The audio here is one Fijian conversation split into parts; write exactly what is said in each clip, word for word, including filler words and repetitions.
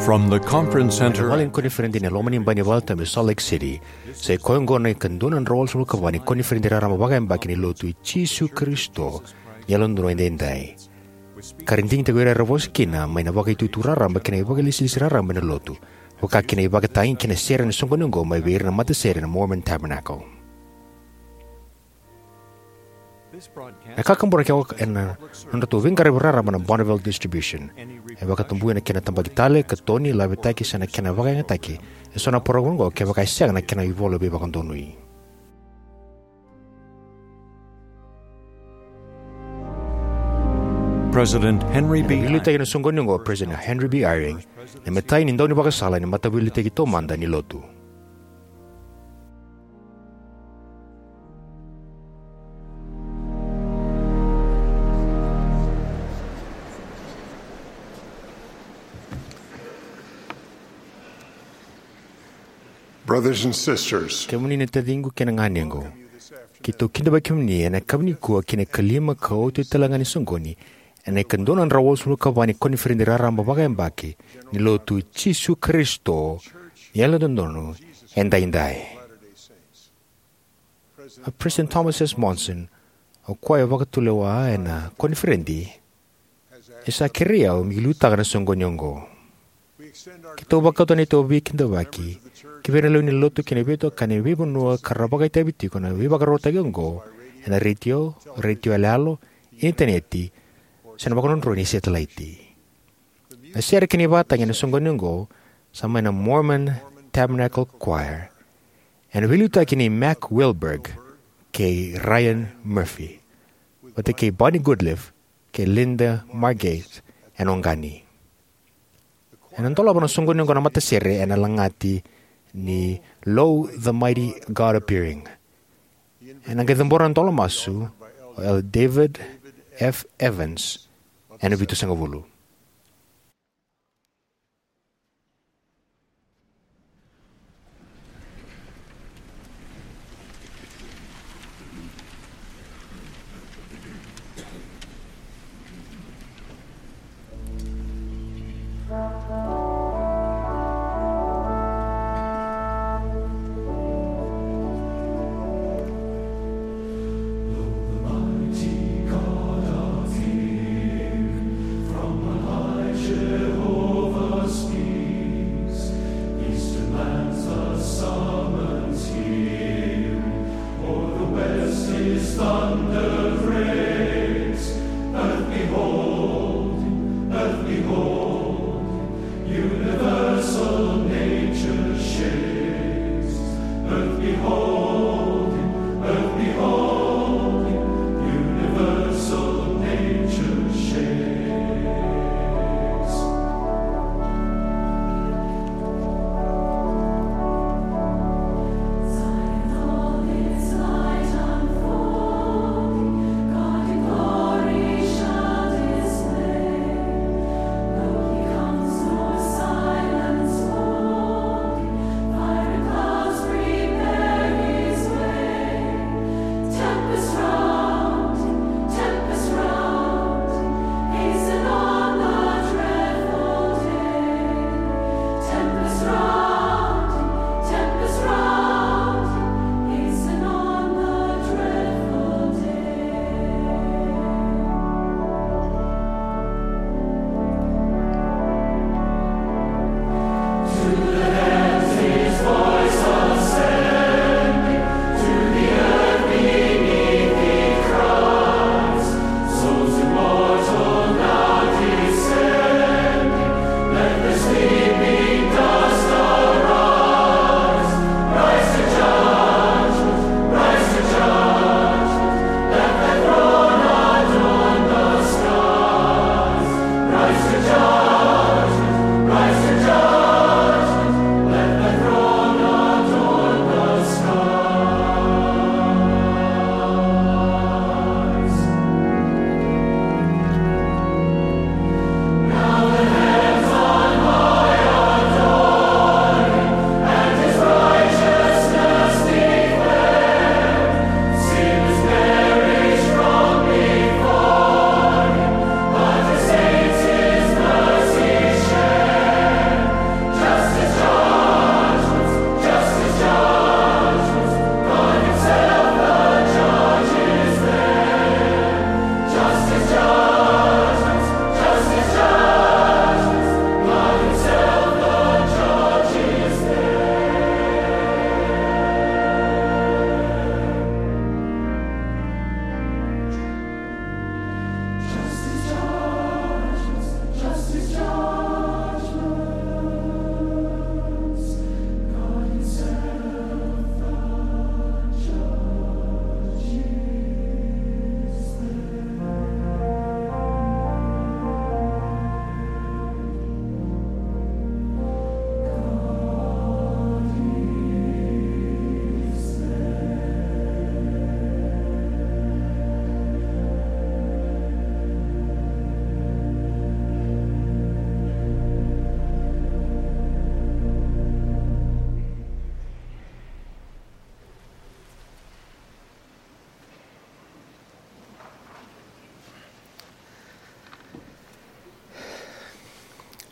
From the conference center. Vale ni koniferedi ena loma ni bai ni valetabu e Salt Lake City, sa i koya oqo na ikadua na drau walusagavulu ka va ni koniferedi raraba vakayabaki ni Lotu i Jisu Karisito ni Yalododonu Edaidai, ka ra digitaki o ira era vosa kina mai na vakaitutu raraba kei na ivakalesilesi raraba ena Lotu, vaka kina ivakatagi kei na sere ena soqoni oqo mai vei ira na matasere ena Mormon Tabernacle. Na kakaburaki oqo ena nodratou veiqaravi raraba na Bonneville Distribution. E vakatabuya na kena tabaki tale, katoni, lavetaki se na kena vakayagataki eso na parokaramu oqo kevaka e sega na kena ivola veivakadonui. President Henry B. Ena veiliutaki ena soqoni oqo o President Henry B. Eyring, na imatai ni daunivakasala ni Mataveiliutaki Taumada ni Lotu. Brothers and sisters, kemuni na taciqu kei na ganequ, keitou kidavaki kemuni ena yakavi nikua ki na ikalima ka oti talega ni soqoni ena ikadua na drau walusagavulu ka va ni koniferedi raraba vakayabaki ni Lotu i Jisu Karisito ni Yalododonu Edaidai. A President Thomas S. Monson, o koya e vakatulewa ena koniferedi, e sa kerei au meu liutaka na soqoni oqo. Keitou vakauta na neitou veikidavaki ki vei ira na lewe ni Lotu kei na veitokani e veivanua ka ra vakaitavi tiko ena veivakarautaki oqo ena retio, retio yaloyalo, initaneti, se na vakadrodroi ni setelaiti. Na sere kei na ivakatagi ena soqoni oqo sa mai na Mormon Tabernacle Choir, ena veiliutaki nei Mac Wilberg kei Ryan Murphy, vata kei Bonnie Goodliff kei Linda Margate ena oqani. Ena dolava na soqoni oqo na matasere ena lagati ni Lo, the Mighty God Appearing. Ena qai cabora na dola masu o Elder David F. Evans ena vitusagavulu.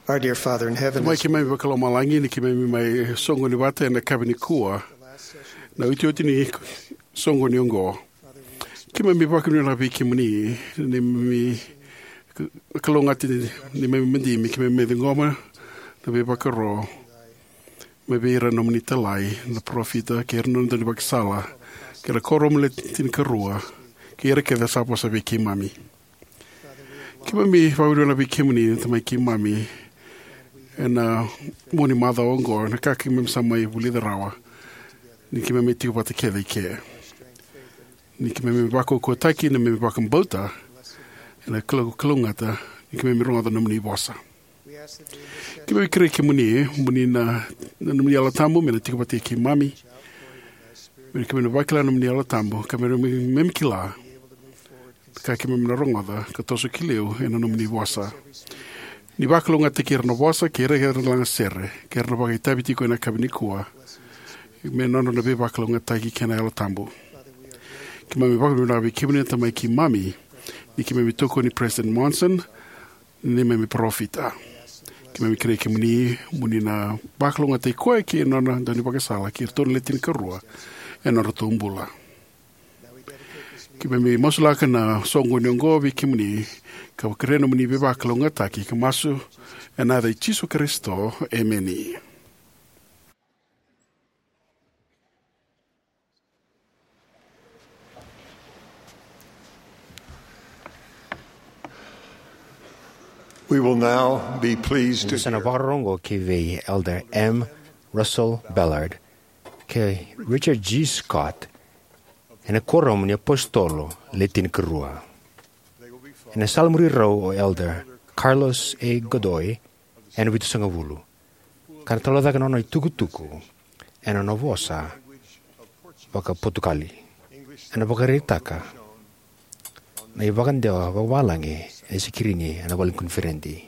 Our dear Father in heaven, Tamai, keimami vakalomalagi ni keimami mai soqoni vata ena yakavi nikua, na iotioti ni soqoni oqo. Keimami vakavinavinaka vei kemuni ni keimami kalougata, ni keimami madigi me keimami mai ciqoma na veivakaro mai vei ira na nomuni italai, na parofita, kei ira na nona daunivakasala, kei ira na kuoramu le tinikarua, kei ira kece sa vosa vei keimami. Keimami vakavinavinaka vei kemuni na Tamai keimami ena mua ni macawa oqo, na ka keimami sa mai vulica rawa ni keimami tiko vata kece eke, ni keimami vakaukauwataki na neimami vakabauta ena kalou- kalougata ni keimami rogoca na nomuni vosa. Keimami kerei kemuni mo ni na, na nomuni Yalo Tabu me na tiko vata kei keimami, me keimami na vakila na nomuni Yalo Tabu, ka me keimami kila ka keimami na rogoca ka toso ki liu ena nomuni vosa. Ni vakalougatataki ira na vosa kei ira era na lagasere kei ira na vakaitavi tiko ena yakavi nikua me nodra na veivakalougatataki kei na Yalo Tabu. Keimami vakavinavinaka vei kemuni na Tamai keimami, ni keimami tokoni President Monson ni neimami parofita. Keimami kerei kemuni mo ni na vakalougatataki koya kei na nona daunivakasala kei iratou na le tinikarua ena nodratou bula. Keimami masulaka na soqoni oqo vei kemuni, ka kerea na nomuni veivakalougatataki, ka masu ena yaca i Jisu Karisito. Emeni. We will now be pleased to Sa na hear vakarorogo ki vei Elder M. Russell Ballard kei Richard G. Scott ena Kuoramu ni iApositolo Le Tinikarua. Ena salamuri rau o Elder Carlos A. Godoy ena Vitusagavulu, ka na talaucaka na nona itukutuku ena nona vosa vakaPotukali. Ena vakaraitaka na ivakadewa vakavalagi ena sikirini ena vale ni koniferedi.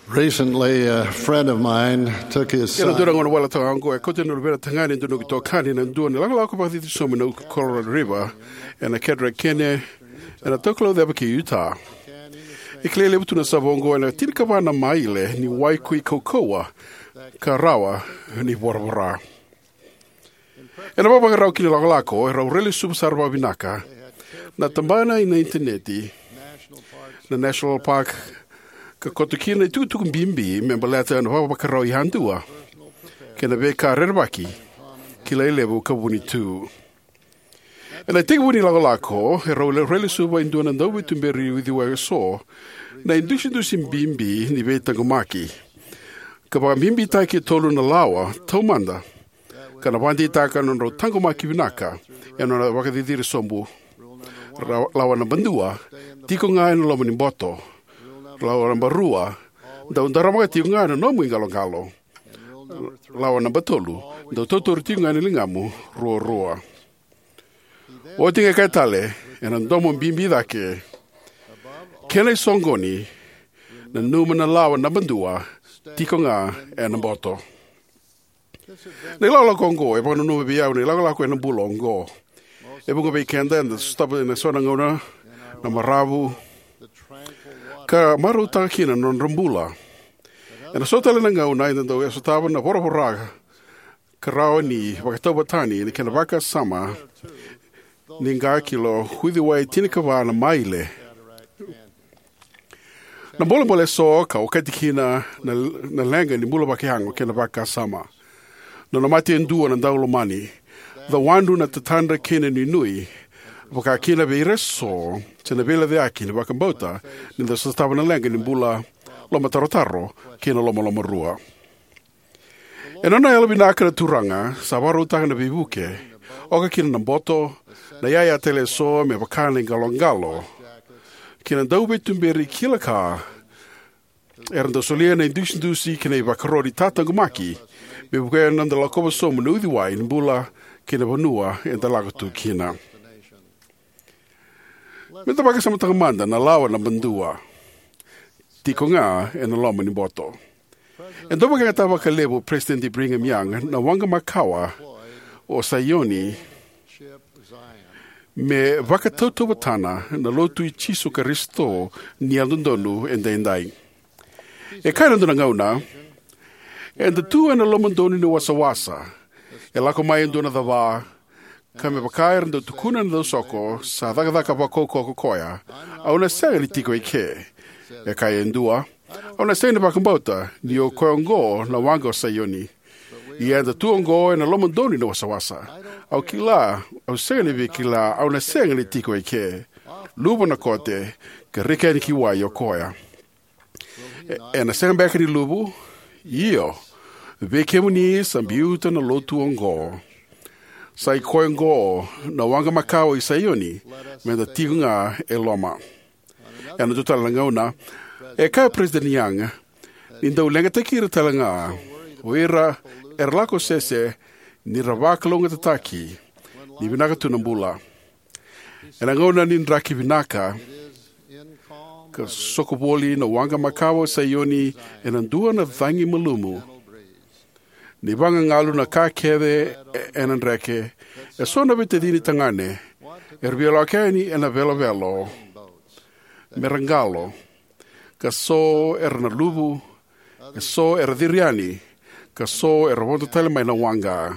Recently, a friend of mine took his Ena dua na son gauna wale toka oqo, e kauta na luvena tagane, dua na itokani, ena dua na ilakolako vakacici sobu ena Colorado River, ena Cataract Canyon, ena Taukauceva kei Utah. E kilai levu tu na sava oqo ena tinikava na maile ni wai koi kaukauwa ka rawa ni voravora. Ena vakavakarau ki na ilakolako, erau railesuva sara vakavinaka na tabana ena initaneti na National Park, ka koto kina na itukutuku bibi me baleta na vakavakarau yadua kei na veika rerevaki, kilai levu ka vuni tu. Ena itekivu ni ilakolako, erau railesuva e dua na dauveituberi uciwai eso na idusidusi bibi ni veitaqomaki, ka vakabibitaki e tolu na lawa taumada ka na vakadeitaka na nodrau taqomaki vinaka ena nona vakaciciri sobu. Ra- lawa naba dua, tiko ga ena loma ni boto. Lawa naba rua, dau daramaka tiko ga na nomu iqaloqalo. Lawa naba tolu, dau tautauri tiko ga na ligamu ruarua. Oti ga e kaya tale ena domo bibi cake, kena isoqoni, nanuma na lawa naba dua, tiko ga ena boto. Na ilakolako oqo e vakananuma vei au na ilakolako ena bula oqo. E vuqa vei keda eda sotava ena so na gauna na maravu ka marautaka kina na nodra bula. Ena so tale na gauna eda dau sotava na voravora ka rawa ni vakatauvatani ena kena vakasama ni qakilo uciwai tinikava na maile. Na bolebole eso ka okati kina na, na leqa ni bula vakayago kei na vakasama. Na nona mate e dua na daulomani, cawadru na tatadra kei na nuinui, vaka kina vei ira eso se na veilecayaki ni vakabauta ni da sotava na leqa ni bula, lomatarotaro kei na lomalomarua. Ena nona yalovinaka na Turaga sa vakarautaka na veivuke, oka kina na boto, na iyaya tale eso me vaka na iqaloqalo kei na dauveituberi kila ka era dau solia na idusidusi kei na ivakaro ni tataqomaki me vukea na noda lakova sobu na uciwai ni bula kei na vanua eda lako tu kina. Me da vakasamataka mada na lawa naba dua, tiko ga ena loma ni boto. E dau vakayagataka vakalevu o Peresitedi Brigham Young na waqa makawa o Saioni me vakatautauvatana na Lotu i Jisu Karisito ni Yalododonu Edaidai. E kaya ena dua na gauna, eda tu ena lomadonu ni wasawasa. E lako mai e dua na cava, ka me vaka era dau tukuna na dausoko sa cakacaka vakaukauwa ko koya, "Au na sega ni tiko eke." E kaya e dua, "Au na sega ni vakabauta ni o koya oqo na waqa o Saioni. Ia eda tu oqo ena lomadonu ni wasawasa. Au kila, au sega ni via kila, au na sega ni tiko eke." Luvu na kote, ka rika yani ki wai o koya. E, ena sega beka ni luvu? Io, vei kemuni sa biuta na Lotu oqo. Sa i koya oqo na waqa makawa i Saioni, meda tiko ga e loma. Ena dua tale na gauna, e kaya o President Young ni dau leqataki ira tale ga o ira era lako sese ni ra vakalougatataki ni vinaka tu na bula. Ena gauna ni draki vinaka, ka soko voli na waqa makawa o Saioni ena dua na cagi malumu. Ni vagagalu na ka kece e-, ena dreke, e so na veitacini tagane era via lako yani ena velovelo me ra qalo, ka so era na luvu, e so era ciri yani, ka so era vodo tale mai na waqa.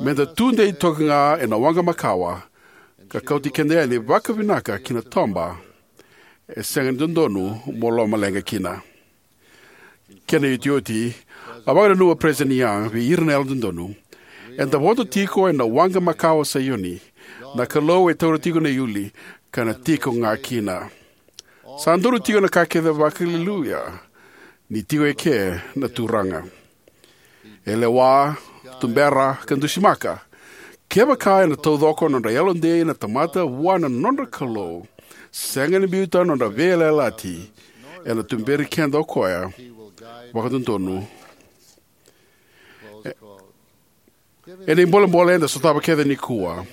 Meda tudei toka ga ena waqa makawa, ka kauti keda yani vakavinaka ki na toba e sega ni dodonu mo lomaleqa kina. Kena iotioti, a vakananuma o President Young vei ira na Yalododonu: "Eda vodo tiko ena waqa makawa o Saioni. Na Kalou e taura tiko na iuli, ka na tiko ga kina." Sa donu tiko na ka kece vaka-Aleluya ni tiko eke na Turaga. E lewa, tubera, ka dusimaka. Kevaka ena taucoko nodra yalodei na tamata vua na nodra Kalou, sega ni biuta nodra veiyalayalati, ena tuberi keda o koya vakadodonu. E, ena ibolebole eda sotava kece nikua.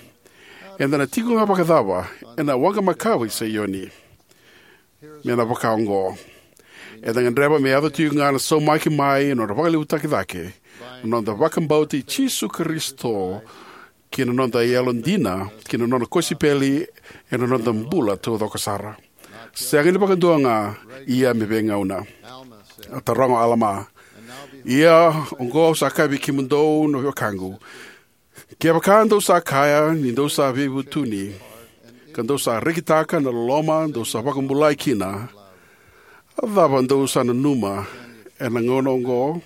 Eda na tiko ga vakacava ena waqa makawa i Saioni? Me na vaka oqo. Eda gadreva me yaco tiko ga na saumaki mai ena nodra vakalevutaki cake na noda vakabauta i Jisu Karisito, kei na noda yalodina ki na nona kosipeli ena noda bula taucoko sara. Sega ni vakadua ga, ia me veigauna. A taroga o Alama: "Ia oqo au sa kaya vei kemudou na wekaqu, kevaka dou sa kaya ni dou sa veivutuni, ka dou sa rekitaka na loloma dou sa vakabulai kina, a cava dou sa nanuma ena gauna oqo?"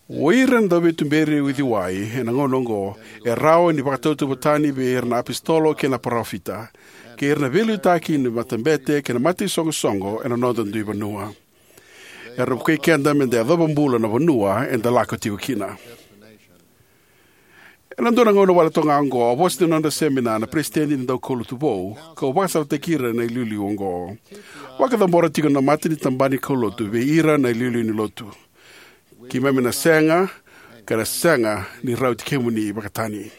O ira na dauveituberi uciwai ena gauna oqo e rawa ni vakatautauvatani vei ira na apositolo kei na parofita, kei ira na veiliutaki ni matabete kei na mataisoqosoqo ena noda dui vanua. Era vukei keda meda yacova bula na vanua eda lako tiko kina. Ena dua na gauna wale toka ga oqo, au vosa ena nodra semina na peresitedi ni daukaulotu vou, kau vakasalataki ira na iliuliu oqo: "Vakacabora tiko na mata ni tabana ni kaulotu vei ira na iliuliu ni lotu. Keimami na sega, ka na sega ni rauti kemuni vakatani.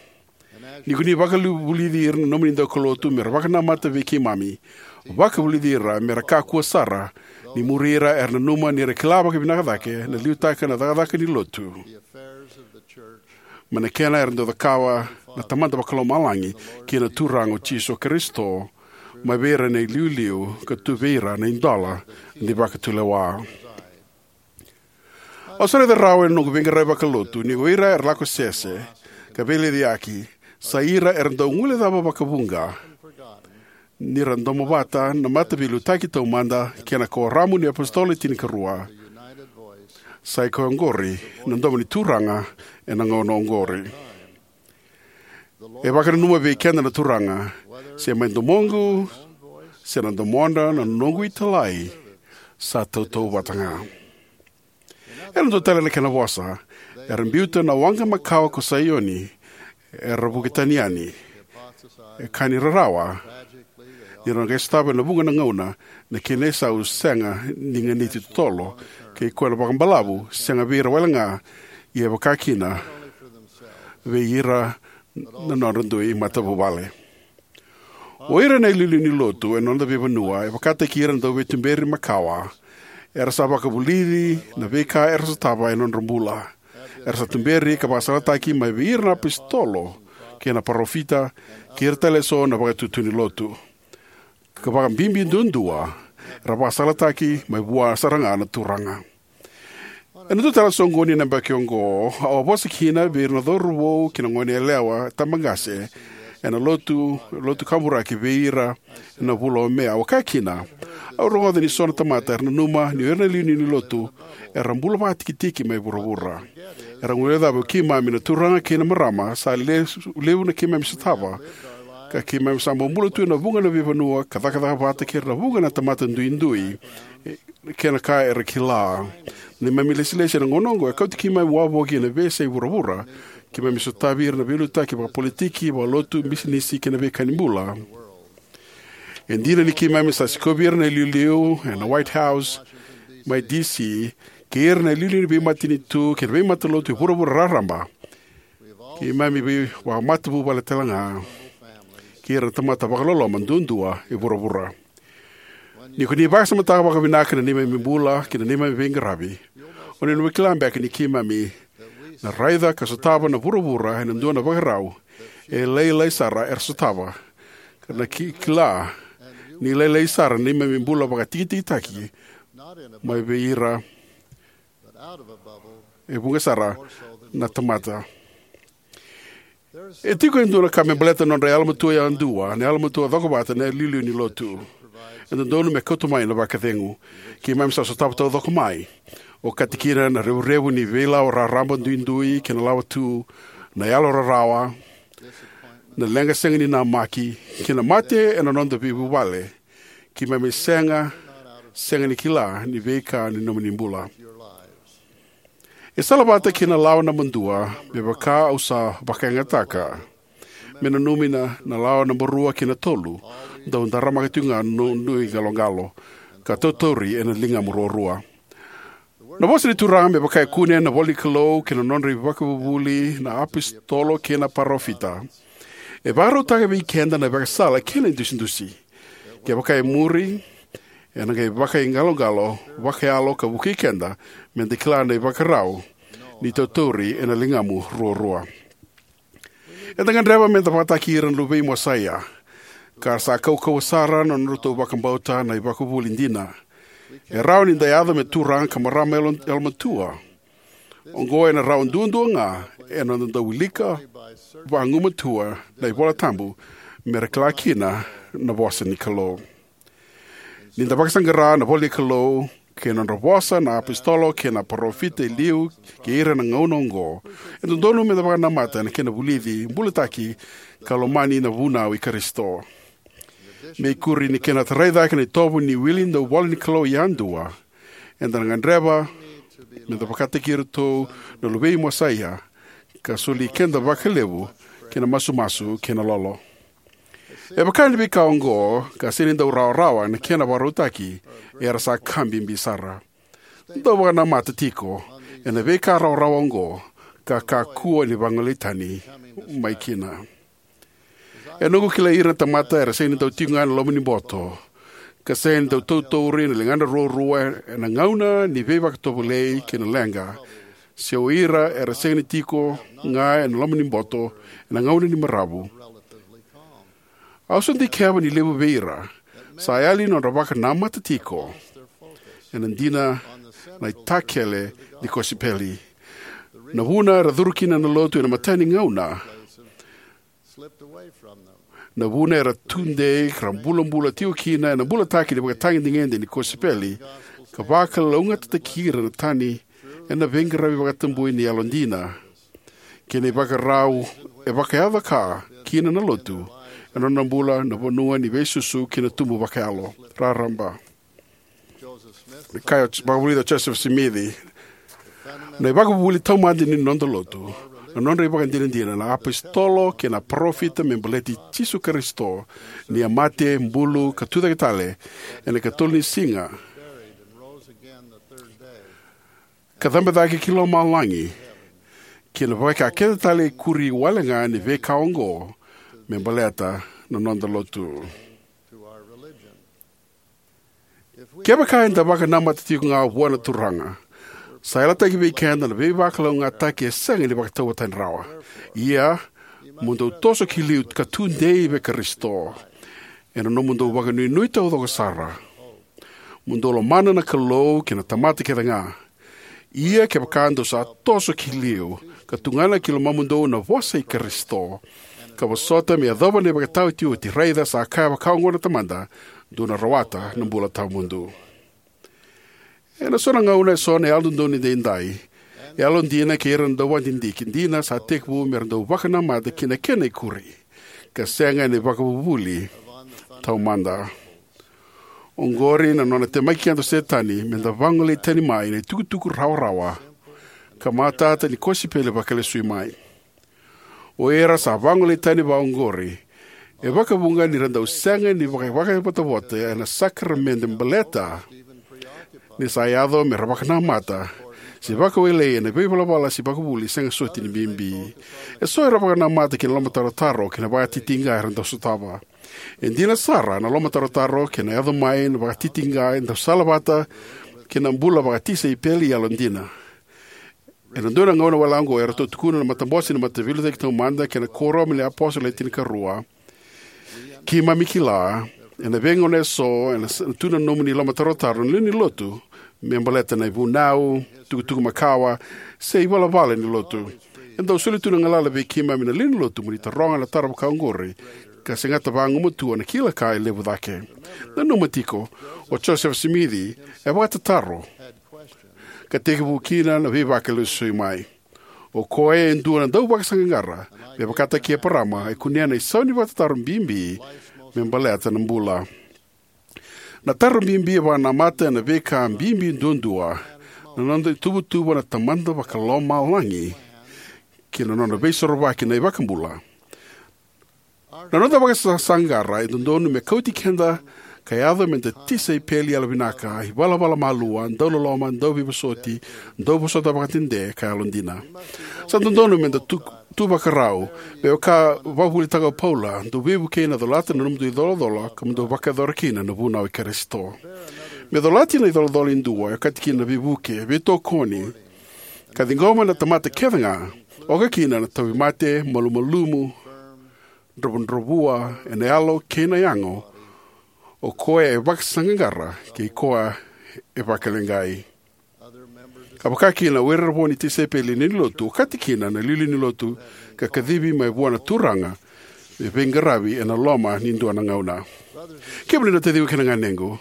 Ni ko ni vakavulici ira na nomuni daukaulotu me ra vakanamata vei keimami, vakavulici ira me ra kakua sara ni muri ira era nanuma ni ra kila vakavinaka cake na liutaka na cakacaka ni lotu, mai na kena era dau cakava na Tamada Vakalomalagi kei na Turaga o Jisu Karisito, mai vei ira na iliuliu ka tu vei ira na idola ni vakatulewa." Au sa raica rawa ena noqu veiqaravi vakalotu ni o ira era lako sese ka veilecayaki sa ira era dau guilecava vakavuqa ni ra domo vata na Mataveiliutaki Taumada kei na Kuoramu ni iApositolo Le Tinikarua. Sa i koya oqori na domo ni Turaga ena gauna oqori. E vakananuma vei keda na Turaga, se mai domoqu, se na domodra na noqu italai, sa tautauvata ga. Ena dua tale na kena vosa, era biuta na waqa makawa ko Saioni, era vuki tani yani. E ka ni rarawa, ni ra qai sotava ena vuqa na gauna na kena isau sega ni ganiti totolo, kei koya na vakabalavu sega vei ira wale ga, ia e vaka kina vei ira na nodra dui matavuvale. O ira na iliuliu ni lotu ena noda veivanua e vakataki ira na dauveituberi makawa. Era sa vakavulici na veika era sotava ena nodra bula. Era sa tuberi ka vakasalataki mai vei ira na apositolo kei na parofita, kei ira tale eso na vakatutu ni lotu. Ka vakabibi duadua, era vakasalataki mai vua sara ga na Turaga. Ena dua tale na soqoni ena yabaki oqo, au a vosa kina vei ira na cauravou kei na goneyalewa tabaqase ena lotu, lotu kaburaki vei ira ena vula o Me. Au a kaya kina, au rogoca ni so na tamata era nanuma ni o ira na iliuliu ni lotu era bula vakatikitiki mai vuravura. Era guilecava o keimami na turaga kei na marama sa le-, levu na keimami sotava, ka keimami sa bobula tu ena vuqa na veivanua ka cakacaka vata kei ira na vuqa na tamata duidui, e, kei na ka era kila. Na neimami ilesilesi ena gauna oqo e kauti keimami wavoki ena veiyasai vuravura. Keimami sotavi ira na veiliutaki vakapolitiki, vakalotu, bisinisi kei na veika ni bula. E dina ni keimami sa sikovi ira na iliuliu ena White House mai D C, kei ira na iliuliu ni veimatanitu kei na veimatalotu e vuravura raraba, keimami veivakamatavuvale tale ga kei ira na tamata vakaloloma duadua e vuravura. Ni ko ni vakasamataka vakavinaka na neimami bula kei na neimami veiqaravi, o ni na kila beka ni keimami na raica ka sotava na vuravura ena dua na vakarau e lailai sara era sotava, ka na ki-, kila ni lailai sara na neimami bula vakatikitikitaki mai vei ira e vuqa sara na tamata. E tiko e dua na ka me baleta na nodra yalomatua yadua, na yalomatua cokovata, na iliuliu ni lotu. E dodonu me kauta mai na vakacegu. Keimami sa sotava taucoko mai, okati kina na revurevu ni veilawa raraba duidui kei na lawa tu, na yalo rarawa, na leqa sega ni namaki, kei na mate ena noda veivuvale. Keimami sega, sega ni kila ni veika ni nomuni bula. E salavata kei na lawa naba dua, me vaka au sa vakayagataka. Me nanumi na, na lawa naba rua kei na tolu, dau daramaka tiko ga na nui qaloqalo, ka tautauri ena ligamu ruarua. Na vosa ni Turaga me vaka e kune na ivola ni Kalou kei na nodra ivakavuvuli na apositolo kei na parofita, e vakarautaka vei keda na ivakasala kei na idusidusi. Kevaka e muri, ena qai vakaiqaloqalo vakayalo ka vukei keda meda kila na ivakarau ni tautauri ena ligamu ruarua. Eda gadreva meda vakataki ira na luvei Mosaia, ka ra sa kaukauwa sara na nodratou vakabauta na ivakavuvuli dina. E rawa ni da yaco me turaga ka marama yalo-, yalomatua. Oqo ena rawa duadua ga ena noda dau wilika vagumatua na iVola Tabu me ra kila kina na vosa ni Kalou. Ni da vakasaqara na ivola ni Kalou kei na nodra vosa na apositolo kei na parofita e liu kei ira na gauna oqo, e dodonu meda vakanamata ena kena vulici, bulataki, ka lomani na vunau i Karisito. Me ikuri ni kena tarai cake na itovo ni wili dau ivola ni Kalou yadua, eda na gadreva meda vakataki iratou na luvei Mosaia, ka soli keda vakalevu ki na masumasu kei na lolo. E vaka ni veika oqo ka sega ni dau rawarawa na kena vakarautaki, era sa ka bibi sara. Dau vakanamata tiko ena veika rawarawa oqo, ka kakua ni vagolei tani mai kina. E noqu kilai ira na tamata era sega ni dau tiko ga ena loma ni boto, ka sega ni dau tautauri na ligana ruarua ena gauna ni veivakatovolei kei na leqa, se o ira era sega ni tiko ga ena loma ni boto ena gauna ni maravu. Au sa dikeva ni levu vei ira sa yali nodra vakanamata tiko ena dina na itakele ni kosipeli. Na vuna era curu kina na lotu ena imatai ni gauna, na vuna era tudei ka ra bulabula tiko kina ena bulataki ni vakatagedegede ni kosipeli, ka vakalougatataki ira na tani ena veiqaravi vakatabui ni yalodina kei na ivakarau e vakayaco ka kina na lotu ena nona bula na vanua ni veisusu kei na tubu vakayalo raraba. Kaya o J-, vakavulica o Joseph Smith, na ivakavuvuli taumada ni noda lotu, na nodra ivakadinadina na apositolo kei na parofita me baleti Jisu Karisito, ni a mate, bulu ka tucake tale ena ikatolu ni siga, ka cabe cake ki lomalagi, kei na veika kece tale e kuri wale ga ni veika oqo me baleta na noda lotu. Kevaka eda vakanamata tiko ga vua na Turaga, sa yalataki vei keda na veivakalougatataki e sega ni vakatauvatani rawa. Ia, Mo dou toso ki liu ka tudei vei Karisito, ena nomudou vakanuinui taucoko sara. Mo dou lomana na Kalou kei na tamata kece ga. Ia kevaka dou sa toso ki liu, ka tugana ki lomamudou na vosa i Karisito, ka vosota me yacova na ivakataotioti, raica sa kaya vakaoqo na Tamada, dou na rawata na bula tawamudu. Ena so na gauna eso na Yalododonu Edaidai, yalodina kei ira na dauvakadidike dina sa tekivu me ra dau vakanamata ki na kena ikuri, ka sega ena ivakavuvuli taumada. Oqori na nona temaki keda o Setani me da vagolei tani mai na itukutuku rawarawa ka matata ni kosipeli vakalesui mai. O ira sa vagolei tani vakaoqori e vakavuqa ni ra dau sega ni vakavotavota ena sakaramede baleta ni sa yaco me ra vakanamata se vakawelei ena veivalavala se ivakavuvuli sega soti ni bibi. Eso era vakanamata ki na lomatarotaro kei na vakatitiqa era dau sotava. E dina sara, na lomatarotaro kei na yaco mai na vakatitiqa e dau salavata kei na bula vakatisaipeli yalodina. Ena dua na gauna wale oqo, eratou tukuna na matabose ni Mataveiliutaki Taumada kei na Kuoramu ni iApositolo Le Tinikarua: Keimami kila, ena veigauna eso, ena s-, tu na nomuni lomatarotaro na lewe ni Lotu me baleta na ivunau, tukutuku makawa, se ivalavala ni Lotu. E dau soli tu na galala vei keimami na lewe ni Lotu mo ni taroga na taro vakaoqori, ka segata vagumatua na kila ka e levu cake. Nanuma tiko, o Josefa Simici e vakatataro ka tekivu kina na veivakalesui mai. O koya e dua na dauvakasaqaqara, me vakataki Eparama, e kunea na isau ni vakatataro bibi me baleta na bula. Na taro bibi e vakanamata ena veika bibi duadua: na noda ituvatuva na Tamada Vakalomalagi kei na nona Veisorovaki na iVakabula. Na noda vakasaqaqara e dodonu me kauti keda ka yaco me da tisaipeli yalovinaka, ivalavala malua, dauloloma, dauveivosoti, dauvosota vakadede, ka yalodina. Sa dodonu me da tu, tu vakarau, me vaka e vakavuvulitaka o Paula: Dou veivukei ena colata na nomudou icolacola, ka mo dou vakayacora kina na vunau i Karisito. Me colati na icolacola e dua e okati kina na veivuke, veitokoni, ka ciqoma na tamata kece ga, oka kina na tauvimate, malumalumu, dravudravua ena yalo kei na yago. O koya e vakasaqaqara kei koya e vakaleqai. Ka vaka kina o ira era vo ni tisaipeli lewe ni Lotu, okati kina na iliuliu ni Lotu, ka kacivi mai vua na Turaga me veiqaravi ena loma ni dua na gauna. Kemuni na taciqu kei na ganequ,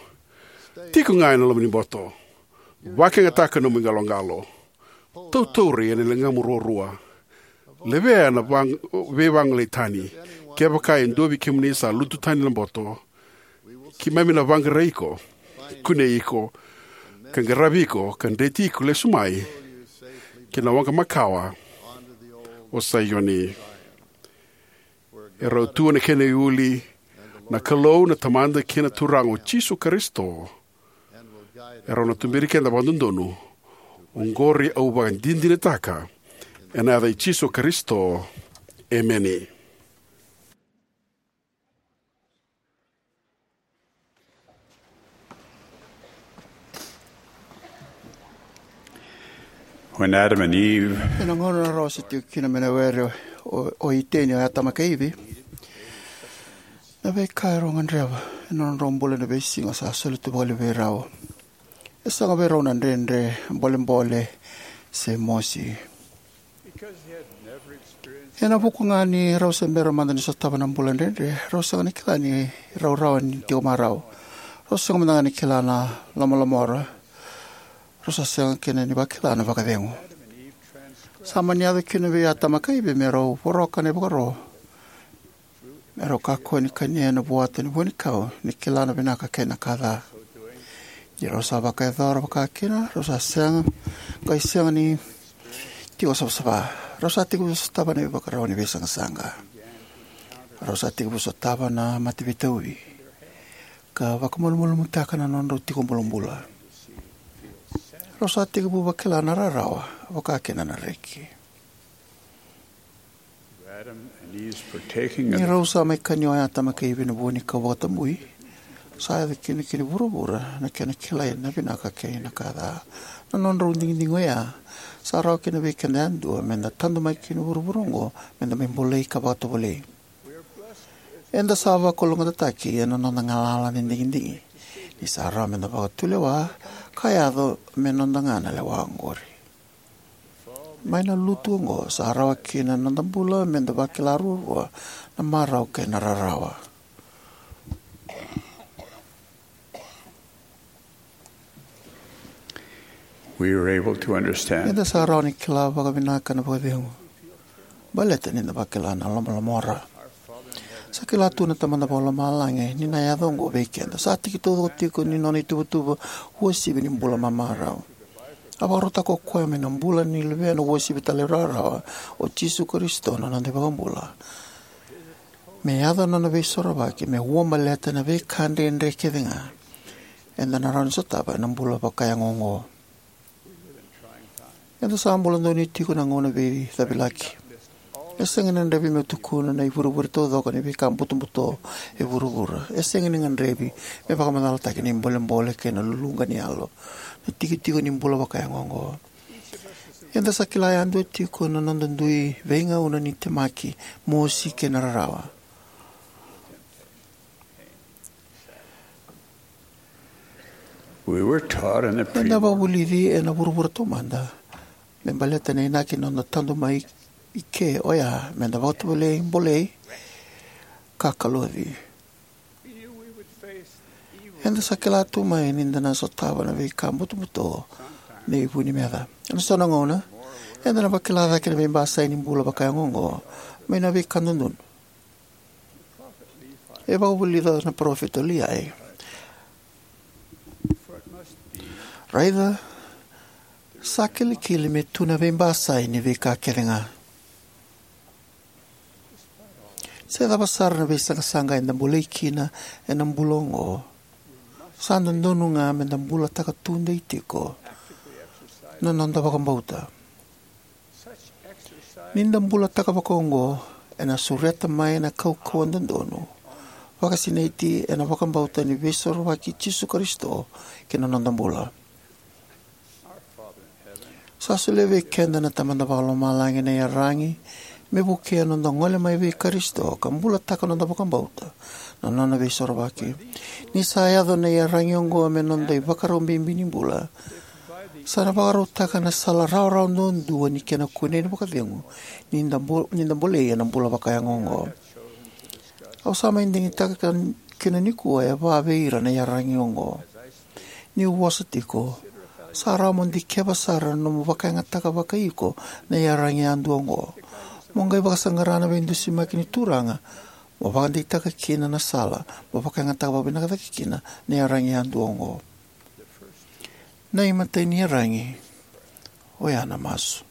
tiko ga ena loma ni boto. Vakayagataka nomu iqaloqalo. Tautauri ena ligamu ruarua. Levea na vag-, veivagolei tani. Kevaka e dua vei kemuni sa lutu tani na boto, keimami na vaqarai iko, kunei iko, ka qaravi iko, ka dreti iko lesu mai ki na waqa makawa, o Saioni. E rau tu na kena iuli na Kalou na Tamada kei na Turaga o Jisu Karisito. E rau na tuberi keda vakadodonu. Oqori au vakadinadinataka ena yaca i Jisu Karisito. Emeni. When Adam and Eve Ena gauna rau se tiko kina mai na were o, o Iteni, o Atama kei Ivi, na veika e rau gadreva ena nodrau bula ena veisiga sa soli tu vakalevu vei rau. E sega vei rau na dredre, bolebole, se mosi. Ena vuku ga ni rau se bera mada ni sotava na bula dredre, rau sega ni kila ni rau rawa ni tiko marau. Rau sega mada ga ni kila na lomalomora. Rau sa sega kina ni vakila na vakacegu. Sa mani yaco kina vei Atama kei Ivi me rau voroka na ivakaro, me rau kakua ni kania na vuata ni vuanikau ni kila na vinaka kei na ka ca. Ni rau sa vakayacora vaka kina, rau sa sega, qai sega ni tiko savasava. Rau sa tekivu sotava na ivakarau ni veisaqasaqa. Rau sa tekivu sotava na mate veitauvi ka vakamalumalumutaka na nodrau tiko bulabula. Rau sa tekivu vakila na rarawa, vaka kina na reki. Ni rau sa mai kania o Atama kei Ivi na vuanikau vakatabui, sa yaco kina ki vuravura na kena kilai na vinaka kei na ka ca. Na nodrau digidigi oya Sa rawa kina vei keda yadua meda tadu mai ki na vuravura oqo meda mai bolei ka vakatovolei. Eda sa vakalougatataki ena noda galala ni digidigi, ni sa rawa meda vakatulewa ka yaco me noda ga na lewa oqori. Mai na lutu oqo, sa rawa kina na noda bula meda vakila ruarua na marau kei na rarawa. We were able to understand. Eda sa rawa ni kila vakavinaka na vakacegu baleta ni da vakila na lomalomora. Sa kila tu na Tamada Vakalomalagi ni na yaco oqo vei keda. Sa tiki taucoko tiko ni nona ituvatuva uasivi ni bula mamarau. A vakarautaka o koya mai na bula ni Luvena uasivi talairawarawa, o Jisu Karisito, na noda iVakabula, me yaco na nona veisorovaki me uabaleta na veika dredre kece ga eda na rawa ni sotava ena bula vakayago oqo. Eda sa bula donuya tiko na gauna veicavilaki. E sega ni gadrevi meu tukuna na ivurevure taucoko ni veika butobuto e vuravura. E sega ni gadrevi me vakamacalataki na ibolebole kei na luluqa ni yalo, na tikotiko ni bula vakayago oqo. Eda sa kila yadua tiko na noda dui veigauna ni temaki, mosi kei na rarawa. We were taught in the pre- Eda vakavulici ena vuravura taumada me baleta na inaki ni noda tadu mai i ke, oya meda vakatovolei, bolei, ka kaloci. Eda sa kila tu mai ni da na sotava na veika butobuto ni vu ni meca. Ena so na gauna, eda na vakila cake na veibasai ni bula vakayago oqo mai na veika dodonu. E vakavulica na parofita o Liai: Raica, sa kilikili me tu na veibasai ni veika kece ga. Se cava sara na veisaqasaqa eda bolei kina ena bula oqo, sa dodonu ga meda bulataka tudei tiko na noda vakabauta. Ni da bulataka vakaoqo, ena sureta mai na kaukauwa dodonu vakasinaiti ena vakabauta ni Veisorovaki i Jisu Karisito ki na noda bula. Sa solia vei keda na Tamada Vakalomalagi na iyaragi me vukea noda gole mai vei Karisito ka bulataka noda vakabauta na nona Veisorovaki. Ni sa yaco na iyaragi oqo me noda ivakarau bibi ni bula, sa na vakarautaka na sala rawarawa duadua ni kena kunei na vakacegu ni da bo-, ni da bolei ena bula vakayago oqo. Au sa mai digitaka ka-, kina nikua e va vei ira na iyaragi oqo. Niu vosa tiko, sa rawa mo dikeva sara na nomu vakayagataka vakaiiko na iyaragi yadua oqo. Mo qai vakasaqara na veidusimaki ni Turaga mo vakadeitaka kina na sala mo vakayagataka vakavinaka cake kina na iyaragi yadua oqo. Na imatai ni iyaragi, oya na masu.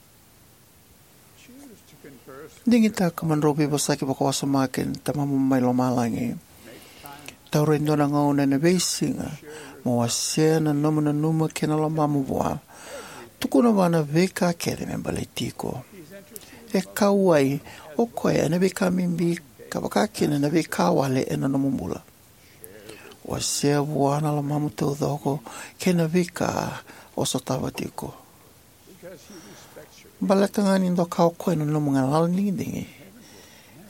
Digitaka mo drau veivosaki vakawasoma kei na Tamamu mai Lomalagi. Taura e dua na gauna ena veisiga mo wasea na nomu nanuma kei na lomamu vua. Tukuna vua na veika kece me baleti iko. E kauwai o koya ena veika bibi, ka vaka kina na veika wale ena nomu bula. Wasea vua na lomamu taucoko kei na veika o sotava tiko. Baleta ga ni doka o koya na nomu galala ni digidigi,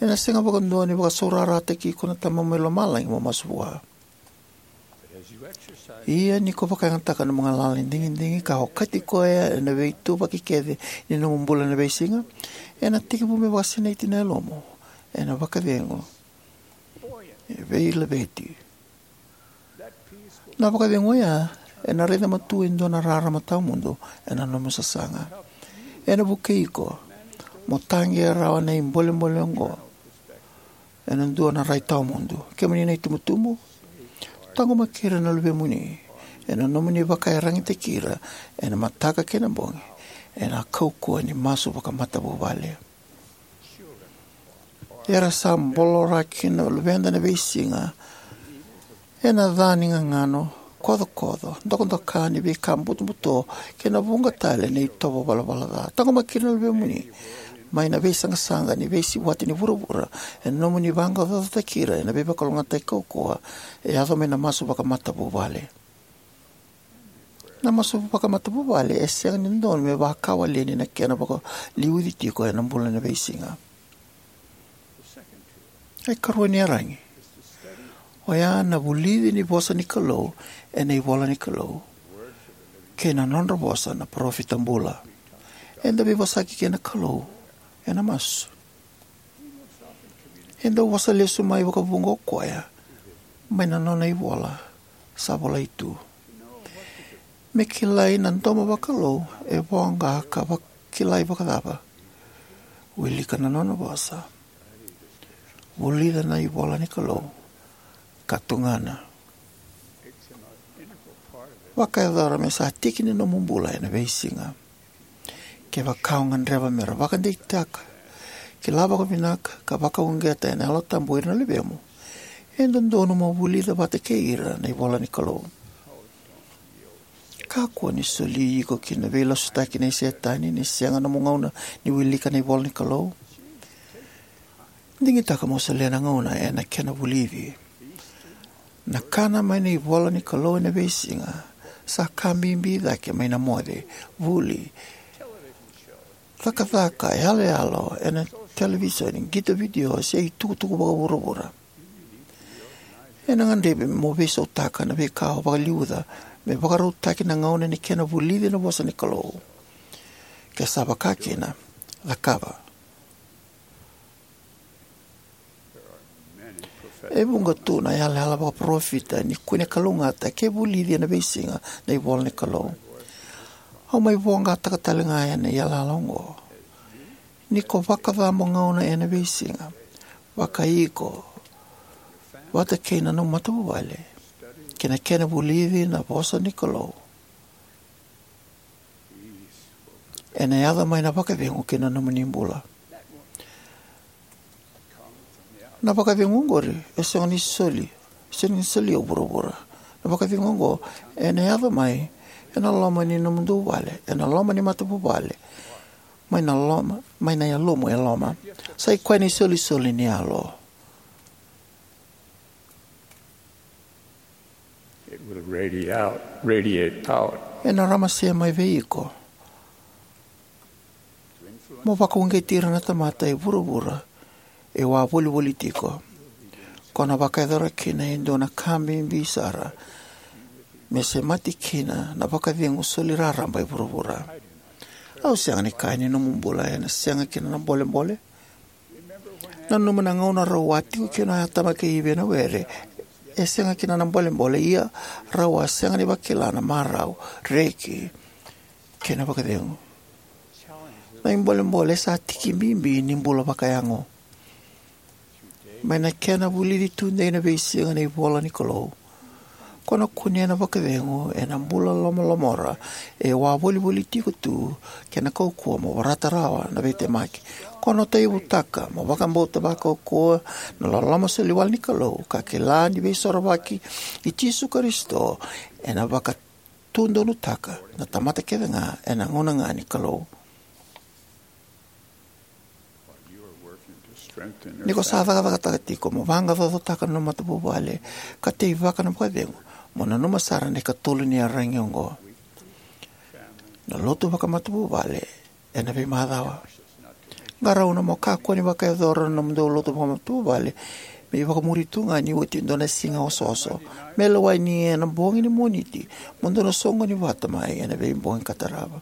ena sega vakadua ni vakasaurarataki iko na Tamamu mai Lomalagi mo masu vua. Ia ni ko vakayagataka na nomu galala ni digidigi ka okati koya ena veituvaki kece ni nomu bula ena veisiga, ena tekivu me vakasinaiti na yalomu, ena vakacegu, e veilaveti. Na vakacegu oya ena raica matua e dua na rarama tawamudu ena nomu sasaga. Ena vukei iko mo taqea rawa na ibolebole oqo ena dua na rai tawamudu. Kemuni na itubutubu, taqomaki ira na luvemuni ena nomuni vakaiyaragitaki ira ena mataka kei na bogi ena kaukauwa ni masu vakamatavuvale. Era sa bolora kina na luveda na veisiga ena ca ni gagano, kocokoco, dokadoka ni veika butobuto kei na vuqa tale na itovo valavala ca. Taqomaki ira na luvemuni mai na veisaqasaqa ni veisiwati ni vuravura ena nomuni vaqaqacotaki ira ena veivakalougatataki kaukauwa e yaco mai na masu vakamatavuvale. Na masu vakamatavuvale e sega ni dodonu me vakawaleni na kena vakaliuci tiko ena bula ena veisiga. E karua ni yaragi oya na vulici ni vosa ni Kalou ena ivola ni Kalou kei na nodra vosa na parofita bula. Eda veivosaki kei na Kalou ena masu. E dau vosa lesu mai vakavuqa o koya mai na nona ivola sa volai tu. Me kilai na domo vakalou e voqa ka vakilai vakacava? Wilika na nona vosa. Vulica na ivola ni Kalou ka tugana. Vakayacora me sa tiki ni nomu bula ena veisiga. Kevaka o gadreva me ra vakadeitaka, kila vakavinaka, ka vakauqeta ena Yalo Tabu o ira na luvemu, e dodonu mo vulica vata kei ira na ivola ni Kalou. Kakua ni soli iko ki na veilasutaki nei Setani ni sega nomu gauna ni wilika na ivola ni Kalou. Digitaka mo solia na gauna ena kena vulici. Na kana mai na ivola ni Kalou ena veisiga sa ka bibi cake mai na moce, vuli, cakacaka yaloyalo ena televisoni, qito vidio, se itukutuku vakavuravura. Ena gadrevi mo veisautaka na veika o vakaliuca me vakarautaki na gauna ni kena vulici na vosa ni Kalou. Ke sa vakakina, cakava. E vuqa tu na yalayala vakaparofita ni kune kalougata ke vulici ena veisiga na ivola ni Kalou. Au mai voqataka tale ga ena yalayala oqo. Ni ko vakacabo gauna ena veisiga, vakaiko vata kei na nomu matavuvale ki na kena vulici na vosa ni Kalou, ena yaco mai na vakacegu ki na nomuni bula. Na vakacegu oqori e sega ni soli, sega ni solia o vuravura. Na vakacegu oqo ena yaco mai ena loma ni nomudou vale, ena loma ni matavuvale, mai na loma, mai na yalomu e loma. Sa i koya na isolisoli ni Yalo. It will radiate out, radiate out. Ena ramase mai vei iko mo vakauqeti ira na tamata e vuravura e wavolivoli tiko. Ko na vakayacora kina e dua na ka bibi sara me semati kina na vakacegu soli raraba e vuravura. Au sega ni kaya ni nomu bula ena sega kina na bolebole. Nanuma na gauna rau a tiko kina o Atama kei Ivi ena were, e sega kina na bolebole, ia rau a sega ni vakila na marau, reki, kei na vakacegu. Na ibolebole sa tiki bibi ni bula vakayago. Mai na kena vulici tudei na veisiga na ivola ni Kalou, ko na kunea na vakacegu ena bula lomalomora e wavolivoli tiko tu kei na kaukauwa mo vorata rawa na veitemaki. Ko na tauyavutaka mo vakabauta vakaukauwa na loloma soli wale ni Kalou ka kila ni Veisorovaki i Jisu Karisito ena vakatudonutaka na tamata kece ga ena gauna ga ni Kalou. Ni ko sa cakacakataka tiko mo vaqaqacotaka na nomu matavuvale ka teivaka na vakacegu, mo nanuma sara na ikatolu ni yaragi oqo: na lotu vakamatavuvale ena veimacawa. Qarauna mo kakua ni vakayacora na nomudou lotu vakamatavuvale me ivakamuri tu ga ni oti e dua na siga osooso. Me lewai ni ena bogi ni Moniti mo dou na soqoni vata mai ena veibogi ka tarava.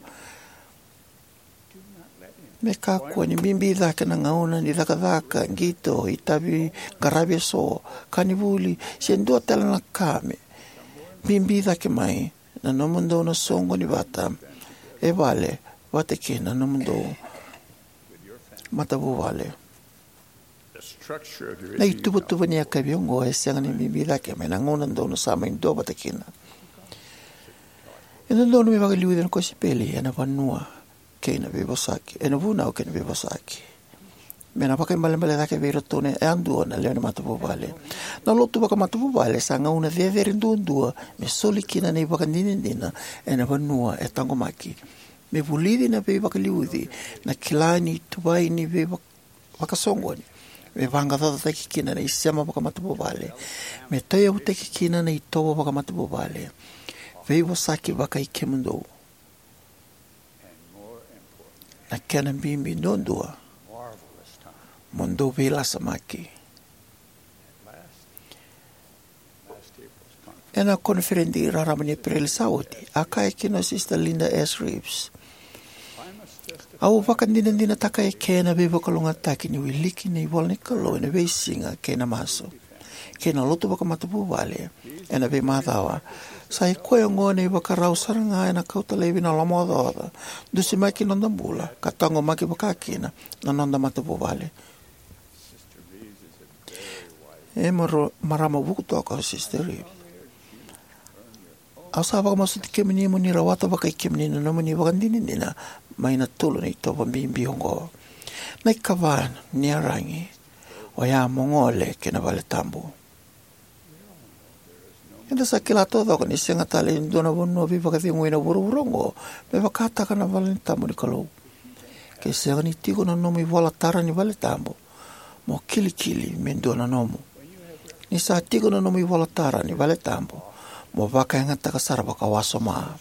Me kakua ni bibi cake na gauna ni cakacaka, qito, itavi, qaravi eso, ka ni vuli, se dua tale na ka me bibi cake mai na nomudou na soqoni vata e vale vata kei na nomudou matavuvale. Na ituvatuva ni yakavi oqo e sega ni bibi cake mai na gauna dou na sa mai duavata kina. E dodonu me vakaliuci na kosipeli ena vanua kei na veivosaki, ena vunau kei na veivosaki, me na vakaibalebale cake vei iratou yadua na lewe ni matavuvale. Na lotu vakamatavuvale sa gauna cecere duadua me soli kina na ivakadinadina ena vanua e taqomaki, me vulici na veivakaliuci, na kila ni tuvai ni veivak- vakasoqoni, me vaqaqacotaki kina na isema vakamatavuvale, me tauyavutaki kina na itovo vakamatavuvale. veivosaki vakai kemudou. Na kena bibi duadua, mo dou veilasamaki. Ena koniferedi raraba ni Epereli sa oti, a kaya kina o Sister Linda S. Reeves: Au vakadinadinataka eke na veivakalougatataki ni wiliki ni ivola ni Kalou ena veisiga kei na masu, kei na lotu vakamatavuvale ena veimacawa. Sa i koya oqo na ivakarau sara ga ena kauta laivi na lomaocaoca, dusimaki noda bula, ka taqomaki vakakina na noda matavuvale. E maro-, marama vuku toka o Sister Reeves. Au sa vakamasuti kemuni mo ni rawata vakai kemuni na nomuni vakadinadina mai na tolu na itovo bibi oqo. Na ikava ni yaragi, oya mo gole ki na vale tabu. Eda sa kila taucoko ni sega tale e dua na vanua veivakacegui ena vuravura oqo me vakataka na vale tabu ni Kalou. Ke sega ni tiko na nomu ivola tara ni vale tabu, mo kilikili me dua na nomu. Ni sa tiko na nomu ivola tara ni vale tabu, mo vakayagataka sara vakawasoma.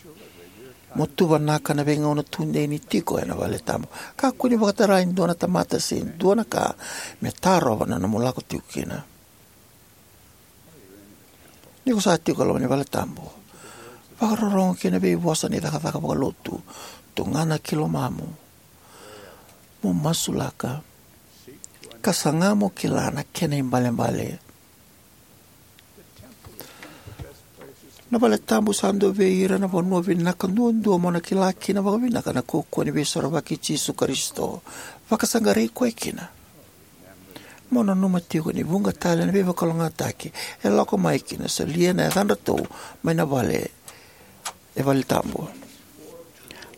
Mo tuvanaka na veigauna tudei ni tiko ena vale tabu. Kakua ni vakatara e dua na tamata se dua na ka me tarova na nomu lako tiko kina. Ni ko sa tiko e loma ni vale tabu, vakarorogo ki na veivosa ni cakacaka vakalotu, tugana ki lomamu, mo masulaka, ka saga mo kila na kena ibalebale. Na vale tabu sa dua vei ira na vanua vinaka duadua mo na kila kina vakavinaka na kaukauwa ni Veisorovaki i Jisu Karisito. Vakasaqarai koya kina. Mo nanuma tiko ni vuqa tale na veivakalougatataki e lako mai ki na solia na yacadratou mai na vale, e vale tabu.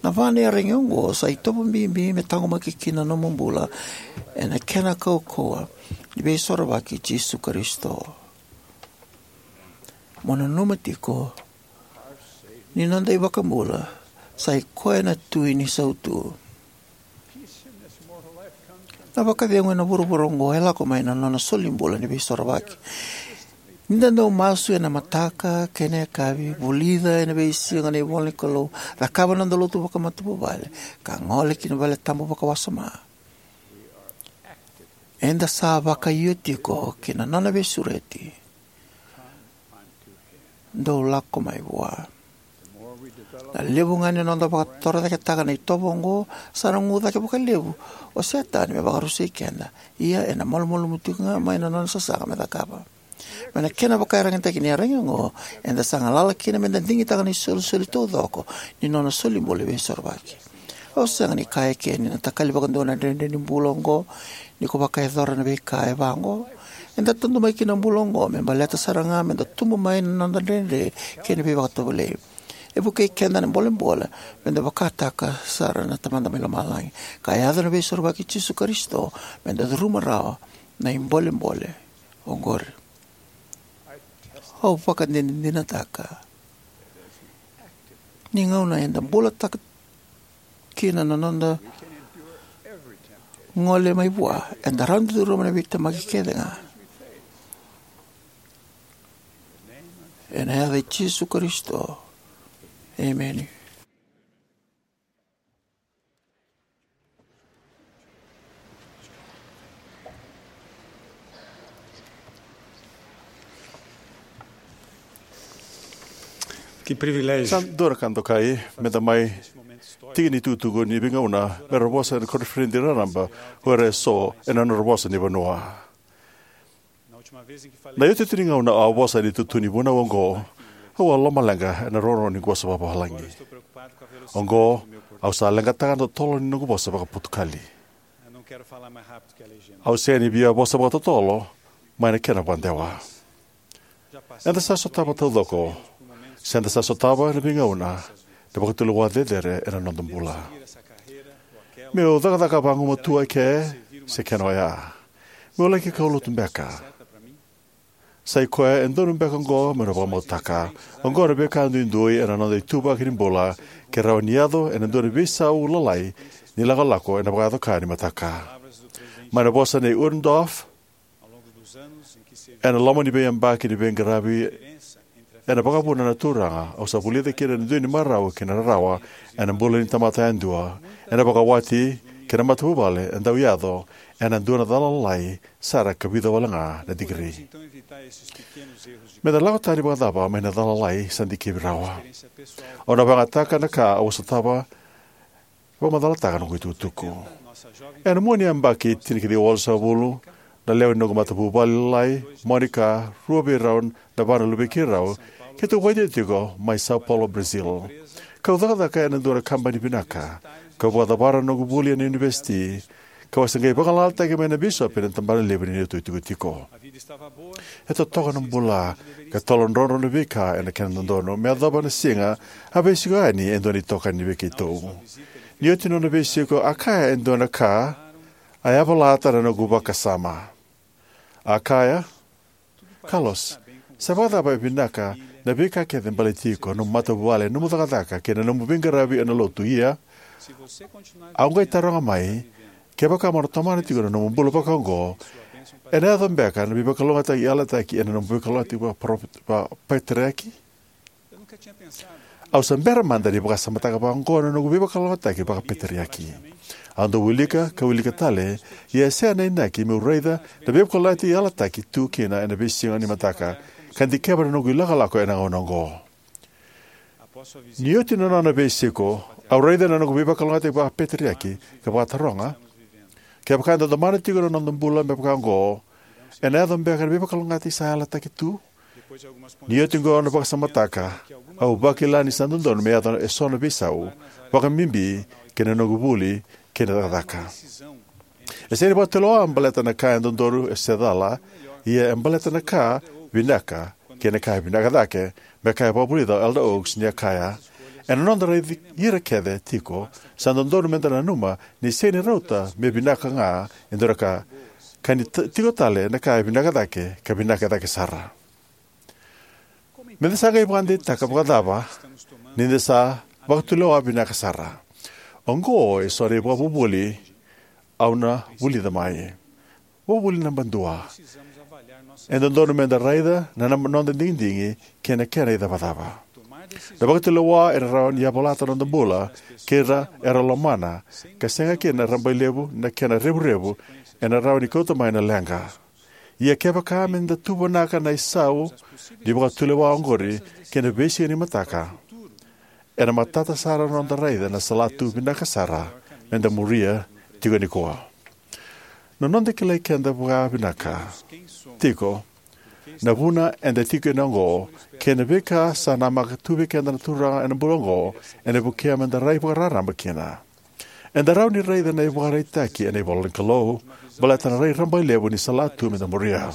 Na va na yaragi oqo sa itovo bibi me taqomaki kina na nomu bula ena kena kaukauwa ni Veisorovaki i Jisu Karisito. Mo nanuma tiko ni noda iVakabula sa i koya na Tui ni sautu. Na vakacegu ena vuravura oqo e lako mai na nona solibula ni Veisorovaki. Ni da dau masu ena mataka kei na yakavi, vulica ena veisiga na ivola ni Kalou, cakava na noda lotu vakamatavuvale, ka gole ki na vale tabu vakawasoma, eda sa vakaio tiko ki na nona veisureti. Dou lako mai vua. Na levu ga ni noda vakatorocaketaka na itovo oqo, sa na gu cake vakalevu o Setani me vakarusai keda. Ia ena malumalumu tiko ga mai na nona sasaga me cakava. Mai na kena vakaiyaragitaki ni yaragi oqo, eda sa galala kina meda digitaka na isolisoli taucoko ni nona solibula ni Veisorovaki. Au sega ni kaya eke ni na takali vakadua na dredre ni bula oqo ni ko vakayacora na veika e va oqo. Eda tadu mai ki na bula oqo me baleta sara ga meda tubu mai na noda dredre kei na veivakatovolei. E vukei keda na bolebole meda vakataka sara na Tamada mai Lomalagi, ka yaco na Veisorovaki i Jisu Karisito, meda curuma rawa na ibolebole oqori. Au vakadinadinataka ni gauna eda bulataka kina na noda gole mai vua, eda rawa ni curuma na veitemaki kece ga. Ena yaca i Jisu Karisito, emeni. Ki privilejiu. Sa dua na ka dokai meda mai tiki ni tukutuku ni veigauna mera vosa ena koniferedi raraba o ira eso ena nodra vosa ni vanua. Na iotioti ni gauna au a vosa ena itutu ni vunau oqo, au a lomaleqa ena rorogo ni vosa vakavalagi. Oqo, au sa leqataka na totolo ni noqu vosa vakaPotukali. Au sega ni via vosa vakatotolo mai na kena vakadewa. Eda sa sotava taucoko, se eda sa sotava ena veigauna, na vakatulewa cecere ena noda bula. Meu cakacaka vagumatua eke, se kena oya. Meu laki kaulotu beka. Sa i koya e donu beka oqo meu na vakamautaka. Oqo na veika duidui ena noda ituvaki ni bula, ke rawa ni yaco ena dua na veisau lalai ni lakolako ena vakayaco ka ni mataka. Mai na vosa nei Uchtdorf, ena loma ni veiyabaki ni veiqaravi ena vakavuna na Turaga, au sa vulica kina e dua na marau kei na rarawa ena bula ni tamata yadua, ena vakawati kei na matavuvale e dau yaco ena dua na cala lalai sara ka vica walega na tikiri. Meda lako tani vakacava mai na cala lalai sa dikevi rawa? Au na vakayagataka na ka au a sotava vakamacalataka noqu itukutuku. Ena mua ni yabaki tinikaciwa walusagavulu, na lewe ni noqu matavuvale lalai, Monica, rua vei rau na va na luvei keirau, keitou vakaitikotiko mai Sao Paulo, Brazil. Kau cakacaka ena dua na kabani vinaka, kau vakacavara na noqu vuli ena univesiti, kau a se qai vagalalataki mai na bisopi ena tabana levu ni neitou itikotiko. E totoka na bula, ka toladrodro na veika ena kena dodonu. Me yacova na siga, a veisiko yani e dua na itokani vei keitou. Ni oti na nona veisiko, a kaya e dua na ka a yavalata na noqu vakasama. A kaya, "Carlos, sa vakacava e vinaka na veika kece baleti iko, nomu matavuvale, nomu cakacaka, kei na nomu veiqaravi ena lotu, ia au qai taroga mai, kevaka mo na tomana tiko na nomu bula vakaoqo, ena yaco beka na veivakalougatataki yalataki ena nomu veivakalougatataki vakapatriaki?" Au sa bera mada ni vakasamataka vakaoqo na noqu veivakalougatataki vakapeteriaki. Au dau wilika ka wilika tale, ia e sega na inaki meu raica na veivakalougatataki yalataki tu kina ena veisiga ni mataka, ka dikeva na noqu ilakolako ena gauna oqo. Ni oti na nona veisiko, au raica na noqu veivakalougatataki vakapeteriaki ka vakataroga, kevaka eda domona tiko na noda bula me vakaoqo, ena yaco beka na veivakalougatataki sa yalataki tu? Ni oti oqo na vakasamataka, au vakila ni sa dodonu me yaco eso na veisau, vakabibi kei na noqu vuli kei na cakacaka. E sega ni vakatulewa baleta na ka e dodonu se cala, ia e baleta na ka vinaka kei na ka e vinaka cake, me ka e vakavulica o Elder Oaks ni a kaya, ena noda raici ira kece tiko, sa dodonu meda nanuma ni sega ni rauta me vinaka ga e dua na ka, ka ni t- tiko tale na ka e vinaka cake, ka vinaka cake sara. Meda sa qai vakadeitaka vakacava ni da sa vakatulewa vinaka sara? Oqo eso na ivakavuvuli au na vulica mai. Vakavuvuli naba dua. E dodonu meda raica na, na noda digidigi kei na kena icavacava. Na vakatulewa ena rawa ni yavalata na noda bula kei ira era lomana, ka sega kina na rabailevu na kena revurevu ena rawa ni kauta mai na leqa. Ia kevaka meda tuvanaka na isau ni vakatulewa oqori kei na veisiga ni mataka, ena matata sara na noda raica na salatu vinaka sara meda muria tiko nikua. Na noda kilai keda vakavinaka tiko, na vuna eda tiko kina oqo, kei na veika sa namaka tu vei keda na Turaga ena bula oqo, ena vukea meda rai vakararaba kina. Eda rawa ni raica na ivakaraitaki ena ivola ni Kalou baleta na rai rabailevu ni salatu meda muria.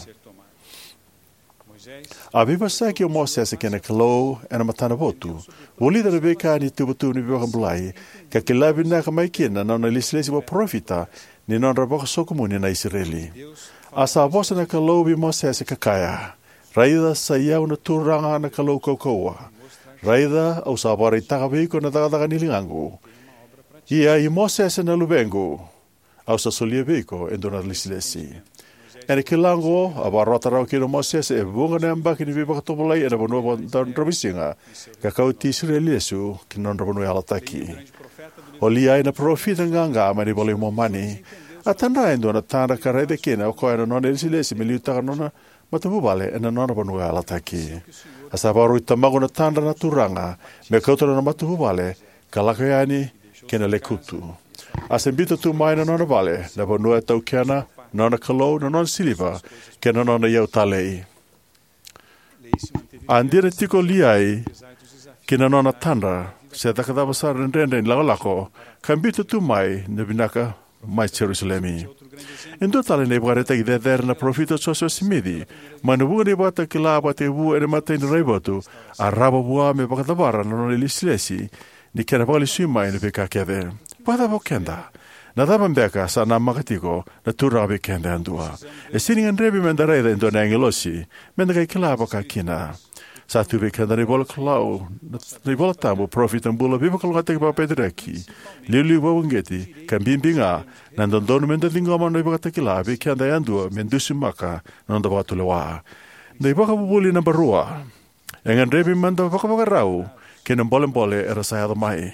A veivosaki o Mosese kei na Kalou ena matana votu, vulica na veika ni ituvatuva ni veivakabulai, ka kila vinaka mai kina na nona ilesilesi vakaparofita ni nodra vakasokumuni na Isireli. A sa vosa na Kalou vei Mosese ka kaya, "Raica, sa i au na Turaga na Kalou kaukauwa. Raica, au sa vakaraitaka vei iko na cakacaka ni ligaqu. Ia i Mosese na luvequ, au sa solia vei iko e dua na ilesilesi." Ena kila oqo, a vakarota rawa kina o Mosese e vuqa na yabaki ni veivakatovolei ena vanua vaka- dravuisiga, ka kauti Isireli lesu ki na nodra vanua yalataki. O Liai na parofita qaqa mai na iVola i Momani, a tadra e dua na tadra ka raica kina o koya na nona ilesilesi me liutaka na nona matavuvale ena nona vanua yalataki. A sa vakaroti tamaqu na tadra na Turaga me kauta na nona matavuvale ka lako yani ki na lekutu. A sa biuta tu mai na nona vale, na vanua e taukena, na nona kalou, na nona siliva, kei na nona iyau talei. A dina tiko o Liai ki na nona tadra, se caka cava sara na dredre ni lakolako, ka biuta tu mai na vinaka mai Jerusalemi. E dua tale na ivakaraitaki cecere na parofita o Josefa Simici, mai na vuqa na ivakatakila vakatekivu ena imatai ni raivotu, a rawa vua me vakacavara na nona ilesilesi ni kena vakalesui mai na veika kece. Vakacava o keda? Na cava beka sa namaka tiko na Turaga vei keda yadua? E sega ni gadrevi meda raica e dua na agilosi meda qai kila vaka kina. Sa tu vei keda na ivola Kalou, na ivola tabu, parofita bula, veivakalougatataki vakapeteriaki, iliuliu vakauqeti, ka bibi ga na dodonu meda ciqoma na ivakatakila vei keda yadua me dusimaka na noda vakatulewa. Na ivakavuvuli naba rua. E gadrevi meda vakavakarau ki na bolebole era sa yaco mai.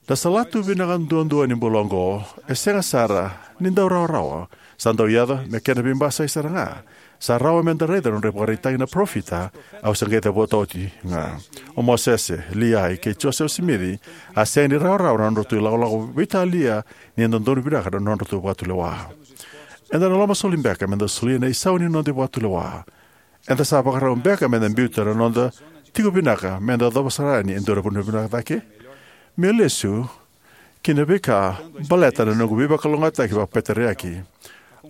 Na salatu vinaka duadua ni bula oqo e sega sara ni dau rawarawa. Sa dau yaco me kena veibasai sara ga. Sa rawa meda raica na nodra ivakaraitaki na parofita au sa qai cavuta oti ga. O Mosese, Liai, kei Josefa Simici a sega ni rawarawa na nodratou ilakolako veitalia ni dodonu vinaka na nodratou vakatulewa. Eda na lomasoli beka meda solia na isau ni noda vakatulewa? Eda sa vakarau beka meda biuta na noda tiko vinaka meda yacova sara yani e dua na vanua vinaka cake? Meu lesu ki na veika baleta na noqu veivakalougatataki vakapeteriaki,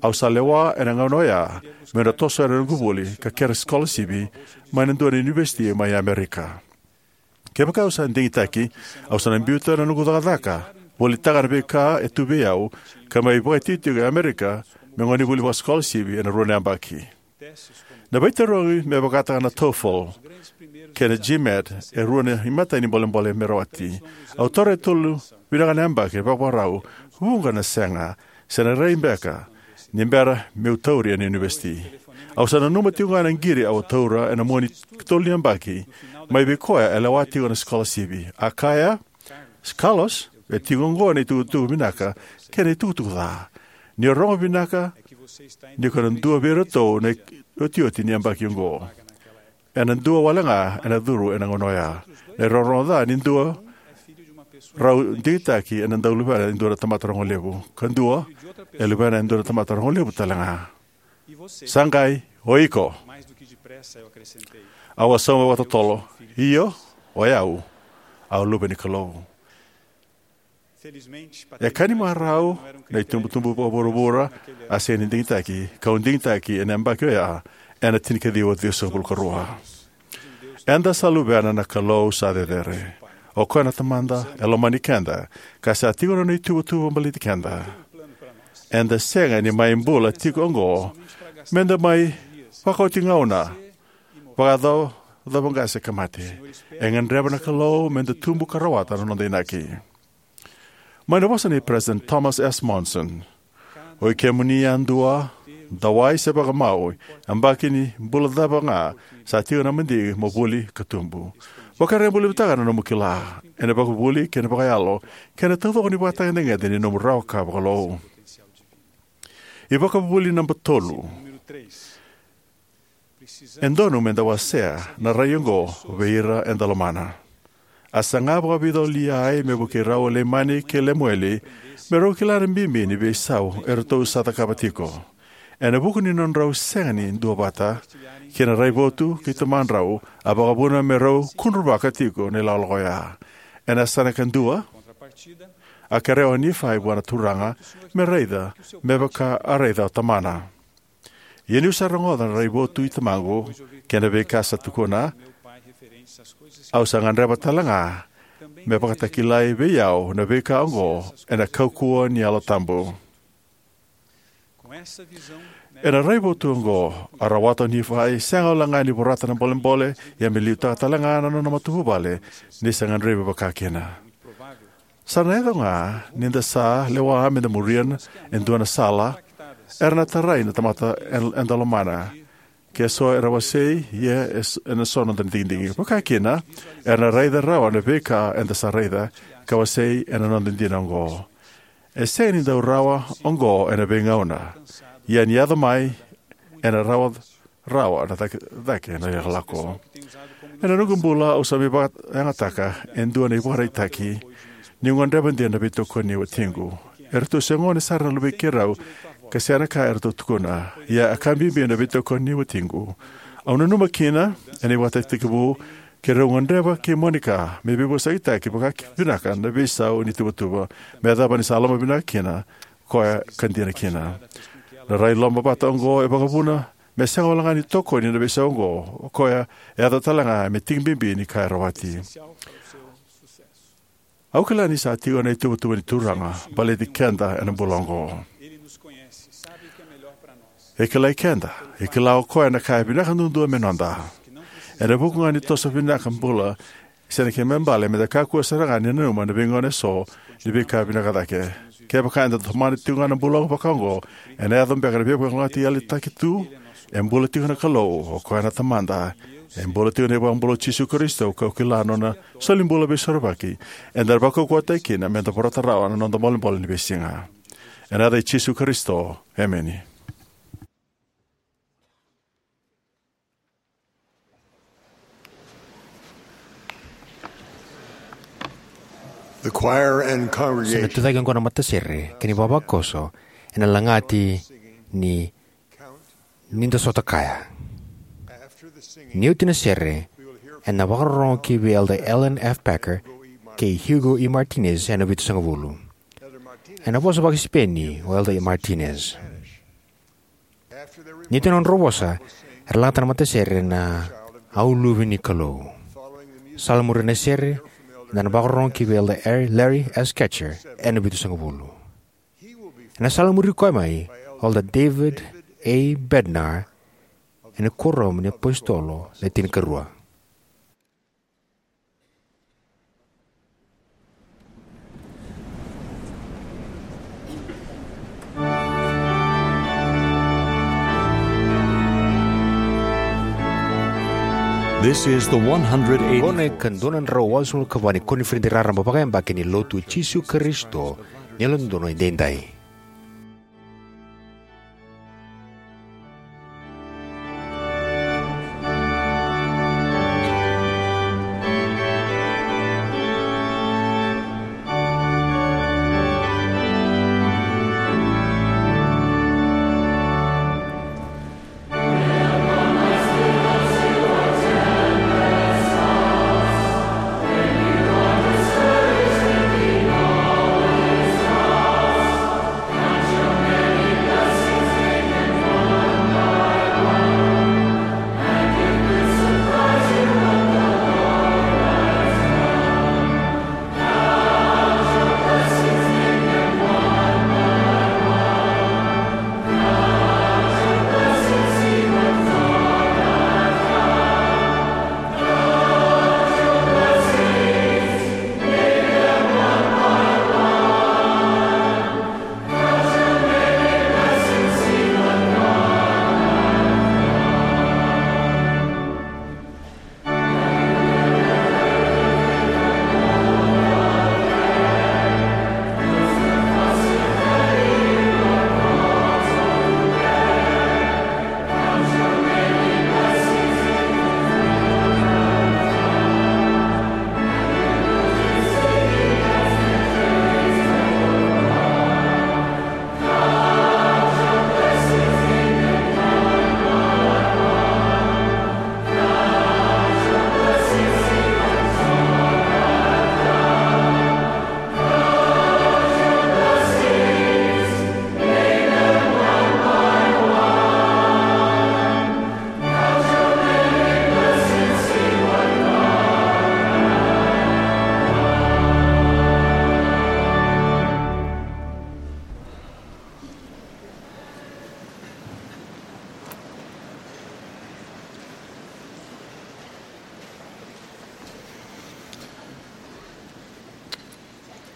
au sa lewa ena gauna oya meu na toso yani na noqu vuli ka kere sikolasivi mai na dua na univesiti mai Amerika. Kevaka au sa digitaki, au sa na biuta na noqu cakacaka, volitaka na veika e tu vei au, ka mai vakaitikotiko e Amerika me gonevuli vakasikolasivi ena rua na yabaki. Na veitarogi me vakataka na TOEFL kei na GMAT e rua na imatai ni bolebole me rawati. Au taura e tolu vinaka na yabaki e vakavakarau, vuqa na sega, se na rai beka ni bera meu tauri ena univesiti. Au sa nanuma tiko ga na qiri au a taura ena mua ni tolu ni yabaki mai vei koya e lewa tiko na sikolasivi. A kaya, "Carlos, e tiko oqo na itukutuku vinaka kei na itukutuku ca. Ni o rogo vinaka, ni ko na dua vei iratou na iotioti ni yabaki oqo. Ena dua wale ga ena curu ena gauna oya. Na irogorogo ca ni dua rau digitaki ena dau luvena e dua na tamata rogolevu, ka dua e luvena e dua na tamata rogolevu tale ga. Sa qai o iko." Au a sauma vakatotolo, "Io, o yau, au luve ni Kalou." E ka ni marau, na itubutubu vakavuravura a sega ni digitaki, kau digitaki ena yabaki oya ena tinikaciwa ciwasagavulu ka rua. Eda sa luvena na Kalou sa cecere. O koya na Tamada e lomani keda, ka sa tiko na nona ituvatuva baleti keda. Eda sega ni mai bula tiko oqo meda mai vakaoti gauna, vakayacova qase ka mate. E gadreva na Kalou meda tubu ka rawata na noda inaki. Mai na vosa nei President Thomas S. Monson: "O i kemuni yadua, dawai se vakamau, yabaki ni bula cava ga sa tiko na madigi mo vuli ka tubu. Vakarabailevutaka na nomu kila ena vakavuli kei na vakayalo, kei na taucoko ni vakatagedegede ni nomu rawa ka vakalou." iVakavuvuli naba tolu. E donu meda wasea na rai oqo vei ira eda lomana. A saga vakavica o Liai me vukei rau o Leimani kei Lemueli me rau kila na bibi ni veisau eratou sa cakava tiko. Ena vuku ni nodrau sega ni duavata ki na raivotu kei tamadrau, a vakavuna me rau kudruvaka tiko na ilakolako oya. Ena yasana kadua, a kerea o Nifai vua na Turaga me raica me vaka a raica o tamana. Ia niu sa rogoca na raivotu i tamaqu kei na veika sa tukuna, au sa gadreva tale ga me vakatakilai vei au na veika oqo ena kaukauwa ni Yalo Tabu. Ena raivotu oqo, a rawata o Nifai sega wale ga ni vorata na bolebole, ia me liutaka tale ga na nona matavuvale ni sa gadrevi vakakina. Sa na yaco ga ni da sa lewa meda muria e dua na sala era na tarai na tamata eda lomana. Ke so era wasei, ia e s-, ena so noda digidigi. Vakakina, era na raica rawa na veika eda sa raica, ka wasei ena noda dina oqo. E sega ni dau rawa oqo ena veigauna. Ia ni yaco mai, ena rawa rawa na cake, cake na ilakolako. Ena noqu bula, au sa mai vakayagataka e dua na ivakaraitaki niu gadreva dina na veitokoni ni watiqu. Eratou se gone sara na luvei keirau, ka sega na ka eratou tukuna. Ia a ka bibi na veitokoni ni watiqu. Au nanuma kina ena ivakatakitekivu, keirau gadreva kei Monica me veivosakitaki vakavinaka na veisau ni tuvatuva, me yacova ni sa loma vinaka kina koya ka dina kina. Na rai lomavata oqo e vakavuna me sega wale ga ni tokoni na veisau oqo, o koya e yaco tale ga me tiki bibi ni ka e rawati. Au kila ni sa tiko na ituvatuva ni Turaga baleti keda ena bula oqo. E kilai keda, e kila o koya na ka e vinaka duadua me noda. Ena vuku ga ni toso vinaka bula, sega ni kena ibalebale meda kakua sara ga ni nanuma na veigauna eso ni veika vinaka cake. Kevaka eda tomana tiko ga na bula vaka oqo, ena yaco beka na veivakalougatataki yalitaki tu. E bula tiko na Kalou, o koya na Tamada, E bula tiko na iVakabula o Jisu Karisito, kau kila na nona solibula veisorovaki. Eda na vakaukauwataki kina meda vorata rawa na noda bolebole ni veisiga. Ena yaca i Jisu Karisito, emeni. The choir and congregation. Sa na tucake oqo na matasere kei na ivavakoso ena lagati ni Ni da Sota Kaya. Ni oti na sere, ena vakarorogo ki vei Elder Allen F. Packer kei Hugo E. Martinez ena vitusagavulu. Ena vosa vakaSipeni o Elder Martinez. Ni oti na nodrau vosa, era lagata na matasere na Au Luve ni Kalou. Sa lai muri na sere, eda na vakarorogo ki vei Elder Larry S. Ketcher ena vitusagavulu. Ena sa lai muri koya mai o Elder David A. Bednar ena Kuoramu ni iApositolo Le Tinikarua. This is the one hundred eighty. Oqo na ikadua na drau walusagavulu ka va ni koniferedi raraba vakayabaki ni Lotu i Jisu Karisito ni Yalododonu Edaidai.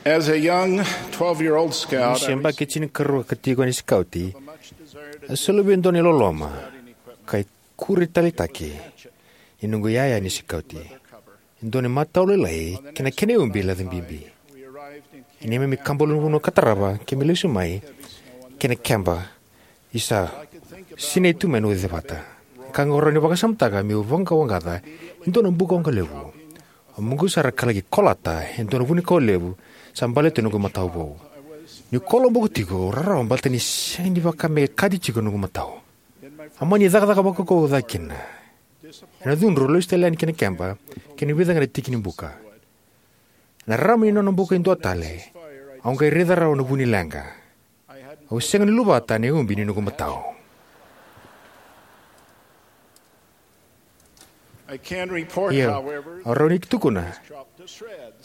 As a young twelve-year-old scout, I se yabaki tinikarua ka tiko ni sikauti, a soli vei au e dua na iloloma ka ikuri taleitaki ni noqu iyaya ni sikauti. E dua na matau lailai kei na kena iubi laca bibi. E neimami kaba ulunivanua ka tarava keimami lesu mai ki na keba, isa sinai tu mai na uca vata. Ka qo rawa ni vakasamataka meu vaqawaqaca e dua na bukawaqa levu. Au moqu sara ka laki kolata e dua na vunikau levu sa baleta noqu matau vou. Niu koloboka tiko, au rarawa baleta ni sega ni vaka me kati tiko noqu matau. Au mani cakacaka vakaukauwa cake kina. Ena cudru, au lesu tale yani ki na keba kei na vica ga na tiki ni buka. Ena rarama ni nona buka e dua tale, au qai raica rawa na vu ni leqa. Au sega ni luvata na iubi ni noqu matau. Ia, au rawa ni tukuna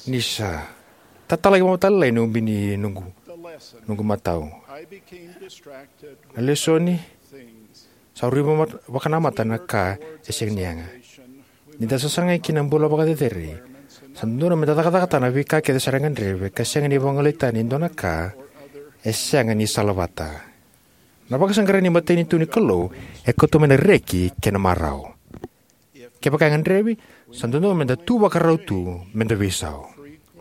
ni sa tatalaki vakamatailalai na iubi ni noqu, noqu matau. Na lesoni, sa rui vakanamata na ka e sega ni yaga. Ni da sasaga ki na bula vakacecere, sa dodonu meda cakacakataka na veika kece sara e gadrevi ka sega ni vagolei tani e dua na ka e sega ni salavata. Na vakasaqarai ni matanitu ni Kalou e kauta mai na reki kei na marau. Kevaka e gadrevi, sa dodonu meda tu vakarau tu meda veisau.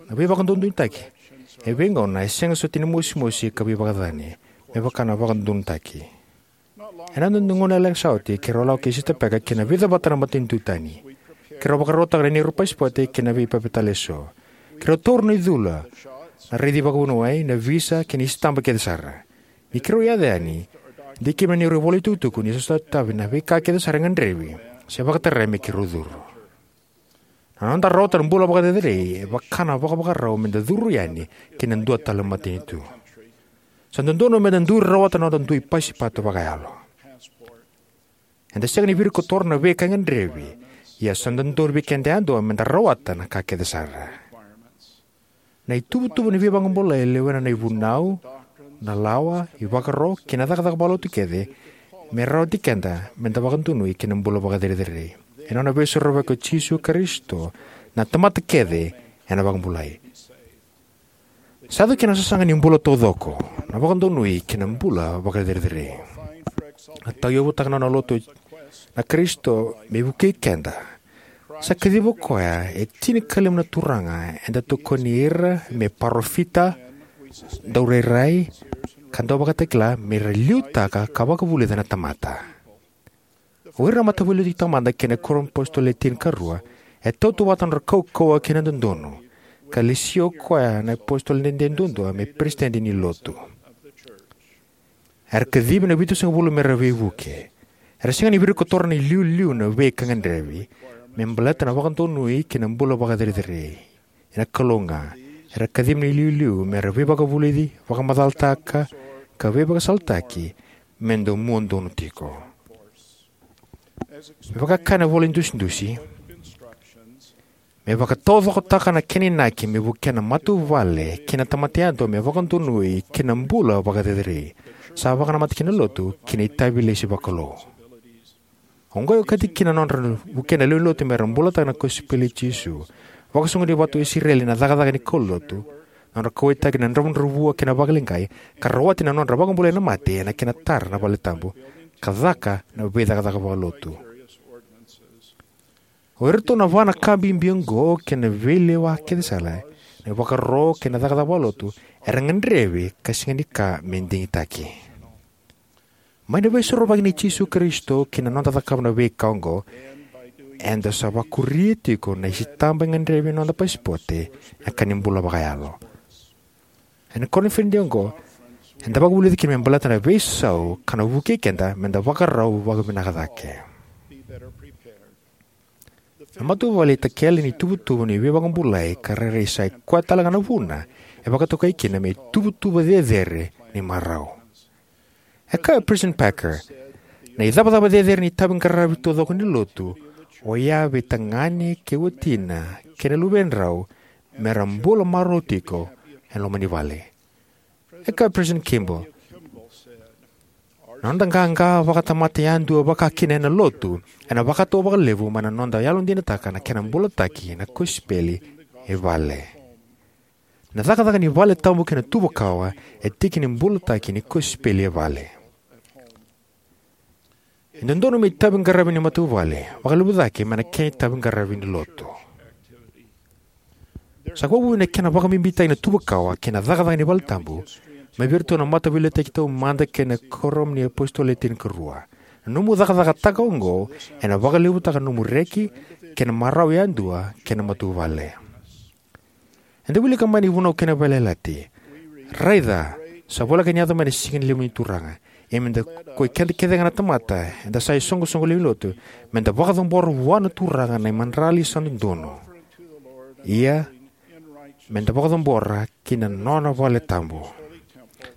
Na veivakadodonutaki e veigauna e sega soti ni mosimosi ka veivakacacani, me vaka na vakadodonutaki. Ena noda gauna lekaleka sa oti, keirau lako kei Sisita Packer ki na vica vata na matanitu tani. Keirau vakarautaka na neirau pasipote kei na veipapitaiso. Keirau taura na icula, na raici vakavuniwai, na visa kei na sitaba kece sara. Ni keirau yaco yani, dikeva na neirau ivola itukutuku ni sa sotavi na veika kece sara e gadrevi se vakatarai me keirau curu. Na noda rawata na bula vakacerecerei e vaka na vakavakarau meda curu yani ki na dua tale na matanitu. Sa dodonu meda dui rawata na noda dui pasipote vakayalo. Eda sega ni virikotora na veika e gadrevi, ia sa dodonu vei keda yadua meda rawata na ka kece sara. Na ituvatuva ni veivakabulai e lewena na ivunau, na lawa, ivakaro kei na cakacaka vakalotu kece me rawati keda meda vakadonui ki na bula vakacerecerei. Ena nona veisorovaki o Jisu Karisito, na tamata kece ena vakabulai. Sa yaco kina na sasaga ni bula taucoko, na vakadonui ki na bula vakacerecerei. A tauyavutaka na nona lotu na Karisito me vukei keda. Sa kaciva o koya e tinikalima na turaga eda tokoni ira me parofita, daurairai, ka dauvakatakila me ra liutaka ka vakavulica na tamata. O ira na Mataveiliutaki Taumada kei na Kuoramu ni iApositolo Le Tinikarua e tautauvata na nodra kaukauwa kei na dodonu, ka lesia o koya na iApositolo Dede Duadua me Peresitedi ni Lotu. Era kacivi na vitusagavulu me ra veivuke. Era sega ni virikotora na iliuliu na veika gadrevi me baleta na vakadonui ki na bula vakacerecerei. Ena Kalou ga, era kacivi na iliuliu me ra veivakavulici, vakamacalataka, ka veivakasalataki me dau mua donu tiko. Me vaka e kaya na ivola idusidusi, me vakataucokotaka na kena inaki me vukea na matavuvale kei na tamata yadua me vakadonui ki na bula vakacerecerei, sa vakanamata kina na Lotu ki na itavi lesi vakalou. Oqo e okati kina na nodra vukea na lewe ni Lotu me ra bulataka na kosipeli i Jisu, vakasoqoni vata o Isireli na cakacaka ni kaulotu, na nodra kauwaitaki na dravudravua kei na vakaleqai, ka rawati na nodra vakabulai na mate ena kena tara na valetabu, ka caka na veicakacaka vakalotu. O iratou na va na ka bibi oqo kei na veilewa kece sara, na ivakaro kei na cakacaka vakalotu, era gadrevi ka sega ni ka me digitaki. Mai na veisorovaki nei Jisu Karisito kei na noda cakava na veika oqo, eda sa vakuria tiko na isitaba e gadrevi ena noda pasipote, na ka ni bula vakayalo. Ena koniferedi oqo, eda vakavulica kina me baleta na veisau ka na vukei keda meda vakarau vakavinaka cake. Na matavuvale e itakele ni tuvatuva ni veivakabulai ka rairai sa i koya talega na vuna e vakatokai kina me ituvatuva cecere ni marau. E kaya o President Packer, na icavacava cecere ni itaviqaravi taucoko ni Lotu oya vei tagane kei watina kei na luvedrau me ra bula marau tiko ena loma ni vale. E kaya o President Kimball, na noda qaqa vakatamata yadua vakakina ena Lotu ena vakatau vakalevu mai na noda yalodinataka na kena bulataki na kosipeli e vale. Na cakacaka ni valetabu kei na tuva kawa e tiki ni bulataki ni kosipeli e vale. E dodonu me itaviqaravi ni matavuvale vakalevu cake mai na kena itaviqaravi ni Lotu. Sa vakavuna na kena vakabibitaki na tuva kawa kei na cakacaka ni valetabu mai vei iratou na Mataveiliutaki Taumada kei na Kuoramu ni iApositolo Le Tinikarua. Na nomu cakacakataka oqo ena vakalevutaka na nomu reki kei na marau yadua kei na matavuvale. Eda wilika mai na iVunau kei na Veiyalayalati: Raica, sa voleka ni yaco mai na siga ni levu ni Turaga. Ia meda, koi keda kecega na tamata eda sa isoqosoqo lewe ni lotu, meda vakacabora vua na Turaga na imadrali sa dodonu. Ia meda vakacabora ki na nona vale tabu.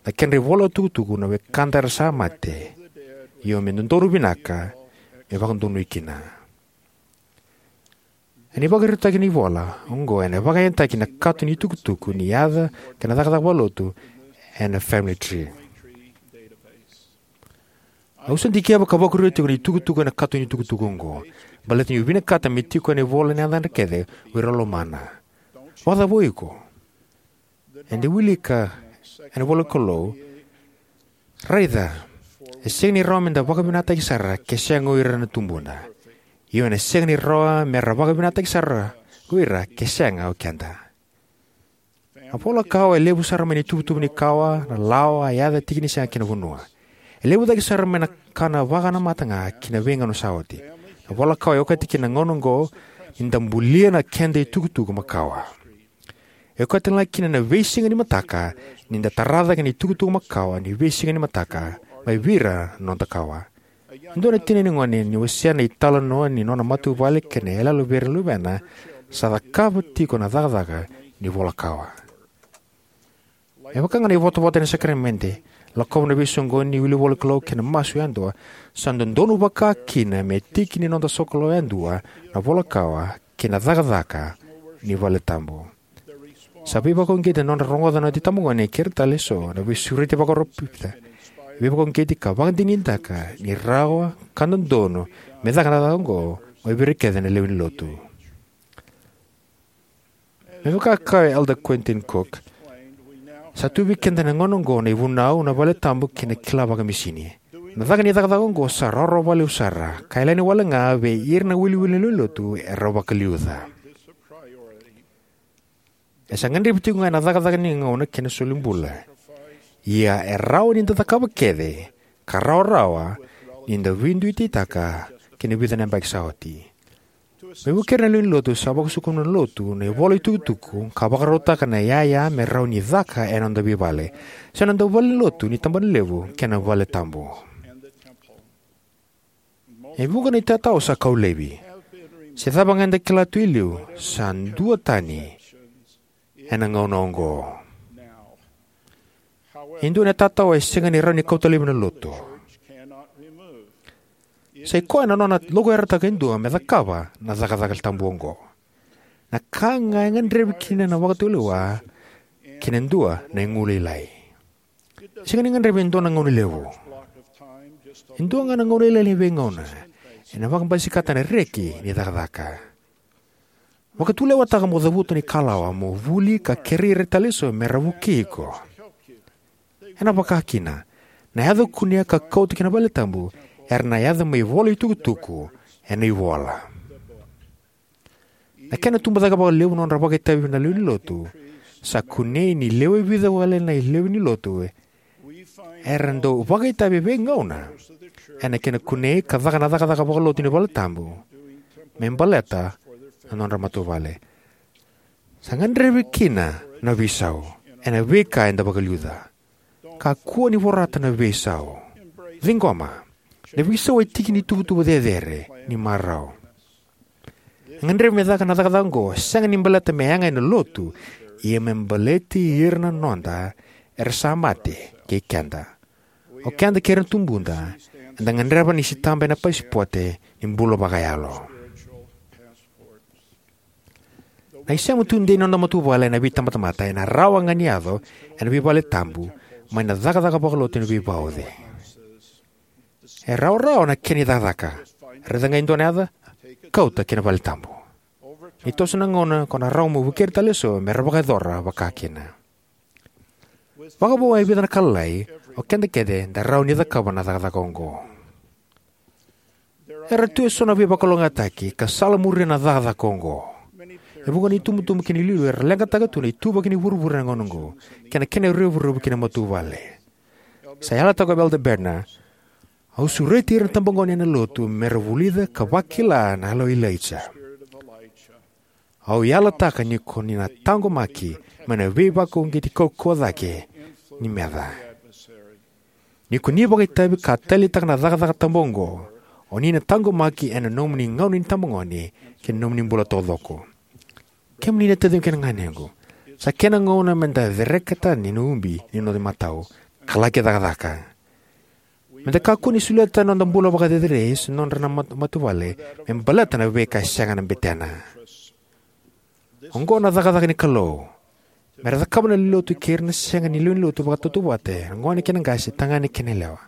Na kedra ivola tukutuku na wekada era sa mate, io me dodonu vinaka me vakadonui kina. Ena ivakaraitaki ni ivola oqo ena vakayagataki na kato ni tukutuku ni yaca kei na cakacaka vakalotu ena Family Tree. Au sa dikeva ka vakuria tiko na itukutuku ena kato ni tukutuku oqo, baleta niu vinakata me tiko ena ivola na yacadra kece o ira lomana. Vakacava o iko? Eda wilika ena ivola ni Kalou: Raica, e sega ni rawa meda vakavinakataki sara ke sega o ira na tubuna. Io, ena sega ni rawa me ra vakavinakataki sara ko ira ke sega o keda. Na vola kawa e levu sara mai na ituvatuva ni kawa, na lawa, a yaca, tiki ni sega kei na vanua. E levu cake sara mai na ka na vakanamata ga ki na veigauna sa oti. Na vola kawa e okati kina na gauna oqo ni da bulia na keda itukutuku makawa. E okati talega kina na veisiga ni mataka ni da tara cake na itukutuku makawa ni veisiga ni mataka mai vei ira na noda kawa. E dua na tinani gone ni wasea na italanoa ni nona matavuvale kei na iyaloyalo vei ira na luvena sa cakava tiko na cakacaka ni vola kawa. Me vaka ga na ivotavota ena sakaramede, lakova na veisoqoni, wili ivolanikalou kei na masu yadua, sa dodonu vakakina me tiki ni noda sokalou yadua na vola kawa kei na cakacaka ni valetabu. Sa veivakauqeti na nodra rogoca na itabagone kei ira tale eso na veisureti vakaparofita, veivakauqeti ka vakadinadinataka ni rawa ka dodonu me caka na cakacaka oqo mai vei ira kece na lewe ni Lotu. Me vaka e kaya o Elder Quentin Cook, sa tu vei keda ena gauna oqo na ivunau, na valetabu kei na kila vakamisini. Na caka ni cakacaka oqo sa rawarawa vakalevu sara, ka yalani wale ga vei ira na iwiliwili ni lewe ni Lotu era vakaliuca. E sa gadrevi tiko ga ena cakacaka ni gauna kei na solibula. Ia e rawa ni da cakava kece ka rawarawa ni da veiduitaka kei na vica na yabaki sa oti. Me vukei ira na lewe ni Lotu, sa vakasuka mai na Lotu na ivola itukutuku ka vakarautaka na iyaya me rawa ni caka ena noda veivale, se na noda valenilotu ni tabanalevu kei na valetabu. E vuqa na itatao sa kau laivi. Se cava ga eda kila tu e liu, sa duatani ena gauna oqo. E dua na itatao e sega ni rawa ni kauta laivi na Lotu. Sa i koya na nona lokuyarataka e dua me cakava na cakacaka tabu oqo. Na ka ga e gadrevi kina na vakatulewa kei na dua na igulailai. Sega ni gadrevi e dua na gauna levu. E dua ga na gauna lailai ni veigauna ena vakabasikata na reki ni cakacaka. Vakatulewataka mo cavuta na ikalawa, mo vuli ka kerei ira tale eso me ra vukei iko. Ena vaka kina, na yaca o kunea ka kauta ki na valetabu era na yaca mai vola itukutuku ena ivola. Na kena tubu cake vakalevu na nodra vakaitavi na lewe ni Lotu, sa kunei ni lewe vica wale na lewe ni Lotu era dau vakaitavi e veigauna ena kena kunei ka caka na cakacaka vakalotu ni valetabu me baleta na nodra matavuvale. Sa gadrevi kina na veisau ena veika eda vakaliuca. Kakua ni vorata na veisau. Ciqoma, na veisau e tiki ni tuvatuva cecere ni marau. E gadrevi me caka na cakacaka oqo sega ni baleta me yaga ena Lotu, ia me baleti ira na noda era sa mate kei keda. O keda kei ira na tubuda eda gadreva ni sitaba ena pasipote ni bula vakayalo. Na isema tudei ni noda matavuvale ena veitabatamata ena rawa ga ni yaco ena veivale tabu mai na cakacaka vakalotu ena veivauci. E rawarawa na kena icakacaka. Raica ga e dua na yaca, kauta ki na vale tabu. Ni toso na gauna ko na rawa mo vukei ira tale eso me ra vakayacora vakakina. Vakavo e vica na ka lalai, o keda kece da rawa ni cakava na cakacaka oqo. Era tu eso na veivakalougatataki ka sala muria na cakacaka oqo. E vuqa na itubutubu kei na iliuliu era leqataka tu na ituvaki ni vuravura ena gauna oqo kei na kena revurevu ki na matavuvale. Sa yalataka o Elder Bednar, au sureti ira na tabagone ena Lotu me ra vulica ka vakila na yalo i Ilaija. Au yalataka ni ko ni na taqomaki mai na veivakauqeti kaukauwa cake ni meca. Ni ko ni vakaitavi ka taleitaka na cakacaka tabu oqo, o ni na taqomaki ena nomuni gauna ni tabagone kei na nomuni bula taucoko. Kemuni na taciqu kei na ganequ, sa kena gauna me da cereka tani na ubi ni noda imatau ka laki cakacaka. Me da kakua ni solia tani na noda bula vakacerecerei se nodra na mat- matavuvale me baleta na veika e sega na betena. Oqo na cakacaka ni Kalou. Me ra cakava na lewe ni Lotu kei ira na sega ni lewe ni Lotu vakatautauvata, na gone kei na qase, tagane kei na yalewa.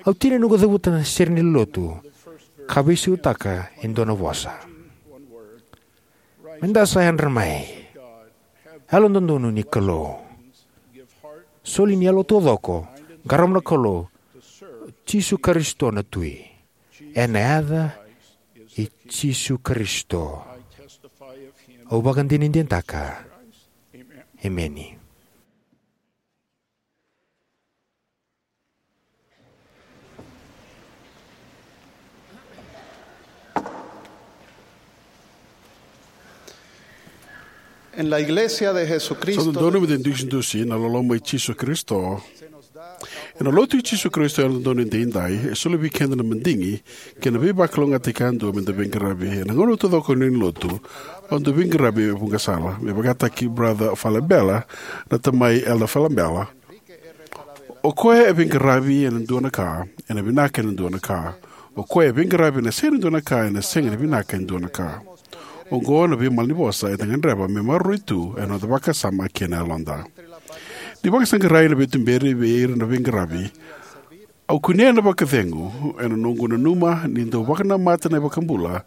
Au tinia noqu cavuta na sere ni lewe ni Lotu ka veisautaka e dua na vosa. Me da sa yadra mai. Yalododonu ni Kalou. Soli ni yalo taucoko, qarauna na Kalou, Jisu Karisito na Tui. Ena yaca i Jisu Karisito. Au vakadinadinataka. Emeni. En la Iglesia de Jesucristo. Sa dodonu meda dusidusi na loloma i Jisu Karisito. Ena Lotu i Jisu Karisito e Yalododonu Edaidai, e soli vei keda na madigi kei na veivakalougatataki yadua meda veiqaravi. Ena gauna taucoko ni Lotu, au dau veiqaravi e vuqa sala. Me vakataki Brother Falabella, na tamai Elder Falabella. O koya e veiqaravi ena dua na ka, ena vinaka ena dua na ka. O koya e veiqaravi ena sega ni dua na ka, ena sega ni vinaka ena dua na ka. Oqo na veimalanivosa eda gadreva me maroroi tu ena noda vakasama kei na yaloda. Ni vakasaqarai na veituberi vei ira na veiqaravi, au kunea na vakacegu ena noqu nanuma ni dau vakanamata na iVakabula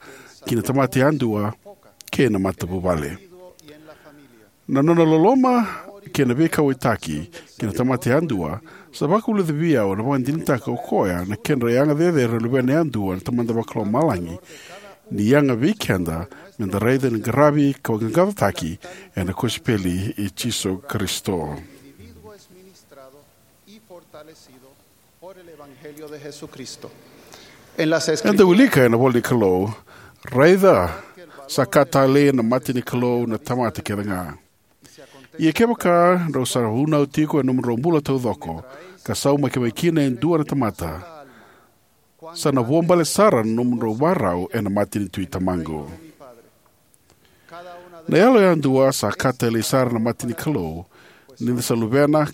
ki na tamata yadua kei na matavuvale. Na nona loloma kei na veikauwaitaki ki na tamata yadua sa vakavulica vei au na vakadinadinataka o koya na kedra yaga cecere na luvena yadua na Tamada Vakalomalagi, ni yaga vei keda meda raica ni qaravi ka vaqaqacotaki ena kosipeli i Jisu Karisito. Eda wilika ena ivola ni Kalou, raica, sa ka talei ena mata ni Kalou na tamata kece ga. Ia kevaka drau sa vunau tiko ena nomudrau bula taucoko, ka saumaki mai kina e dua na tamata, sa na vuabale sara na nomudrau marau ena mata ni Tui Tamaqu. Na yalo yadua sa ka talei sara na mata ni Kalou, ni da sa luvena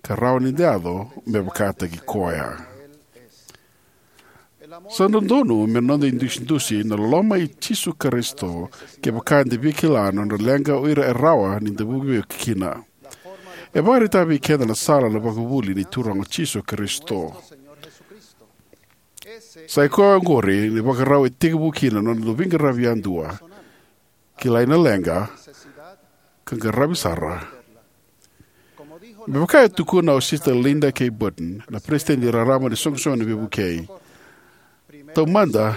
ka rawa ni da yaco me vakataki koya. Sa dodonu me noda idusidusi na loloma i Jisu Karisito kevaka eda via kila na nodra leqa o ira e rawa ni da veivuke kina. E vakaraitaka vei keda na sala na ivakavuvuli ni Turaga o Jisu Karisito. Sa i koya oqori na ivakarau e tekivu kina na noda veiqaravi yadua. Kilai na leqa ka qaravi sara. Me vaka e tukuna o Sister Linda K. Burton, na peresitedi raraba ni Soqosoqo ni Veivukei, taumada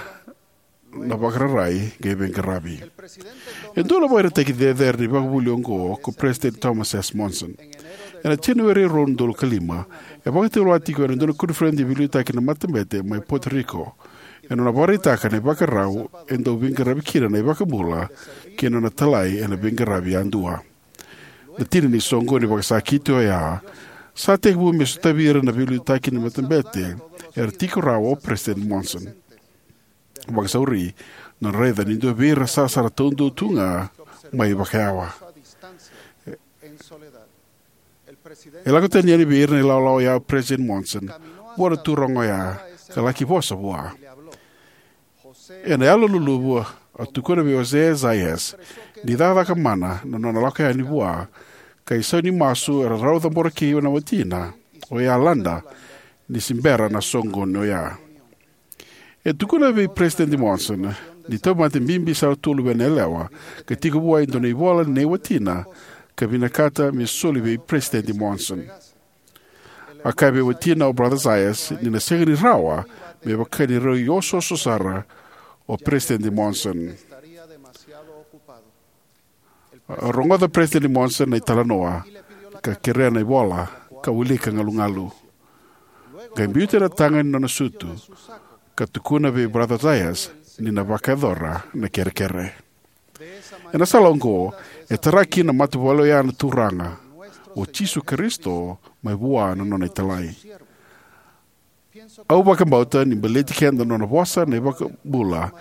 na vakararai qai veiqaravi. E dua na ivakaraitaki cecere ni ivakavuvuli oqo ko Peresitedi Thomas S. Monson. Ena Janueri rua na udolu ka lima, e vakatulewa tiko ena dua na koniferedi ni veiliutaki na matabete mai Puerto Rico, ena nona vakaraitaka na ivakarau e dau veiqaravi kina na iVakabula kei na nona italai ena veiqaravi yadua. Na tina ni soqoni vakasakiti oya sa tekivu me sotavi ira na veiliutaki ni matabete era tiko rawa o Peresitedi Monson. Vakasauri, na raica ni dua vei ira sarasara taudua tu ga mai vakayawa. E lako tani yani vei ira na ilawalawa oya o Peresitedi Monson vua na turaga oya, ka laki vosa vua. Ena yalo luluvu, a tukuna vei Jose Zayas ni cakacaka mana na nona lako yani vua, ka isau ni masu era rau cabora kina na watina oya, Landa, ni se bera na soqoni oya. E tukuna vei Peresitedi Monson ni tauvimate bibi sara tu o luvena yalewa, ka tiko vua e dua na ivola nei watina, ka vinakata me soli vei Peresitedi Monson. A kaya vei watina o Brother Zayas ni na sega ni rawa me vaka ni rui osooso sara o Peresitedi Monson. A rogoca Peresitedi Monson na italanoa, ka kerea na ivola, ka wilika galugalu. Qai biuta na taga ni nona sutu, ka tukuna vei Brother Zayas ni na vakayacora na kerekere. Ena sala oqo, e tara kina na matavuvale oya na Turaga o Jisu Karisito mai vua na nona italai. Au vakabauta ni baleti keda na nona vosa na iVakabula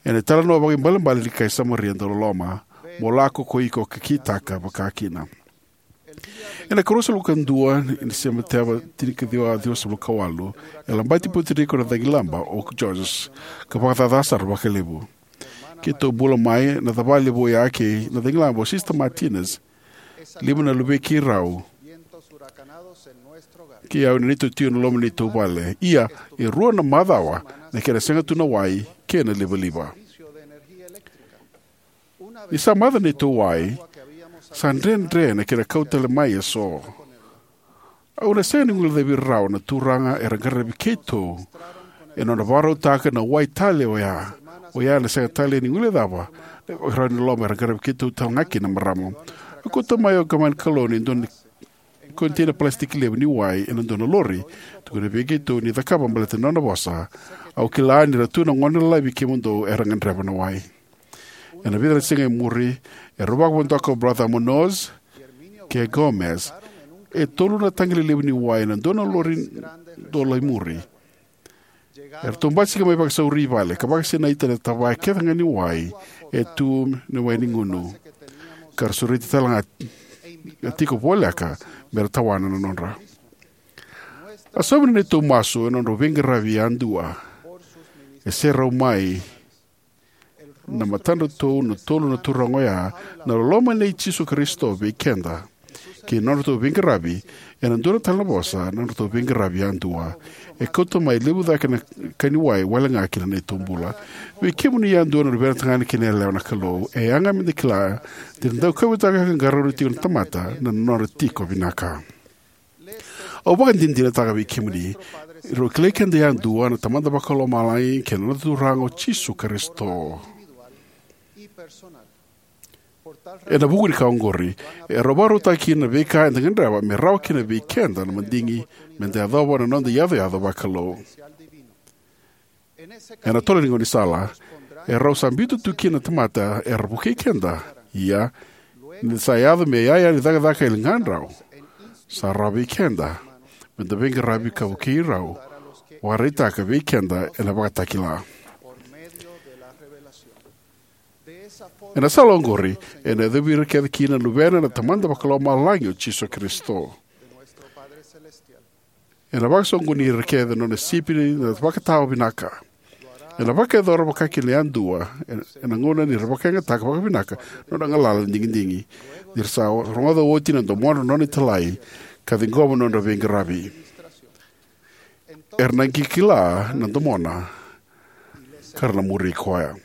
ena italanoa vakaibalebale ni kai Samaria dauloloma: "Mo lako ko iko ka kitaka vakakina." Ena ikaruasagavulu ka dua ni Sepiteba tinikaciwa ciwasagavulu ka walu, e labati Puerto Rico na cagilaba o Georges, ka vakacaca sara vakalevu. Keitou bula mai na cava levu oya kei na cagilaba o Sister Martinez, lima na luvei keirau, kei au ena neitou tiko ena loma ni neitou vale. Ia, e rua na macawa na kena sega tu na wai kei na livaliva. Ni sa maca na neitou wai, sa dredre na kena kau tale mai eso. Au na sega ni guilecavi rawa na turaga era qaravi keitou ena nona vakarautaka na wai tale oya. O ya na sega tale ni guilecava na ivakarau ni loloma era qaravi keitou tale ga kina na marama. A kauta mai o Gavana Kalou na dua na koniteina palasitiki levu ni wai ena dua na lori. Tukuna vei keitou ni cakava baleta na nona vosa. Au kila ni ra tu na gone lalai vei kemudou era gadreva na wai. Ena vica na siga e muri, erau vakavodoka o Brother Munoz kei Gomez e tolu na taqi lelevu ni wai ena dua na lori dola i muri. Eratou basika mai vakasauri i vale ka vakasinaita na tavaya kece ga ni wai e tu na wai ni gunu, ka ra sureti tale ga tiko voleka me ra tawana na nodra. A saumi na neitou masu ena nodrau veiqaravi yadua. E serau mai na matadratou na tolu na turaga oya na loloma nei Jisu Karisito vei keda kei na nodratou veiqaravi ena dua tale na vosa, na nodratou veiqaravi yadua. E kauta mai levu cake na ka ni wai wale ga ki na neitou bula. Vei kemuni yadua na luvena tagane kei na yalewa na Kalou, e yaga me da kila ni ra dau kauwaitaka ka qarauna tiko na tamata na nodra tiko vinaka. Au vakadinadinataka vei kemuni, rau kilai keda yadua na Tamada Vakalomalagi kei na noda Turaga o Jisu Karisito. Ena vuku ni ka oqori, e rau vakarautaka kina na veika eda gadreva me rawa kina vei keda na madigi me da yacova na noda iyacoyaco vakalou. Ena tolo ni gaunisala, e rau sa biuta tu kina na tamata era vukei keda. Ia, ni da sa yaco me iyaya ni cakacaka e ligadrau, sa rawa vei keda me da veiqaravi ka vukei rau, vakaraitaka vei keda ena Vakatakila. Ena sala oqori, ena yacovi ira kece kina na Luvena na Tamada Vakalomalagi o Jisu Karisito. Ena vakasoqoni ira kece na nona sipi na vakatawa vinaka. Ena vakayacora vakakina yadua ena gauna ni ra vakayagataka vakavinaka na nona galala ni digidigi, ni ra sa rogoca oti na domodra na nona italai ka ciqoma na nodra veiqaravi. Era na qai kila na domona ka ra na muri koya.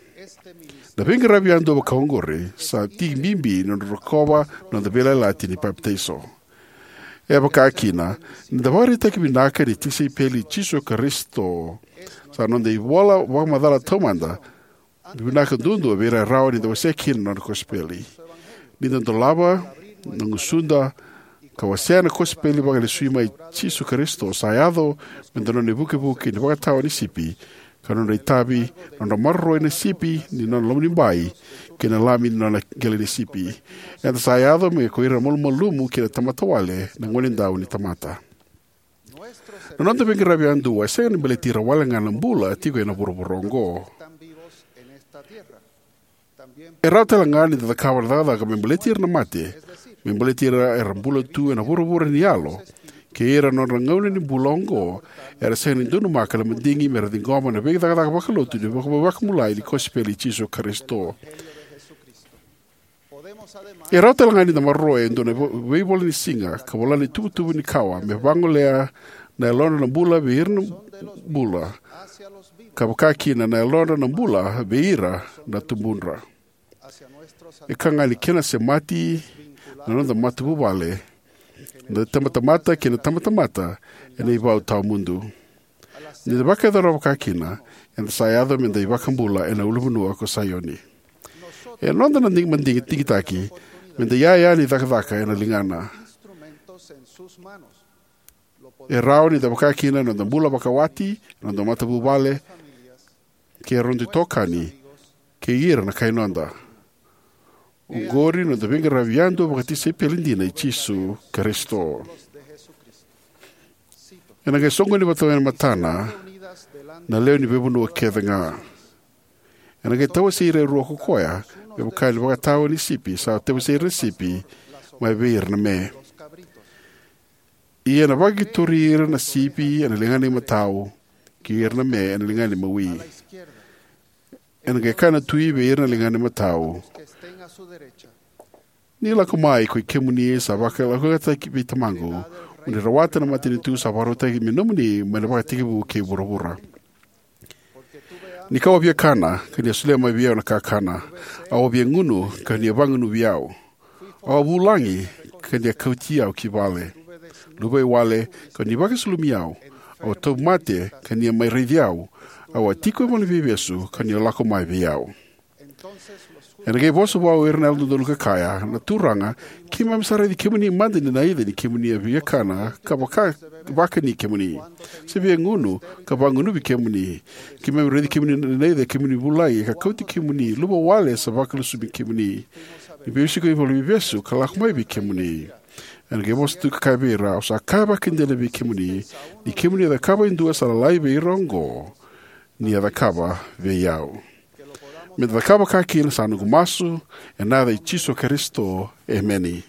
Na veiqaravi yadua vaka oqori sa tiki bibi na nodra rokova na noda veiyalayalati ni papitaiso. E vaka kina, ni da vakaraitaki vinaka ni tisaipeli i Jisu Karisito, sa noda ivola vakamacala taumada vinaka duadua vei ira e rawa ni da wasea kina na nona kosipeli. Ni da dolava na gusuda ka wasea na kosipeli vakalesui mai i Jisu Karisito, sa yaco me da nona ivukevuke ni vakatawa ni sipi, ka nodra itavi na nodra maroroi na sipi ni nona lomanibai kei na lami ni nona qele ni sipi. Eda sa yaco me ko ira malumalumu kei na tamata wale na gonedau ni tamata. Na noda veiqaravi yadua e sega ni baleti ira wale ga na bula tiko ena vuravura oqo. E rawa tale ga ni da cakava na cakacaka me baleti ira na mate, me baleti ira era bula tu ena vuravura ni yalo, kei ira na nodra gauna ni bula oqo era sega ni donumaka na madigi me ra ciqoma na veicakacaka vakalotu ni vaka-, vakabulai ni kosipeli i Jisu Karisito. E rawa tale ga ni da maroroya e dua na vo-, veivola ni siga ka vola na ituvatuva ni kawa me vagolea na yalodra na bula vei ira na bula, ka vaka kina na yalodra na bula vei ira na tubudra. E ka ga ni kena semati na noda matavuvale, na tabatamata kei na tabatamata ena ivau tawamudu. Ni da vakayacora vaka kina, eda sa yaco me da iVakabula ena ulunivanua ko Saioni. E noda na dig-, madigi digitaki me da iyaya ni cakacaka ena ligana. E rawa ni da vaka kina na noda bula vakawati, na noda matavuvale, kei ira noda itokani, kei ira na kai noda. Oqori na noda veiqaravi yadua vakatisaipeli dina i Jisu Karisito. Ena qai soqoni vata e matana na lewe ni veivanua kece ga. Ena qai tawasei ira e rua ko koya, me vaka ni vakatawa ni sipi sa tawasei ira na sipi mai vei ira na me. Ia ena vakatori ira na sipi ena ligana imatau, kei ira na me ena ligana imawi. Ena qai kaya na tui vei ira na ligana imatau: Ni lako mai, koi kemuni sa vakalakoyakataki vei Tamaqu, mo ni rawata na matanitu sa vakarautaki me nomuni mai na ivakatekivu kei vuravura. Ni kau a via kana, ka ni a solia mai vei au na kakana. Au a via gunu, ka ni a vagunuvi au. Au a vulagi, ka ni a kauti au ki vale. Luvaiwale, ka ni vakasulumi au. Au a tauvimate, ka ni a mai raici au. Au a tiko e vale ni veivesu, ka ni o lako mai vei au. Ena qai vosa vua o ira na yalododonu ka kaya, na Turaga, keimami sa raici kemuni mada ni naica ni kemuni a viakana ka vaka, vakani kemuni, se via gunu ka vagunuvi kemuni. Keimami raici kemuni ni naica kemuni vulai ka kauti kemuni, luvawale sa vakalesui kemuni, ni veisiko i vale ni veivesu ka lako mai vei kemuni. Ena qai vosa tu ka kaya vei ira, au sa kaya vakadina vei kemuni, ni kemuni a cakava e dua sa lalai vei ira oqo, ni a cakava vei au. Me da cakava ka kina sa noqu masu, ena yaca i Jisu Karisito, emeni.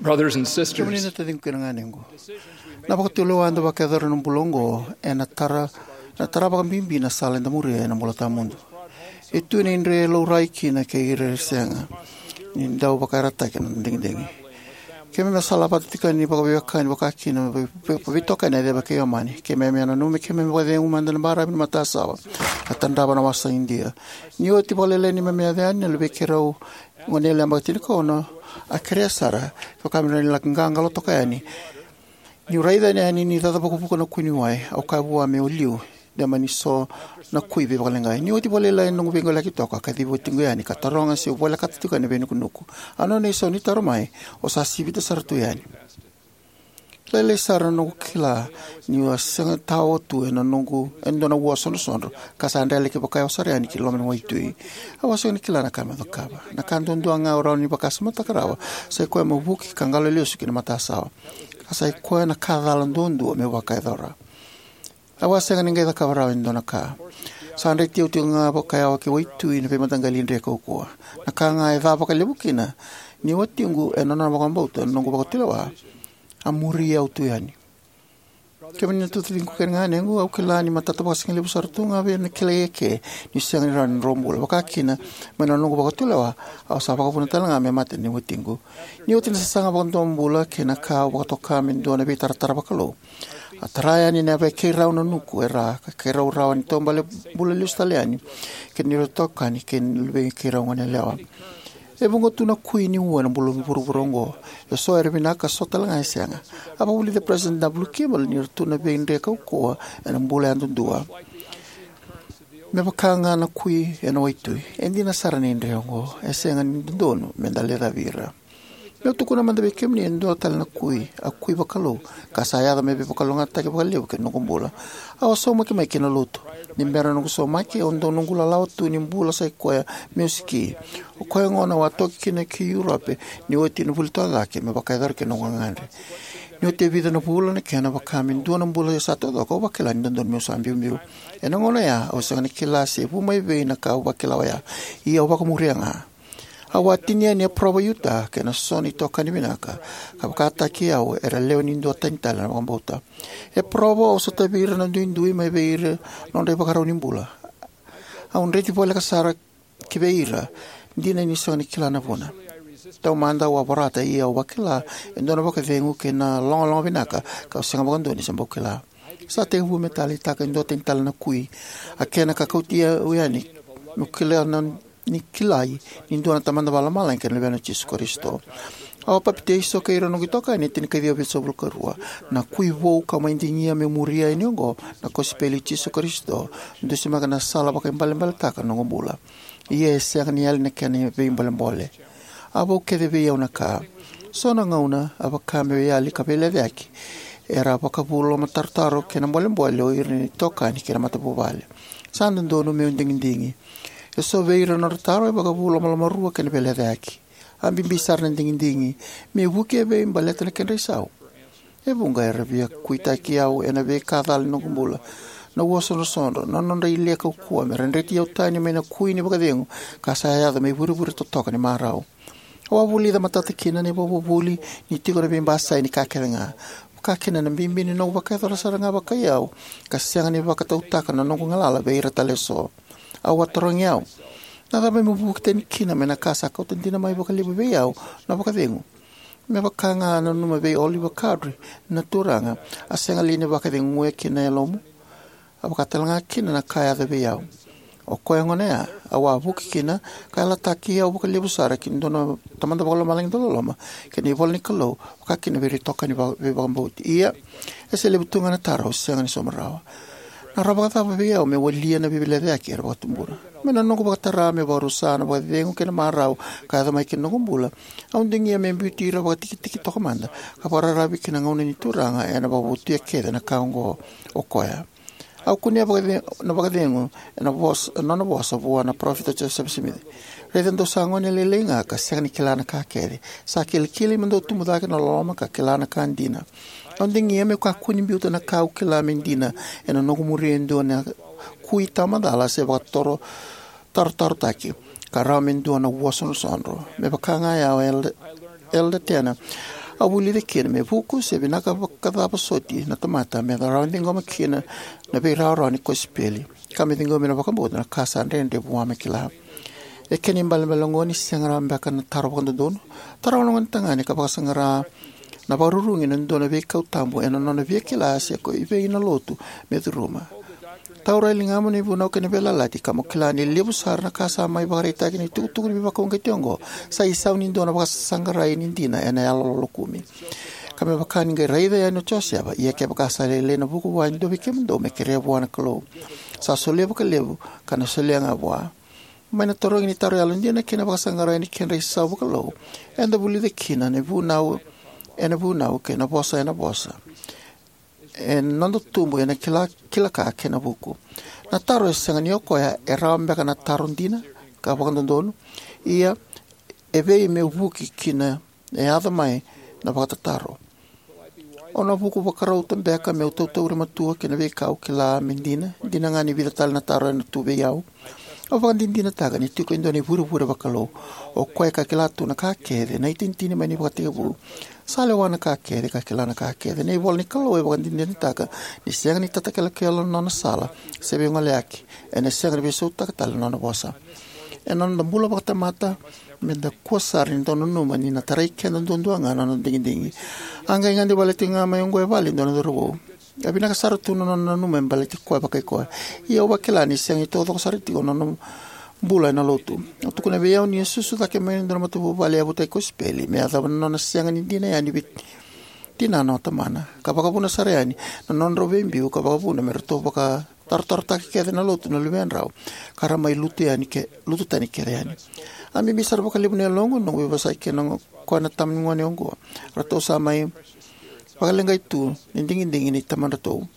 Brothers and sisters, kemuni na taciqu kei na ganequ, na vakatulewa eda vakayacora ena bula oqo ena tara, na tara vakabibi na sala eda muria ena bula tawamudu. E tu na idre e laurai kina kei ira e sega ni dau vakayarayarataki na digidigi. Keimami a sala vata tiko yani vakaveiwekani, vakakina vei, vei, veitokani e Ceva kei Omani. Keimami a nanuma me keimami vakacegu mada na baravi ni matasawa ka tadrava na wasa Idia. Ni oti vakalailai neimami yaco yani, na luvei keirau gone yalewa yabaki tinikaono a kerea sara, kevaka me rawa ni laki qaqalo toka yani. Niu raica yani ni caca vakavuku na kui ni wai, au kaya vua meu liu, de mani so na kui veivakaleqai. Ni oti vakalailai na noqu veiqoleyaki toka, a kacivi watiqu yani ka taroga se au volekata tiko yani na veinukunuku. A nona isau ni taro mai, "O sa sivita sara tu yani." Lailai sara na noqu kila niu a sega tawa tu ena noqu, e dua na ua sodrosodro, ka sa drelaki vakayao sara yani ki loma ni waitui. Au a sega ni kila na ka meu cakava. Na ka duadua ga au rawa ni vakasamataka rawa, sa i koya meu vuki ka qalo lesu ki na matasawa. Ka sa i koya na ka cala duadua meu vakayacora. Au a sega ni qai cakava rawa e dua na ka. Sa dreti au tiko ga vakayawa ki waitui na veimataqali idre kaukauwa. Na ka ga e ca vakalevu kina, ni watiqu, ena nona vakabauta na noqu vakatulewa, a muri au tu yani. Kemuni na taciqu kei na ganequ, au kila ni matata vakasigalevu sara tu ga vei au na kilai eke niu sega ni rawa ni drobula. Vakakina, mai na noqu vakatulewa, au sa vakavuna tale ga me mate na watiqu. Ni oti na sasaga vakadomobula kei na ka au vakatoka me dua na veitaratara vakalou, a tara yani na yavai keirau na nuku e ra, ka keirau rawa ni taubale bula lesu tale yani kei na neirau itokani kei na luvei keirau gone yalewa. E vuqa tu na kui ni ua ena bula ni vuravura oqo. E so era vinaka, so tale ga e sega. A vakavulica President W. Kimball ni ratou na veidre kaukauwa ena bula yadudua. Me vaka ga na kui ena waitui, e dina sara na idre oqo. E sega ni dodonu meda lecavi ira. Meu tukuna mada vei kemuni e dua tale na kui, a kui vakalou, ka sa yaco me veivakalougatataki vakalevu ki na noqu bula. Au a saumaki mai ki na lotu. Ni bera noqu saumaki, au dau noqu lalawa tu ni bula sa i koya meu siki. O koya gona au a toki kina ki Europe, ni oti na vuli toka cake, me vakayacora kina noqu gagadre. Ni oti e vica na vula na kena vaka me dua na bula sa taucoko, au vakila ni dodonu meu sa biubiu. Ena gauna oya, au sega ni kila se vu mai vei na ka au vakila oya. Ia au vakamuria ga. Au a tini yani e Provo, Utah, kei na so na itokani vinaka, ka vakataki au era lewe ni dua tani tale na vakabauta. E Provo, au sotavi ira na duidui mai vei ira nodra ivakarau ni bula. Au dreti voleka sara ki vei ira, dina niu sega ni kila na vuna. Taumada au a vorata, ia au vakila e dua na vakacegu kei na logaloga vinaka, ka au sega vakadua ni se bau kila. Sa tekivu me taleitaka e dua tani tale na kui. A kena ka kauti au yani meu kila na ni kilai ni dua na Tamada Vakalomalagi kei na Luvena o Jisu Karisito. Au a papitaiso kei ira noqu itokani e tinikaciwa vitusagavulu ka rua. Na kui vou kau mai digia meu muria yani oqo, na kosipeli i Jisu Karisito, dusimaka na sala vakaibalebaletaka na noqu bula. Ia e sega ni yali na kena veibolebole. A vou kece vei au na ka. So na gauna a vaka meu yali ka veilecayaki. Era a vakavu lomatarotaro kei na bolebole o ira na itokani kei na matavuvale. Sa dodonu meu digidigi. E so vei ira na nodra taro e vakavu lomalomarua kei na veilecayaki. A bibi sara na digidigi. Me vuki evei baleta na kedra isau? E vuqa era via kuitaki au ena veika cala ni noqu bula. Na ua sodrosodro, na nodra ile kaukauwa me ra dreti au tani mai na kui ni vakacegu ka sa yaco me ivurevure totoka ni marau. Au a vulica matata kina na ivakavuvuli ni tiko na veibasai ni ka kece ga. Vakakina na bibi ni noqu vakayacora sara ga vakai au, ka sega ni vakatautaka na noqu galala vei ira tale eso. Au a tarogi au, na cava meu vuki tani kina mai na ka sa kauta dina mai vakalevu vei au na vakacegu? Me vaka ga a nanuma vei Oliver Cowdery na Turaga, a sega li ni vakaceguya kina na yalomu? A vaka tale ga kina na ka a yaco vei au. O koya gona ya, au a vuki kina, ka yalataki au vakalevu sara ki dua na Tamada Vakalomalagi dauloloma kei na ivola ni Kalou, vakakina vei ira itokani va-, veivakabauti. Ia, e se levu tu ga na taro au sega ni sauma rawa. Na rawa vakacava vei au meu walia na veilecayaki era vakatubura? Mai na noqu vakatara meu vakarusa na vakacegu kei na marau ka yaco mai ki na noqu bula, au digia me biuti ira vakatikitiki toka mada ka vakararavi ki na gauna ni Turaga ena vakavotuya kece na ka oqo. O koya. Au kunea vakacegu, na vakacegu ena vosa, nona vosa vua na Parofita Josefa Simici. Raica dou sa gone lailai ga ka sega ni kila na ka kece. Sa kilikili mo dou tubu cake na loloma ka kila na ka dina. Au digia meu kakua ni biuta na ka au kila me dina ena noqu muria e dua na kui tamacala se vakatoro tarotarotaki, ka rawa me dua na ua sodrosodro. Me vaka ga ya o Elder, Elder Tanner, Au vulica kina me vuku se vinaka vakacava soti na tamata me rawa ni ciqoma kina na veirawarawa ni kosipeli, ka me ciqomi na vakabauta na ka sa dredre vua me kila. E kena ibalebale oqo ni sega rawa beka na taro vakadodonu. Taroga na gonetagane ka vakasaqara na vakarurugi ena dua na veikau tabu ena nona via kila se ko i vei na lotu me curuma. Taura e ligamu na ivunau kei na veiyalayalati ka mo kila ni levu sara na ka sa mai vakaraitaki ena itukutuku ni veivakauqeti oqo sa isau ni dua na vakasaqarai ni dina ena yalo lokumi. Ka me vaka ni qai raica yani o Josefa, ia kevaka sa lailai na vuku vua e dua vei kemudou, me kerea vua na Kalou. Sa solia vakalevu, ka na solia ga vua. Mai na tarogi ni taro yalodina kei na vakasaqarai ni kedra isau vakalou, eda vulica kina na vunau ena vunau kei na vosa ena vosa. E noda tubu ena kila, kila ka kei na vuku. Na taro e sega ni o koya e rawa beka na taro dina ka vakadodonu, ia e vei meu vuki kina e yaco mai na vakatataro. O na vuku vakarauta beka meu tautauri matua kei na veika au kila me dina, dina ga ni vica tale na taro ena tu vei au. Au vakadinadinataka ni tiko e dua na ivurevure vakalou. O koya ka kila tu na ka kece, na itinitini mai na ivakatekivu. Sa lewa na ka kece, ka kila na ka kece. Na ivola ni Kalou e vakadinadinataka ni sega ni tatakelokelo na nona sala se veigoleyaki. Ena sega ni veisautaka tale na nona vosa. Ena noda bula vakatamata, me da kua sara ni dau nanuma ni na tarai keda duadua ga na noda digidigi. A qai gade wale tiko ga mai oqo e vale e dua na cauravou. E vinaka sara tu na nona nanuma me baleti koya vakai koya. Ia au vakila ni sega ni taucoko sara tiko na nona bula ena lotu. Au tukuna vei au ni a susu cake mai na dua na matavuvale yavutaki kosipeli me yacova na nona sega ni dina yani vei tinana o tamana, ka vakavuna sara yani na nodrau veibiu, ka vakavuna me ratou vakatarotarotaka kece na lotu na luvedrau, ka ra mai lutu yani ke, lutu tani kece yani. A bibi sara vakalevu na yaloqu na noqu veivosaki kei na, koya na tama ni gone oqo. Ratou sa mai vakaleqai tu ni digidigi ni tamadratou.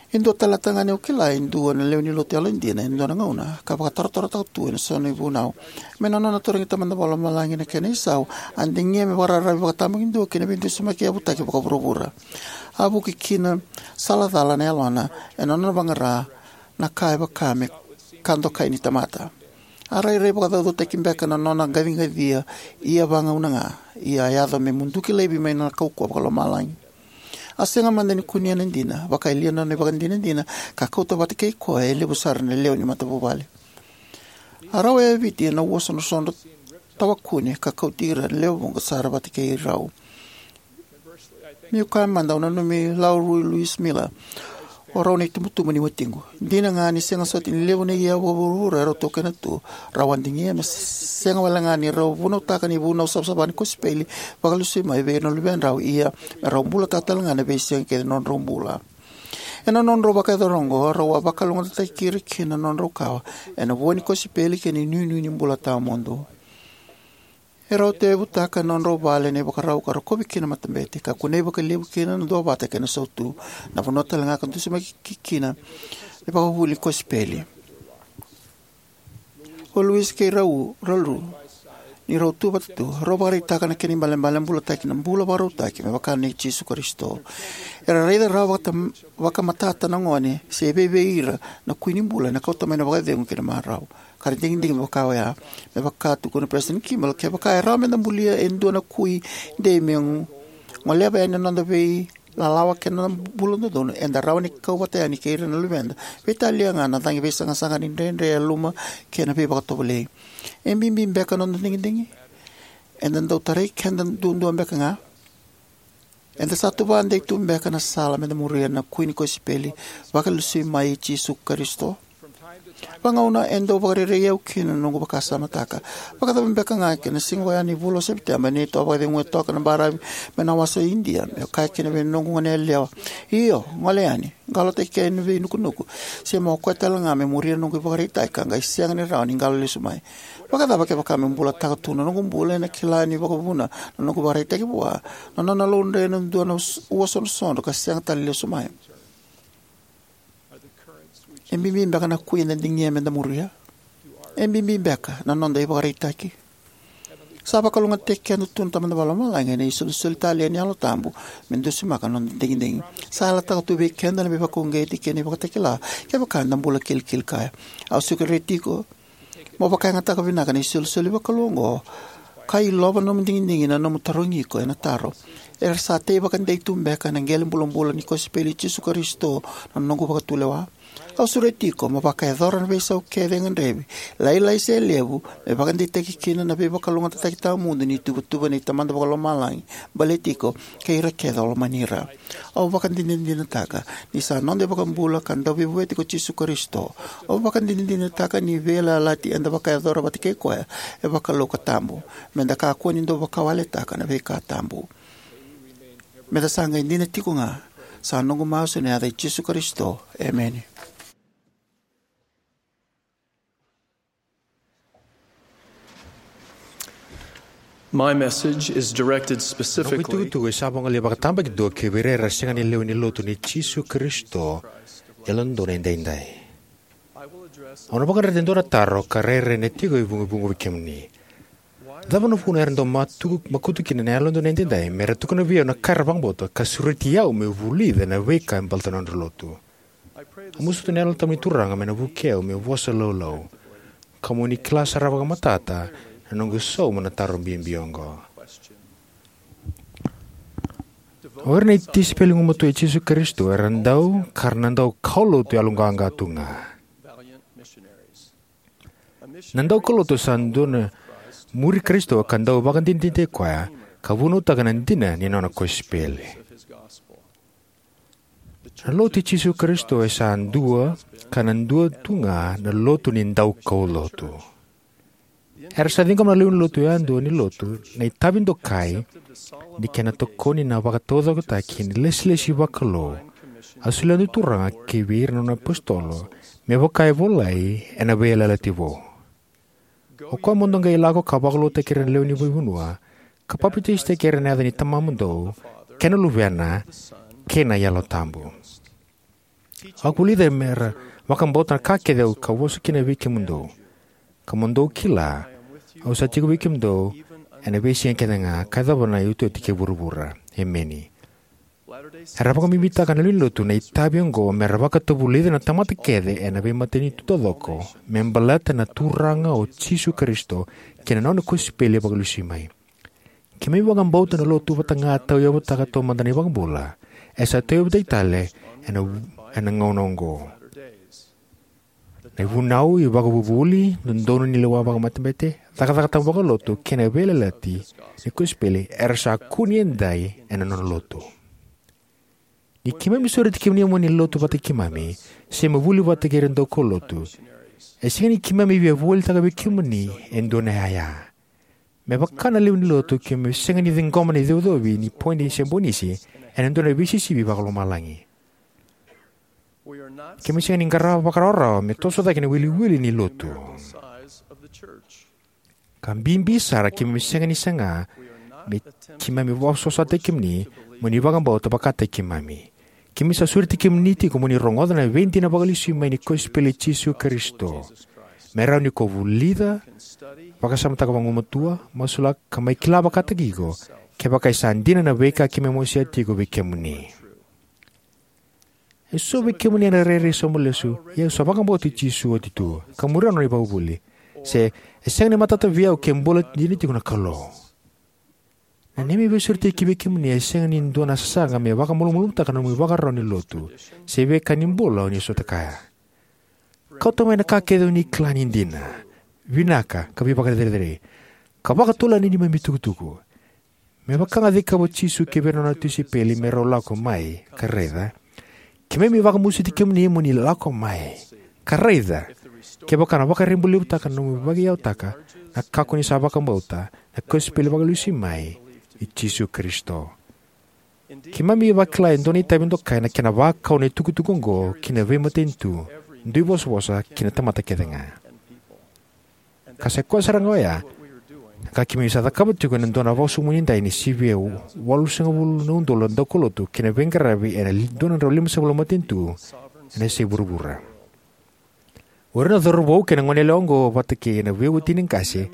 E dua tale na tagane au kila e dua na lewe ni lotu yalodina e dua na gauna, ka vakatarotarotaka tu ena so na ivunau. Mai na nona tarogi Tamada Vakalomalagi na kena isau, a digia me vakararavi vakatabakidua ki na veidusimaki yavutaki vakavuravura. A vuki ki na sala cala na yalona ena nona vaqara na ka e vaka me ka dokai ni tamata. A rairai vakacaucautaki beka na nona qaciqacia, ia vagauna ga, ia a yaco me muduki laivi mai na kaukauwa vakalomalagi. A sega mada ni kunea na dina, vaka e lia na nona ivakadinadina, ka kauta vata kei koya e levu sara na lewe ni matavuvale. A rau yaviti ena ua sodrosodro tawakune, ka kauti ira na lewe vuqa sara vata kei rau. Meu kaya mada, au nanumi Lau Rui Luis Miller, o rau na itubutubu ni watiqu. Dina ga ni sega soti ni levu na iyau vakavuravura e rau taukena tu, rau a digia me sega wale ga ni rau vunautaka na ivunau savasava ni kosipeli vakalesui mai vei ira na luvedrau, ia me rau bulataka tale ga na veisiga kece ni nodrau bula. Ena nodrau vakayacora oqo, rau a vakalougatataki ira kina na nodrau kawa ena vua ni kosipeli kei na inuinui ni bula tawamudu. E rau tauyavutaka na nodrau vale ena ivakarau ka rokovi kina na matabete, ka kunei vakalevu kina na duavata kei na sautu, na vanua tale ga ka dusimaki kina na ivakavuvuli ni kosipeli. O Luis kei Rau, Raul, ni rau tu vata tu, rau vakaraitaka na kena ibalebale bulataki na bula vakarautaki me vaka nei Jisu Karisito. Era raica rawa vakata-, vakamatata na gone se e vei vei ira na kui ni bula ena kauta mai na vakacegu kei na marau. Ka ra digidigi me vaka oya. Me vaka tukuna o Peresitedi Kimball, kevaka e rawa meda bulia e dua na kui dei me gu-, goleva yani na noda veilalawa kei na bula dodonu, eda rawa ni kau vata yani kei ira na luveda, veitalia ga na cagi veisaqasaqa ni dredre e yaluma kei na veivakatovolei. E bibi beka na noda digidigi? Eda dau tarai keda duadua beka ga? Eda sa tuvadei tu beka na sala meda muria na kui ni kosipeli vakalesui mai i Jisu Karisito? Vagauna e dau vakarerei au kina na noqu vakasamataka. Vakacava beka ga kei na siga oya ni vula o Sepiteba, neitou a vakacegua toka na baravi mai na wasa o Idia, meu kaya kina vei noqu goneyalewa, "Io, gole yani, qolotaki kina na veinukunuku, se mo koya tale ga me muria na noqu ivakaraitaki ka qai sega ni rawa ni qalo lesu mai." Vakacava kevaka me bulataka tu na noqu bula ena kila ni vakavuna na noqu ivakaraitaki vua na nona laudre ena dua na us-, ua sodrosodro ka sega tale lesu mai? E bibi beka na kui eda digia meda muria? E bibi beka na noda ivakaraitaki? Sa vakalougatataki keda tu na Tamada Vakalomalagi ena isolisoli talei ni Yalo Tabu me dusimaka na noda digidigi. Sa yalataka tu vei keda na veivakauqeti kei na ivakatakila kevaka eda bula kilikili kaya. Au sureti iko mo vakayagataka vinaka na isolisoli vakalou oqo Ka ilova na nomu digidigi na nomu tarogi iko ena taro: Era sa tei vakadei tu beka ena qele bulabula ni kosipeli i Jisu Karisito na noqu vakatulewa? Au sureti iko mo vakayacora na veisau kece e gadrevi, lailai se levu, me vakadeitaki kina na veivakalougatataki tawamudu ni ituvatuva nei Tamada Vakalomalagi baleti iko kei ira kece o lomani ira. Au vakadinadinataka ni sa noda iVakabula ka Dauveivueti ko Jisu Karisito. Au vakadinadinataka ni veiyalayalati eda vakayacora vata kei Koya e vakalou ka tabu. Meda kakua ni dau vakawaletaka na veika tabu. Meda sa qai dina tiko ga. Sa noqu masu ena yaca i Jisu Karisito, emeni. My message is directed Noqu specifically itukutuku e sa vagolei vakatabakidua kei vei ira era sega ni lewe ni Lotu nei Jisu Karisito e Yalododonu Edaidai. Au na vakadreta e dua na taro ka rairai na tiko e vugovugo vei kemuni. Cava na vuna era dau matuku, makutu kina na Yalododonu Edaidai me ra tukuna vei au na ka era vakabauta ka sureti au meu vulica na veika e baleta na nodra lotu? Au masuta na Yalo Tabu ni Turaga me na vukei au meu vosa laulau, ka mo ni kila sara vakamatata na noqu sauma na taro bibi oqo. O ira na tisaipeli gumatua i Jisu Karisito era dau ka ra na dau kaulotu yaloqaqa tu ga. Na daukaulotu sa dua na muri Karisito ka dau vakadinadinataki koya ka vunautaka na dina ni nona kosipeli. Na Lotu i Jisu Karisito e sa dua ka na dua tu ga na lotu ni daukaulotu. Era sa ciqoma na lewe ni lotu yadua ni Lotu na itavi dokai ni kena tokoni na vakataucokotaki ni ilesilesi vakalou a solia na Turaga kivei ira na nona iapositolo, me vaka e volai ena Veiyalayalati Vou: O koya mo dou qai lako ka vakalougatataki ira na lewe ni veivanua, ka papitaisotaki ira ena yaca ni Tamamudou, kei na Luvena, kei na Yalo Tabu. Vakavulici ira me ra vakabauta na ka kece au a vosa kina vei kemudou. Ka mo dou kila, au sa tiko vei kemudou ena veisiga kece ga, ka yacova na iotioti kei vuravura. Emeni. Era vakabibitaka na lewe ni Lotu na itavi oqo me ra vakatavulica na tamata kece ena veimatanitu taucoko me baleta na Turaga o Jisu Karisito kei na nona kosipeli e vakalesui mai. Keimami vakabauta na Lotu vata ga a tauyavutaka taumada na iVakabula e sa tauyavutaki tale ena, ena gauna oqo. Na ivunau, ivakavuvuli, dodonu ni lewa vakamatabete, cakacaka tabu vakalotu, kei na veiyalayalati ni kosipeli era sa kune edaidai ena nona Lotu. Ni keimami sureti kemuni mo ni lotu vata kei keimami se mo vuli vata kei ira na daukaulotu, e sega ni keimami via volitaka vei kemuni e dua na iyaya. Me vaka na lewe ni Lotu, keimami sega ni ciqoma na icocovi ni Poini se Bonisi ena dua na veisisivi vakalomalagi. Keimami sega ni qarava vakarawarawa me toso cake na iwiliwili ni Lotu. Ka bibi sara, keimami sega ni saga me keimami vakasosataki kemuni mo ni vakabauta vakataki keimami. Keimami sa sureti kemuni tiko mo ni rogoca na veidina vakalesui mai ni kosipeli i Jisu Karisito, me rawa ni ko vulica, vakasamataka vagumatua, masulaka, ka mai kila vakataki iko kevaka e sa dina na veika keimami wasea tiko vei kemuni. E so vei kemuni ena rairai sauma lesu, ia au sa vakabauti Jisu oti tu ka muria na nona ivakavuvuli, se e sega ni matata vei au ke bula dina tiko na Kalou. Na neimami veisureti kivei kemuni e sega ni dua na sasaga me vakamalumalumutaka na nomu ivakarau ni lotu se veika ni bula o ni sota kaya. Kauta mai na ka kece o ni kila ni dina, vinaka, ka veivakacerecerei, ka vakatovolea na neimami itukutuku. Me vaka ga a cikava o Jisu kivei ira na nona tisaipeli me rau lako mai, ka raica, keimami vakamasuti kemuni mo ni lako mai, ka raica kevaka na vakaribalevutaka na nomu vakaiyautaka na ka ko ni sa vakabauta, na kosipeli vakalesui mai i Jisu Karisito. Keimami vakila e dua na itavi dokai na kena vakau na itukutuku oqo ki na veimatanitu, duivosavosa, kei na tamata kece ga. Ka sa i koya sara ga oya na ka keimami sa cakava tiko ena dua na vakasaumuni edai ni sivia walusagavulu na udolu na daukaulotu kei na veiqaravi ena li-, dua na drau limasagavulu na matanitu ena yasai vuravura. O ira na cauravou kei na goneyalewa oqo vata kei na veiwatini qase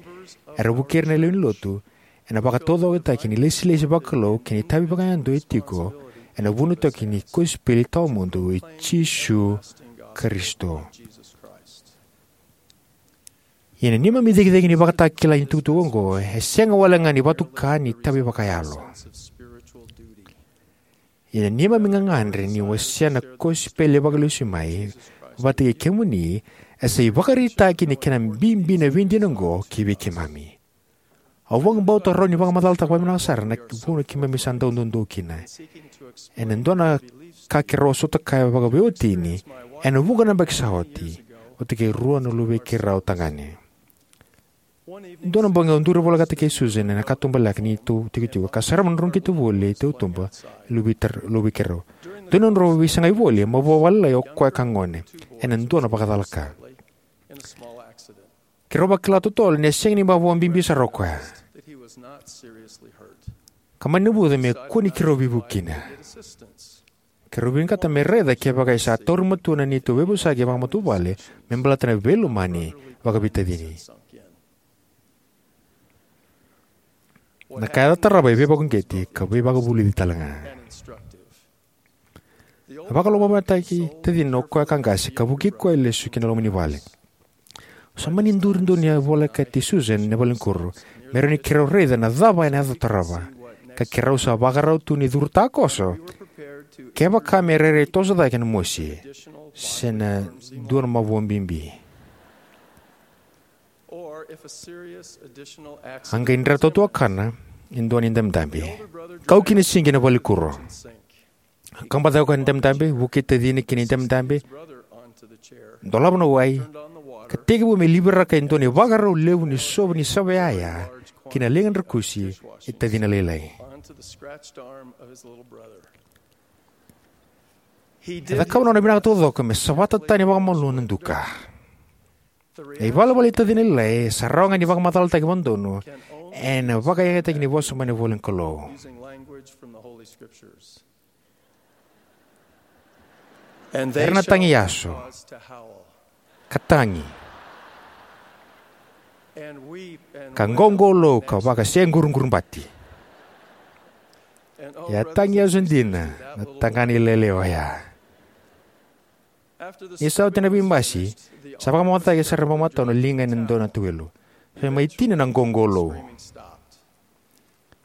era vukei ira na lewe ni lotu ena vakataucokotaki ni ilesilesi vakalou kei na itavi vakayadua e tiko ena vunautaki ni kosipeli tawamudu i Jisu Karisito. Ia na neimami cegicegi ni ivakatakila ni itukutuku oqo e sega walega ni vatuka ni itavi vakayalo. Ia na neimami gagadre ni wasea na kosipeli vakalesui mai vata kei kemuni e sa ivakaraitaki ni kena bibi na veidina oqo kivei keimami. Au vakabauta rawa ni vakamacalataka vakavinaka sara na vuna keimami sa dau doudou kina ena dua na ka keirau a sota kaya vakaveiwatini ena vuqa na yabaki sa oti, vata kei rua na luvei keirau tagane. Dua na bogi au duri volekata kei Susan ena katubaleka ni tou tikotiko ka sarava na drau qito voli e tautuba e luvei keirau. Dua na nodrau veisagai voli, mavoa vakalailai o koya ka gone ena dua na vakacalaka. Keirau vakila totolo ni a sega ni mavoa bibi sara o koya, ka mani navuca me kua ni keirau veivuke kina. Keirau vinakata me raica kevaka e sa tauri matua na neitou veivosaki vakamatavuvale me baleta na veilomani vakaveitacini. Na ka yaco tarava e veivakauqeti ka veivakavulici talega. A vakalomavinakataki tacina o koya ka qase ka vukei koya lesu ki na loma ni vale. Au sa mani duri donu ni a volekati Susan ena valenikuro me rawa ni keirau raica na cava ena yaco tarava, ka keirau sa vakarau tu ni curu takoso kevaka me rairai toso cake na mosi se na dua na mavoa bibi. A qai dra tautuakana e dua na idabedabe, kau ki na sinki ena valenikuro. A kabacaka o koya na idabedabe, vukei tacina ki na idabedabe, dolava na wai, ka tekivu me liviraka e dua na ivakarau levu ni sovu ni sava yaya ki na liga drakusi e tacina lailai. E cakava na nona vinaka taucoko me savata tani vakamalua na duka. Na ivalavala i tacina lailai e sa rawa ga ni vakamacalataki vakadodonu ena vakayagataki ni vosa mai na ivola ni Kalou. Era na tagi yaso, ka tagi, ka qoqolou ka vaka se qurubati. Ia a tagi yaso dina na tagane lailai oya. Ni sa oti na veibasi, sa vakamamacataki sara vakamatau na liga ena dua na tauwelu. Sa mai tini na qoqolou.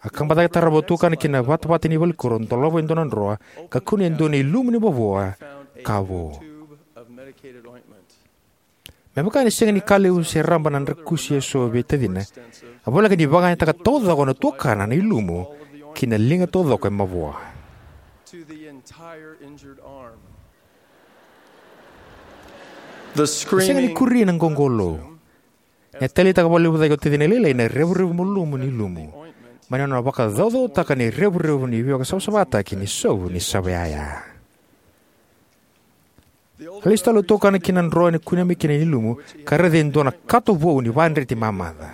A kabacaka tarava, tukana ki na vatavata ni valenikuro, dolava e dua na droa, ka kunea e dua na ilumu ni mavoa, ka vo. Me vaka ni sega ni ka levu se raba na drakusi eso vei tacina, a voleka ni vakayagataka taucoko na tuakana na ilumu ki na liga taucoko e mavoa. E sega ni kuri na qoqolou. E taleitaka vakalevu cake o tacina lailai na revurevu malumu ni ilumu mai na nona vakacaucautaka na irevurevu ni veivakasavasavataki ni sovu ni sava yaya. A lesu tale o tukana ki na droa e kunea mai kina na ilumu, ka raica e dua na kato vou ni vakadreti mamaca.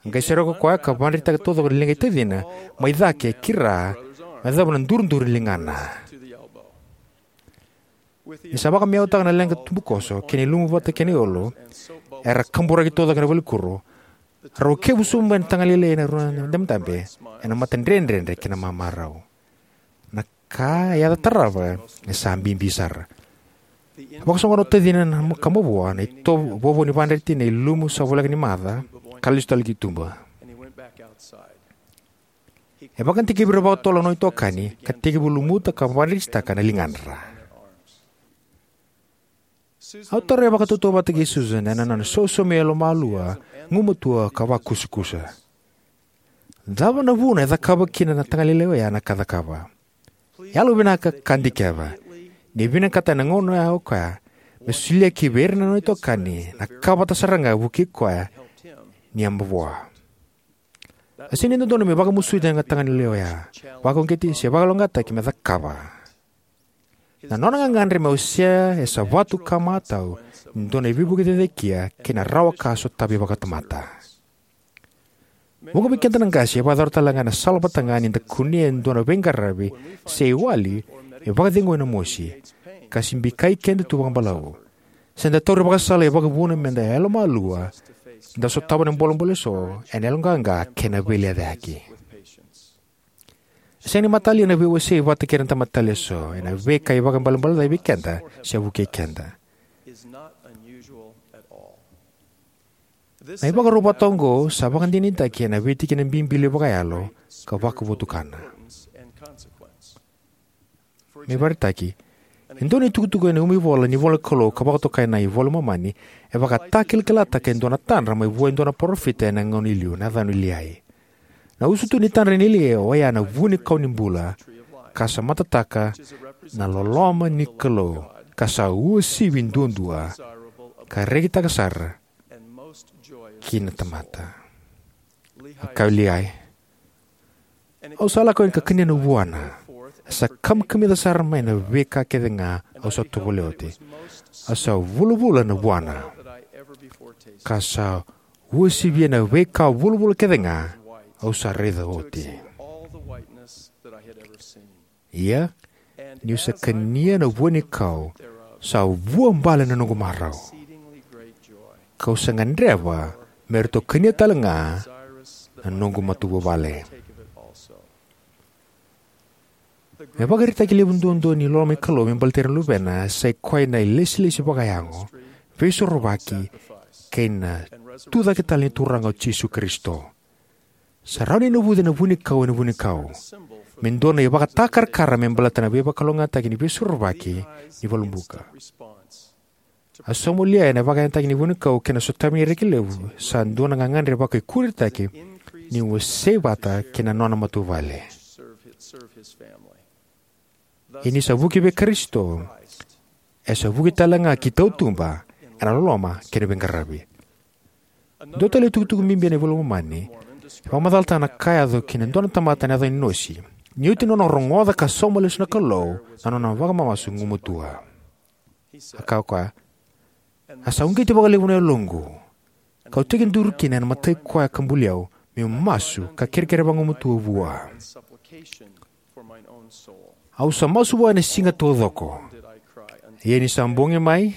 A qai sere ko koya ka vakadretitaka taucoko na liga i tacina mai cake ki ra, me yacova na duriduri ni ligana. Ni sa vakameautaka na leqa tubukoso kei na ilumu vata kei na iyolo era kaburaki taucoko ena valenikuro, rau kevu sobu mai na tagane lailai ena rua na idabedabe ena matadredredre kei na mamarau. Na ka e yaco tarava e sa bibi sara. A vakasoqona o tacina na ka mavoa na itovo vovo ni vakadreti na ilumu sa voleka ni maca, ka lesu tale ki tuba. E vakadikevi ira vakatotolo na nona itokani ka tekivu lumuta ka vakadretitaka na ligadra. Au tarogi vakatautauvata kei Susan ena nona sausaumi yalomalua, gugumatua ka vakusakusa. Cava na vuna e cakava kina na tagane lailai oya na ka e cakava? Yalovinaka ka dikeva ni vinakata ena gauna oya o koya me solia ki vei ira na nona itokani na ka vata sara ga e vukei koya ni a mavoa. A sega ni dodonu me vakamasuti na tagane lailai oya, vakauqeti se vakalougatataki me cakava. Na nona gagadre me wasea e sa vatu ka matau ni dua na veivuke cecekia kei na rawa ka sotavi vakatamata. Vuqa vei keda na qase e vakayacora tale ga ena sala vata ga ni da kunea e dua na veiqaravi se iwali e vakacegui ena mosi, ka se bikai keda tu vakabalavu. Se da taura ivakasala e vakavuna me da yalomalua, da sotava na bolebole eso ena yaloqaqa kei na veilecayaki. E sega ni matalia na veiwasei vata kei ira na tamata tale eso ena veika e vakaibalebale cai vei keda se vukei keda. Na ivakarau vata oqo sa vakadinadinataki ena veitikina bibi vakayalo ka vakavotukana. Me vakaraitaki, e dua na itukutuku ena umivola ni ivolanikalou ka vakatokai na iVola i Momani e vakatakilakilataka e dua na tadra mai vua e dua na parofita ena gauna i liu, na yacana o Liai. Na usutu ni tadra nei Liai oya na vuanikau ni bula, ka sa matataka na loloma ni Kalou, ka sa uasivi duadua, ka rekitaka sara ki na tamata. A kaya o Liai, au sa lako yani ka kania na vuana, sa kamikamica sara mai na veika kece ga au sa tovolea oti. A sa vulavula na vuana, ka sa uasivia na veika vulavula kece ga au sa raica oti. Ia, niu sa kania na vuanikau, sa vuabale na noqu marau, kau sa gadreva me ratou kania tale ga na noqu matavuvale. Me vakaraitaki levu duadua ni loloma ni Kalou me baleti ira na Luvena sai koya na ilesilesi vakayago, veisorovaki, kei na tucake tale ni Turaga o Jisu Karisito. Sa rawa ni navuci na vuanikau ena vuanikau me dua na ivakatakarakara me baleta na veivakalougatataki ni veisorovaki ni valubuka. A sauma o Liai ena vakayagataki ni vuanikau kei na sotavi ni reki levu sa dua na gagadre vakaikuritaki ni wasei vata kei na nona matavuvale. Ia ni sa vuki vei Karisito, e sa vuki tale ga ki tautuba ena loloma kei na veiqaravi. Dua tale na itukutuku bibi ena iVola i Momani e vakamacalataka na ka a yaco ki na dua na tamata na yacana o Inosi, ni oti na nona rogoca ka sauma lesu na Kalou na nona vakamamasu gumatua. A kaya o koya, a sa uqeti vakalevu na yaloqu, kau tekiduru kina ena mata i koya ka buli au, meu masu ka kerekere vagumatua vua. Au sa masu vua ena siga taucoko, ia ni sa bogi mai,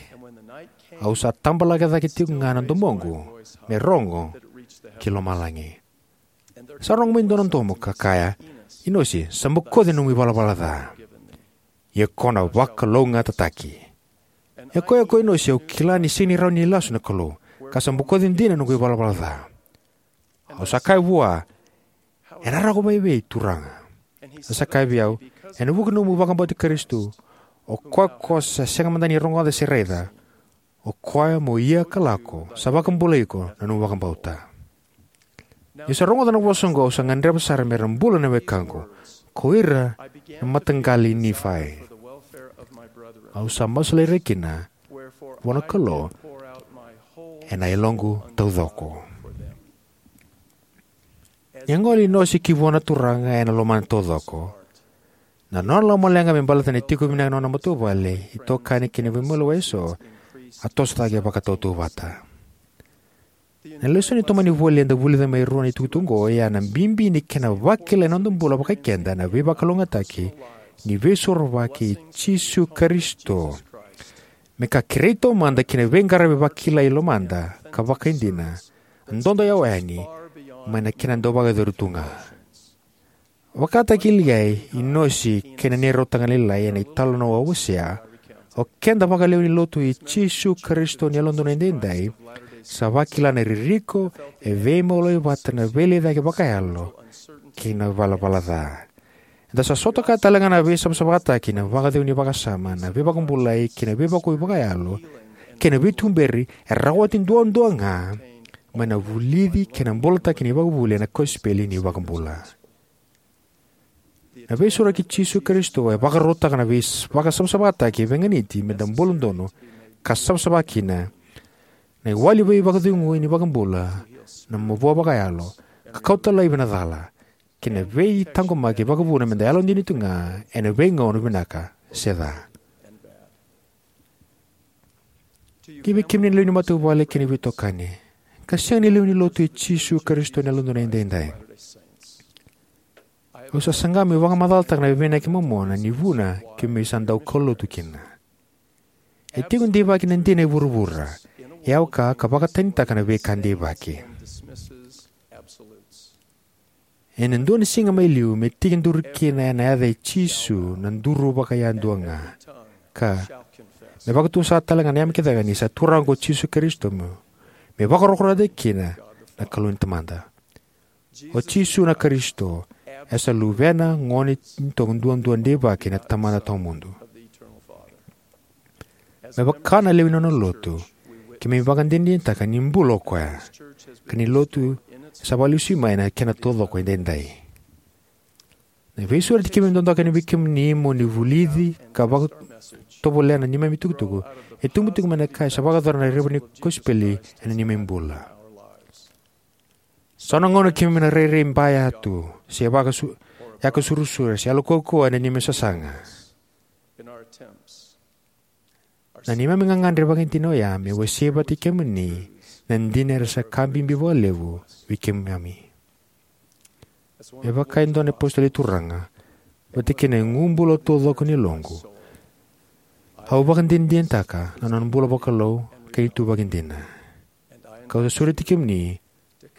au sa tabalaka cake tiko ga na domoqu me rogo ki lomalagi. Sa rogo mai e dua na domo ka kaya, Inosi, sa bokoci na nomu ivalavala ca, ia ko na vakalougatataki. E koya ko Inosi, au kila ni sega ni rawa ni lasu na Kalou, ka sa bokoci dina na noqu ivalavala ca. Au sa kaya vua, ena rawa ko mai vei, Turaga? A sa kaya vei au, ena vuku ni nomu vakabauti Karisito, o koya ko sa sega mada ni rogoca se raica, o koya mo ia ka lako, sa vakabulai iko na nomu vakabauta. Niu sa rogoca na vosa oqo, au sa gadreva sara me ra bula na wekaqu, ko ira na mataqali i Nifai. Au sa masulaki ira kina vua na Kalou ena yaloqu taucoko. Ni a gole o Inosi ki vua na Turaga ena lomana taucoko, na nona lomaleqa me baleta na tiko vinaka na nona matavuvale, itokani kei na veimaliwai eso, a toso cake vakatautauvata. Na lesoni tomani voli eda vulica mai rua na itukutuku oqo, oya na bibi ni kena vakilai na noda bula vakai keda na veivakalougatataki ni veisorovaki i Jisu Karisito, me ka kerei taumada ki na veiqaravi vakilai lomada ka vakaidina, dodo yawa yani mai na kena dau vakayacori tu ga. Vakataki Liai, Inosi, kei na neirautaka na lailai ena italanoa o Osea, o keda vakalewe ni lotu i Jisu Karisito ni Yalododonu Edaidai sa vakila na ririko e veimaliwai vata na veilecayaki vakayalo kei na ivalavala ca. Eda sa sota kaya tale ga na veisavasavataki, na vakacegu ni vakasama, na veivakabulai kei na veivakoi vakayalo, kei na veituberi e rawati duadua ga mai na vulici kei na bulataki ni vakavuvuli ena kosipeli ni iVakabula. Na veisorovaki i Jisu Karisito e vakarautaka na veivakasavasavataki e veiganiti meda bula donu ka savasava kina, na iwali veivakacegui ni iVakabula, na mavoa vakayalo, ka kauta laivi na cala, kei na veitaqomaki vakavuna meda yalodina tu ga ena veigauna vinaka se ca. Kivei kemuni na lewe ni matavuvale kei na veitokani, ka sega ni lewe ni lotu i Jisu Karisito ni Yalododonu Edaidai, au sa saga meu vakamacalataka na veivinaka kei na momona ni vuna keimami sa dau kaulotu kina. E tiko deivaki na dina e vuravura, e au ka ka vakatanitaka na veika deivaki. Ena dua na siga mai liu me tekiduru kina ena yaca i Jisu na duru vakayadua ga, ka me vakatusa tale ga na yame kece ga ni sa Turaga ko Jisu Karisito, meu me vakarokorokotaki kina na Kalou ni Tamada. O Jisu na Karisito, e sa Luvena gone ni toko duadua deivaki na Tamada tawamudu. Me vaka na lewe ni nona lotu, keimami vakadinadinataka ni bula o koya, ka ni lotu sa vakalesui mai na kena taucoko edaidai. Na veisureti keimami dodoka yani vei kemuni mo ni vulici ka vakatovolea na neimami itukutuku e tubu tiko mai na ka e sa vakayacora na raivotu ni kosipeli ena neimami bula. So na gauna keimami na rairai baya tu, se vakasu-, yakasurusura, se yalo kaukauwa ena neimami sasaga. Na neimami gagadre vakaidina oya me wasea vata kei kemuni na dina era sa ka bibi vakalevu vei keimami. Me vaka e dua na apositolo ni Turaga, vata kei na igu bula taucoko ni yaloqu, au vakadinadinataka na nona bula vakalou kei na ituvaki dina. Kau sa sureti kemuni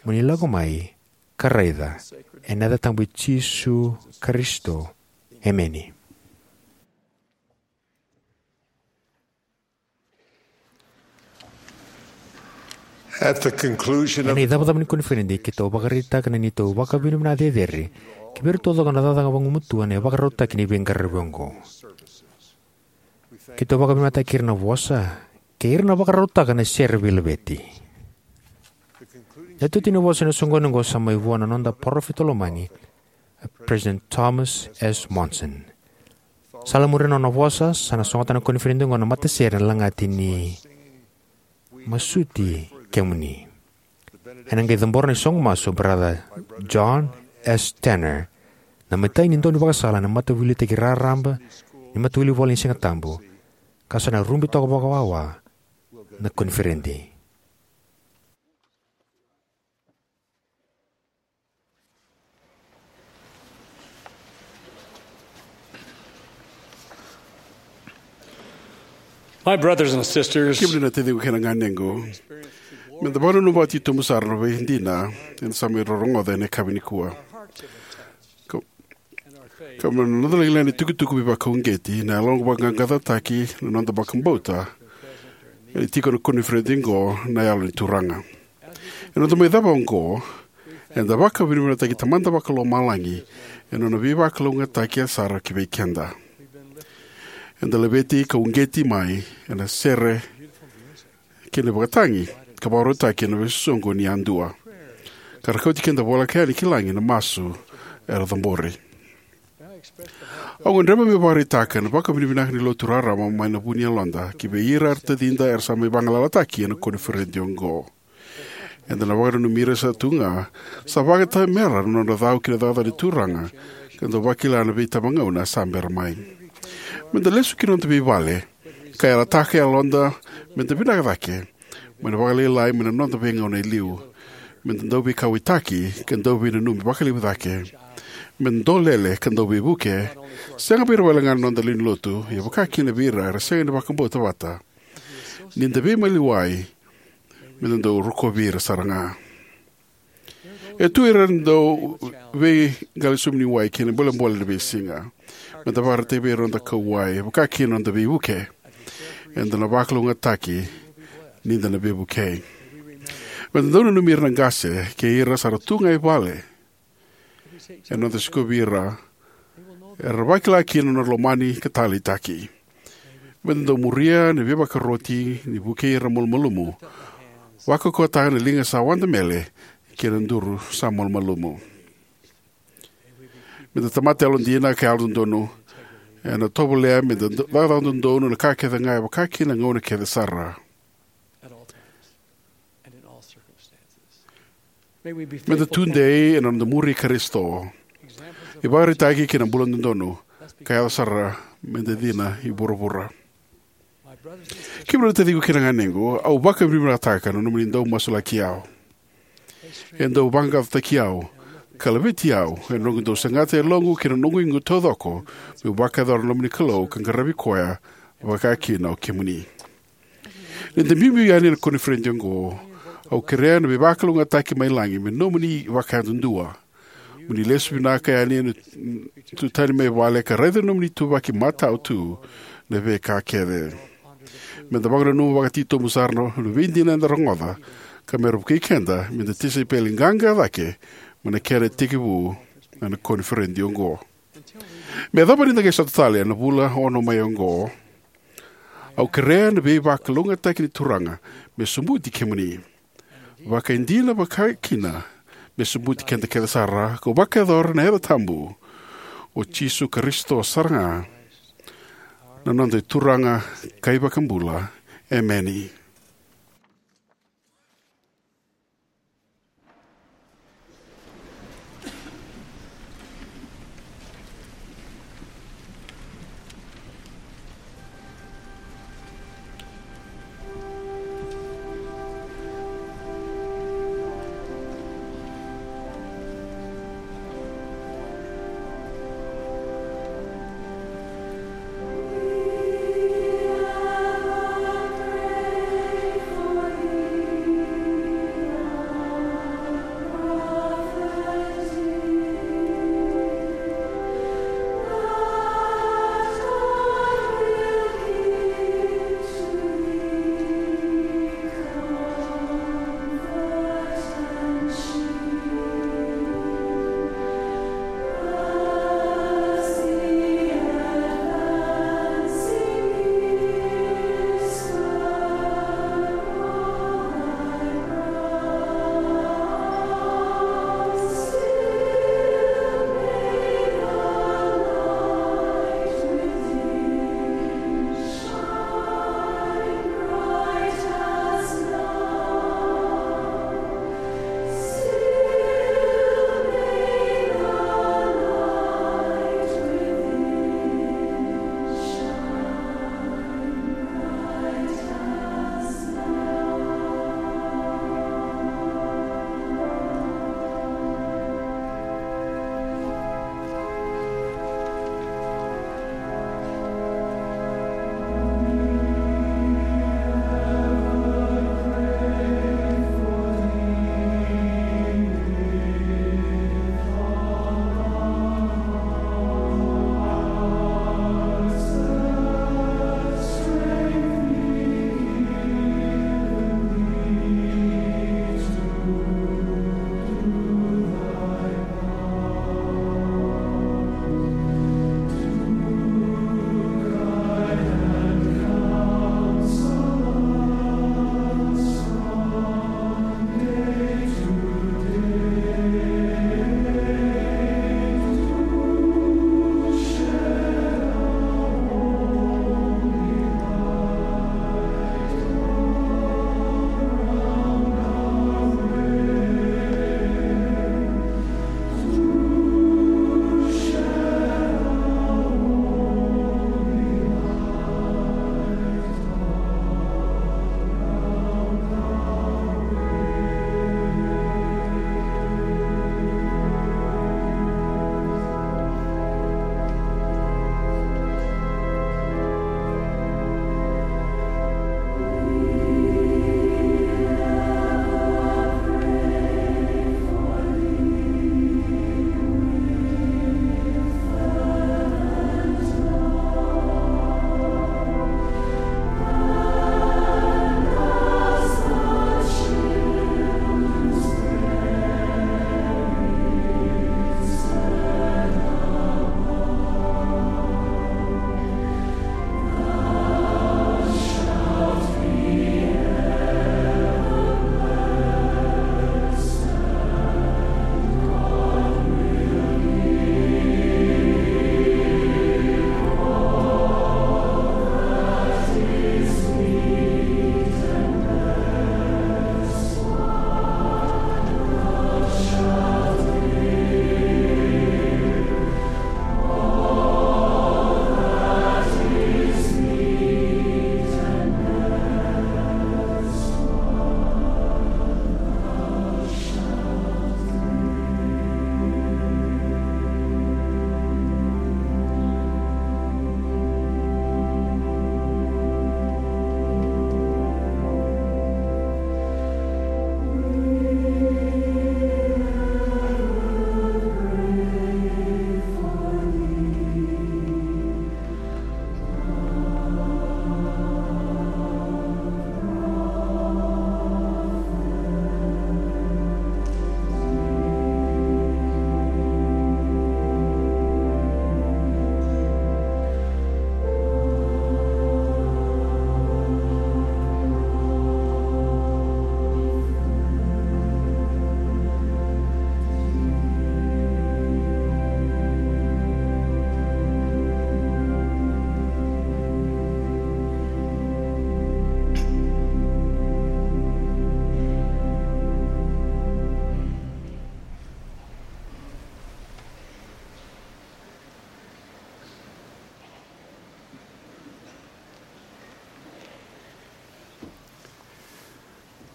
mo ni lako mai ka raica, ena yaca tabu i Jisu Karisito. Emeni. At the conclusion of Ena icavacava ni koniferedi, keitou vakaraitaka na neitou vakavinavinaka cecere ki vei ira taucoko na cakacaka vagumatua ena vakarautaki ni veiqaravi oqo. Keitou vakavinavinakataki ira na vosa kei ira na vakarautaka na sere veilaveti. Na itutu ni vosa ena soqoni oqo sa mai vua na noda parofita lomani, President Thomas S. Monson. Sa lai muri na nona vosa, sa na sogota na koniferedi oqo na matasere ena lagati ni Masuti Kemuni. Ena qai cabora na isoqo masu o Brother John S. Tanner, na imatai ni daunivakasala ena Mataveiliutaki Raraba ni Matawilivola ni Sigatabu, ka sa na rubi toka vakawawa na koniferedi. My brothers and sisters, kemuni na taciqu kei na ganequ, me da vakananuma vakatitobu sara na veidina eda sa mai rorogoca ena yakavi nikua. Ka, ka me na noda lagilagi na itukutuku veivakauqeti, na yaloqu vakaqaqacotaki na noda vakabauta, e tiko na koniferedi oqo na Yalo ni Turaga. Ena noda mai cava oqo, eda vakavinavinakataki Tamada Vakalomalagi ena nona veivakalougatataki sara ki vei keda. Eda laveti ka uqeti mai ena sere kei na ivakatagi, ka vakarautaki ena veisoqo ni yadua, ka ra kauti keda voleka yani ki lagi na masu era cabori. Au gadreva meu vakaraitaka na vakavinavinaka ni Lotu raraba mai na vu ni yaloda ki vei ira era tacida era sa mai vagalalataki ena koniferedi oqo. Eda na vakananumi ira sa tu ga, sa vakatamera na nodra cau ki na cakacaka ni Turaga, ka dau vakila na veitabagauna sa bera mai. Me da lesu ki na noda veivale ka yalataka e yaloda me da vinaka cake, mai na vakalailai mai na noda veigauna e liu. Me da dau veikauwaitaki ka dau veinanumi vakalevu cake. Me da dolele ka dau veivuke, sega vei ira wale ga na noda lewe ni lotu, ia vaka kina vei ira era sega ni vakabauta vata. Ni da veimaliwai, me da dau rokovi ira sara ga. E tu ira na dau veiqali suminiwai kei na bolebole ena veisiga. Me da vakaraitaka vei ira na noda kauwai, vaka kina na noda veivuke. Eda na vakalougatataki ni da na veivukei. Me da dau nanumi ira na qase kei ira sa ra tu ga e vale ena noda sikovi ira, era vakila kina na nodra lomani ka taleitaki. Me da dau muria na veivakaroti ni vukei ira malumalumu, vakaukauwataka na liga sa wadamele kei na duru sa malumalumu. Me da tamata yalodina ka yalododonu, ena tovolea me da do-, cakacaka dodonu na ka kece ga e vaka kina na gauna kece sara. Me da tudei ena noda muri Karisito, ivakaraitaki kei na bula dodonu, ka yaco sara me da cina i vuravura. Kemuni na taciqu kei na ganequ, au vakavinavinakataka na nomuni dau masulaki au. E dau vaqaqacotaki au ka laveti au ena noqu dau segata e yaloqu kei na noqu igu taucoko meu vakayacora na loma ni Kalou ka qaravi koya, vaka kina o kemuni. Ni da biubiu yani ena koniferedi oqo, au kerea na veivakalougatataki mai lagi me nomuni vakayadudua. Mo ni lesu vinaka yani, tu tani mai vale ka raica na nomuni ituvaki matau tu na veika kece. Me da vakananuma vakatitobu sara na veidina eda rogoca, ka me ra vukei keda me da tisaipeli qaqa cake mai na kena tekivu na koniferedi oqo. Me yacova ni da qai sota tale ena vula ono mai oqo, au kerea na veivakalougatataki ni Turaga me sobuti kemuni. Vakaidina vakakina me sobuti keda kece sara, kau vakayacora na yaca tabu o Jisu Karisito sara ga, na noda iTuraga ka iVakabula. Emeni.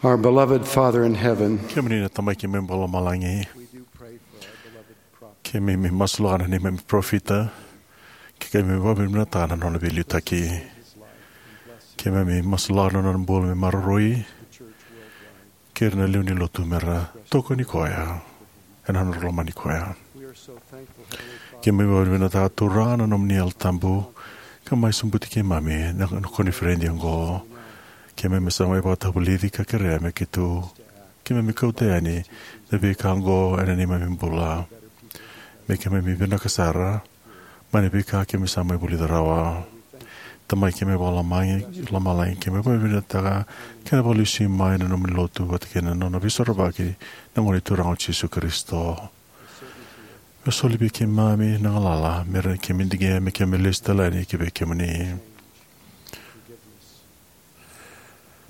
Our beloved Father in heaven, kemuni na Tamai keimami vakalomalagi, keimami masulaka na neimami parofita, keimami vakavinavinakataka na nona veiliutaki. Keimami masulaka na nona bula me maroroi, kei ira na lewe ni lotu me ra tokoni koya ena nodra lomani koya. Keimami vakavinavinakataka, Turaga, na nomuni Yalo Tabu ka mai sobuti keimami na koniferedi oqo. Keimami sa mai vakatavulici ka kerea me keitou, keimami kauta yani na veika oqo ena neimami bula, me keimami vinaka sara mai na veika keimami sa mai vulica rawa. Tamai keimami vakalomalagi, keimami vakavinavinakataka kei na vakalesui mai na nomuni lotu vata kei na nona veisorovaki na Gone Turaga o Jisu Karisito. Me soli vei keimami na galala me rawa ni keimami digia me keimami lesu tale yani ki vei kemuni.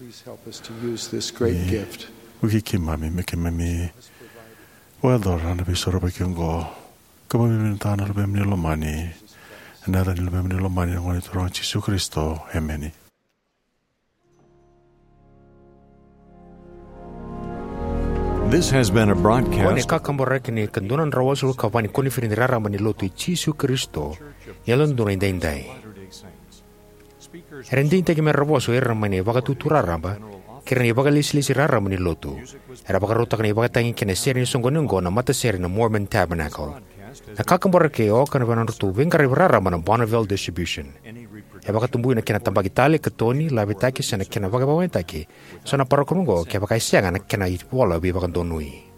Please help us to use this great gift. Vukei keimami me keimami vakayacora na veisorovaki oqo. Keimami vakavinavinakataka na Luvemuni lomani, ena yaca ni Luvemuni lomani, na Gone Turaga o Jisu Karisito. Emeni. This has been a broadcast. Ko ni kakaburaki ni ka dua na drau walusagavulu ka va ni koniferedi raraba ni Lotu i Jisu Karisito ni Yalododonu Edaidai. Era digitaki me ra vosa o ira mai na ivakatutu raraba kei ira na ivakalesilesi raraba ni Lotu. Era vakarautaka na ivakatagi kei na sere ni soqoni oqo na matasere na Mormon Tabernacle. Na kakaburaki e oka na vei nodratou veiqaravi raraba na Bonneville Distribution. E vakatabui na kena tabaki tale, katoni, lavitaki se na kena vakavakayagataki eso na parokaramu oqo kevaka e sega na kena ivola veivakadonui.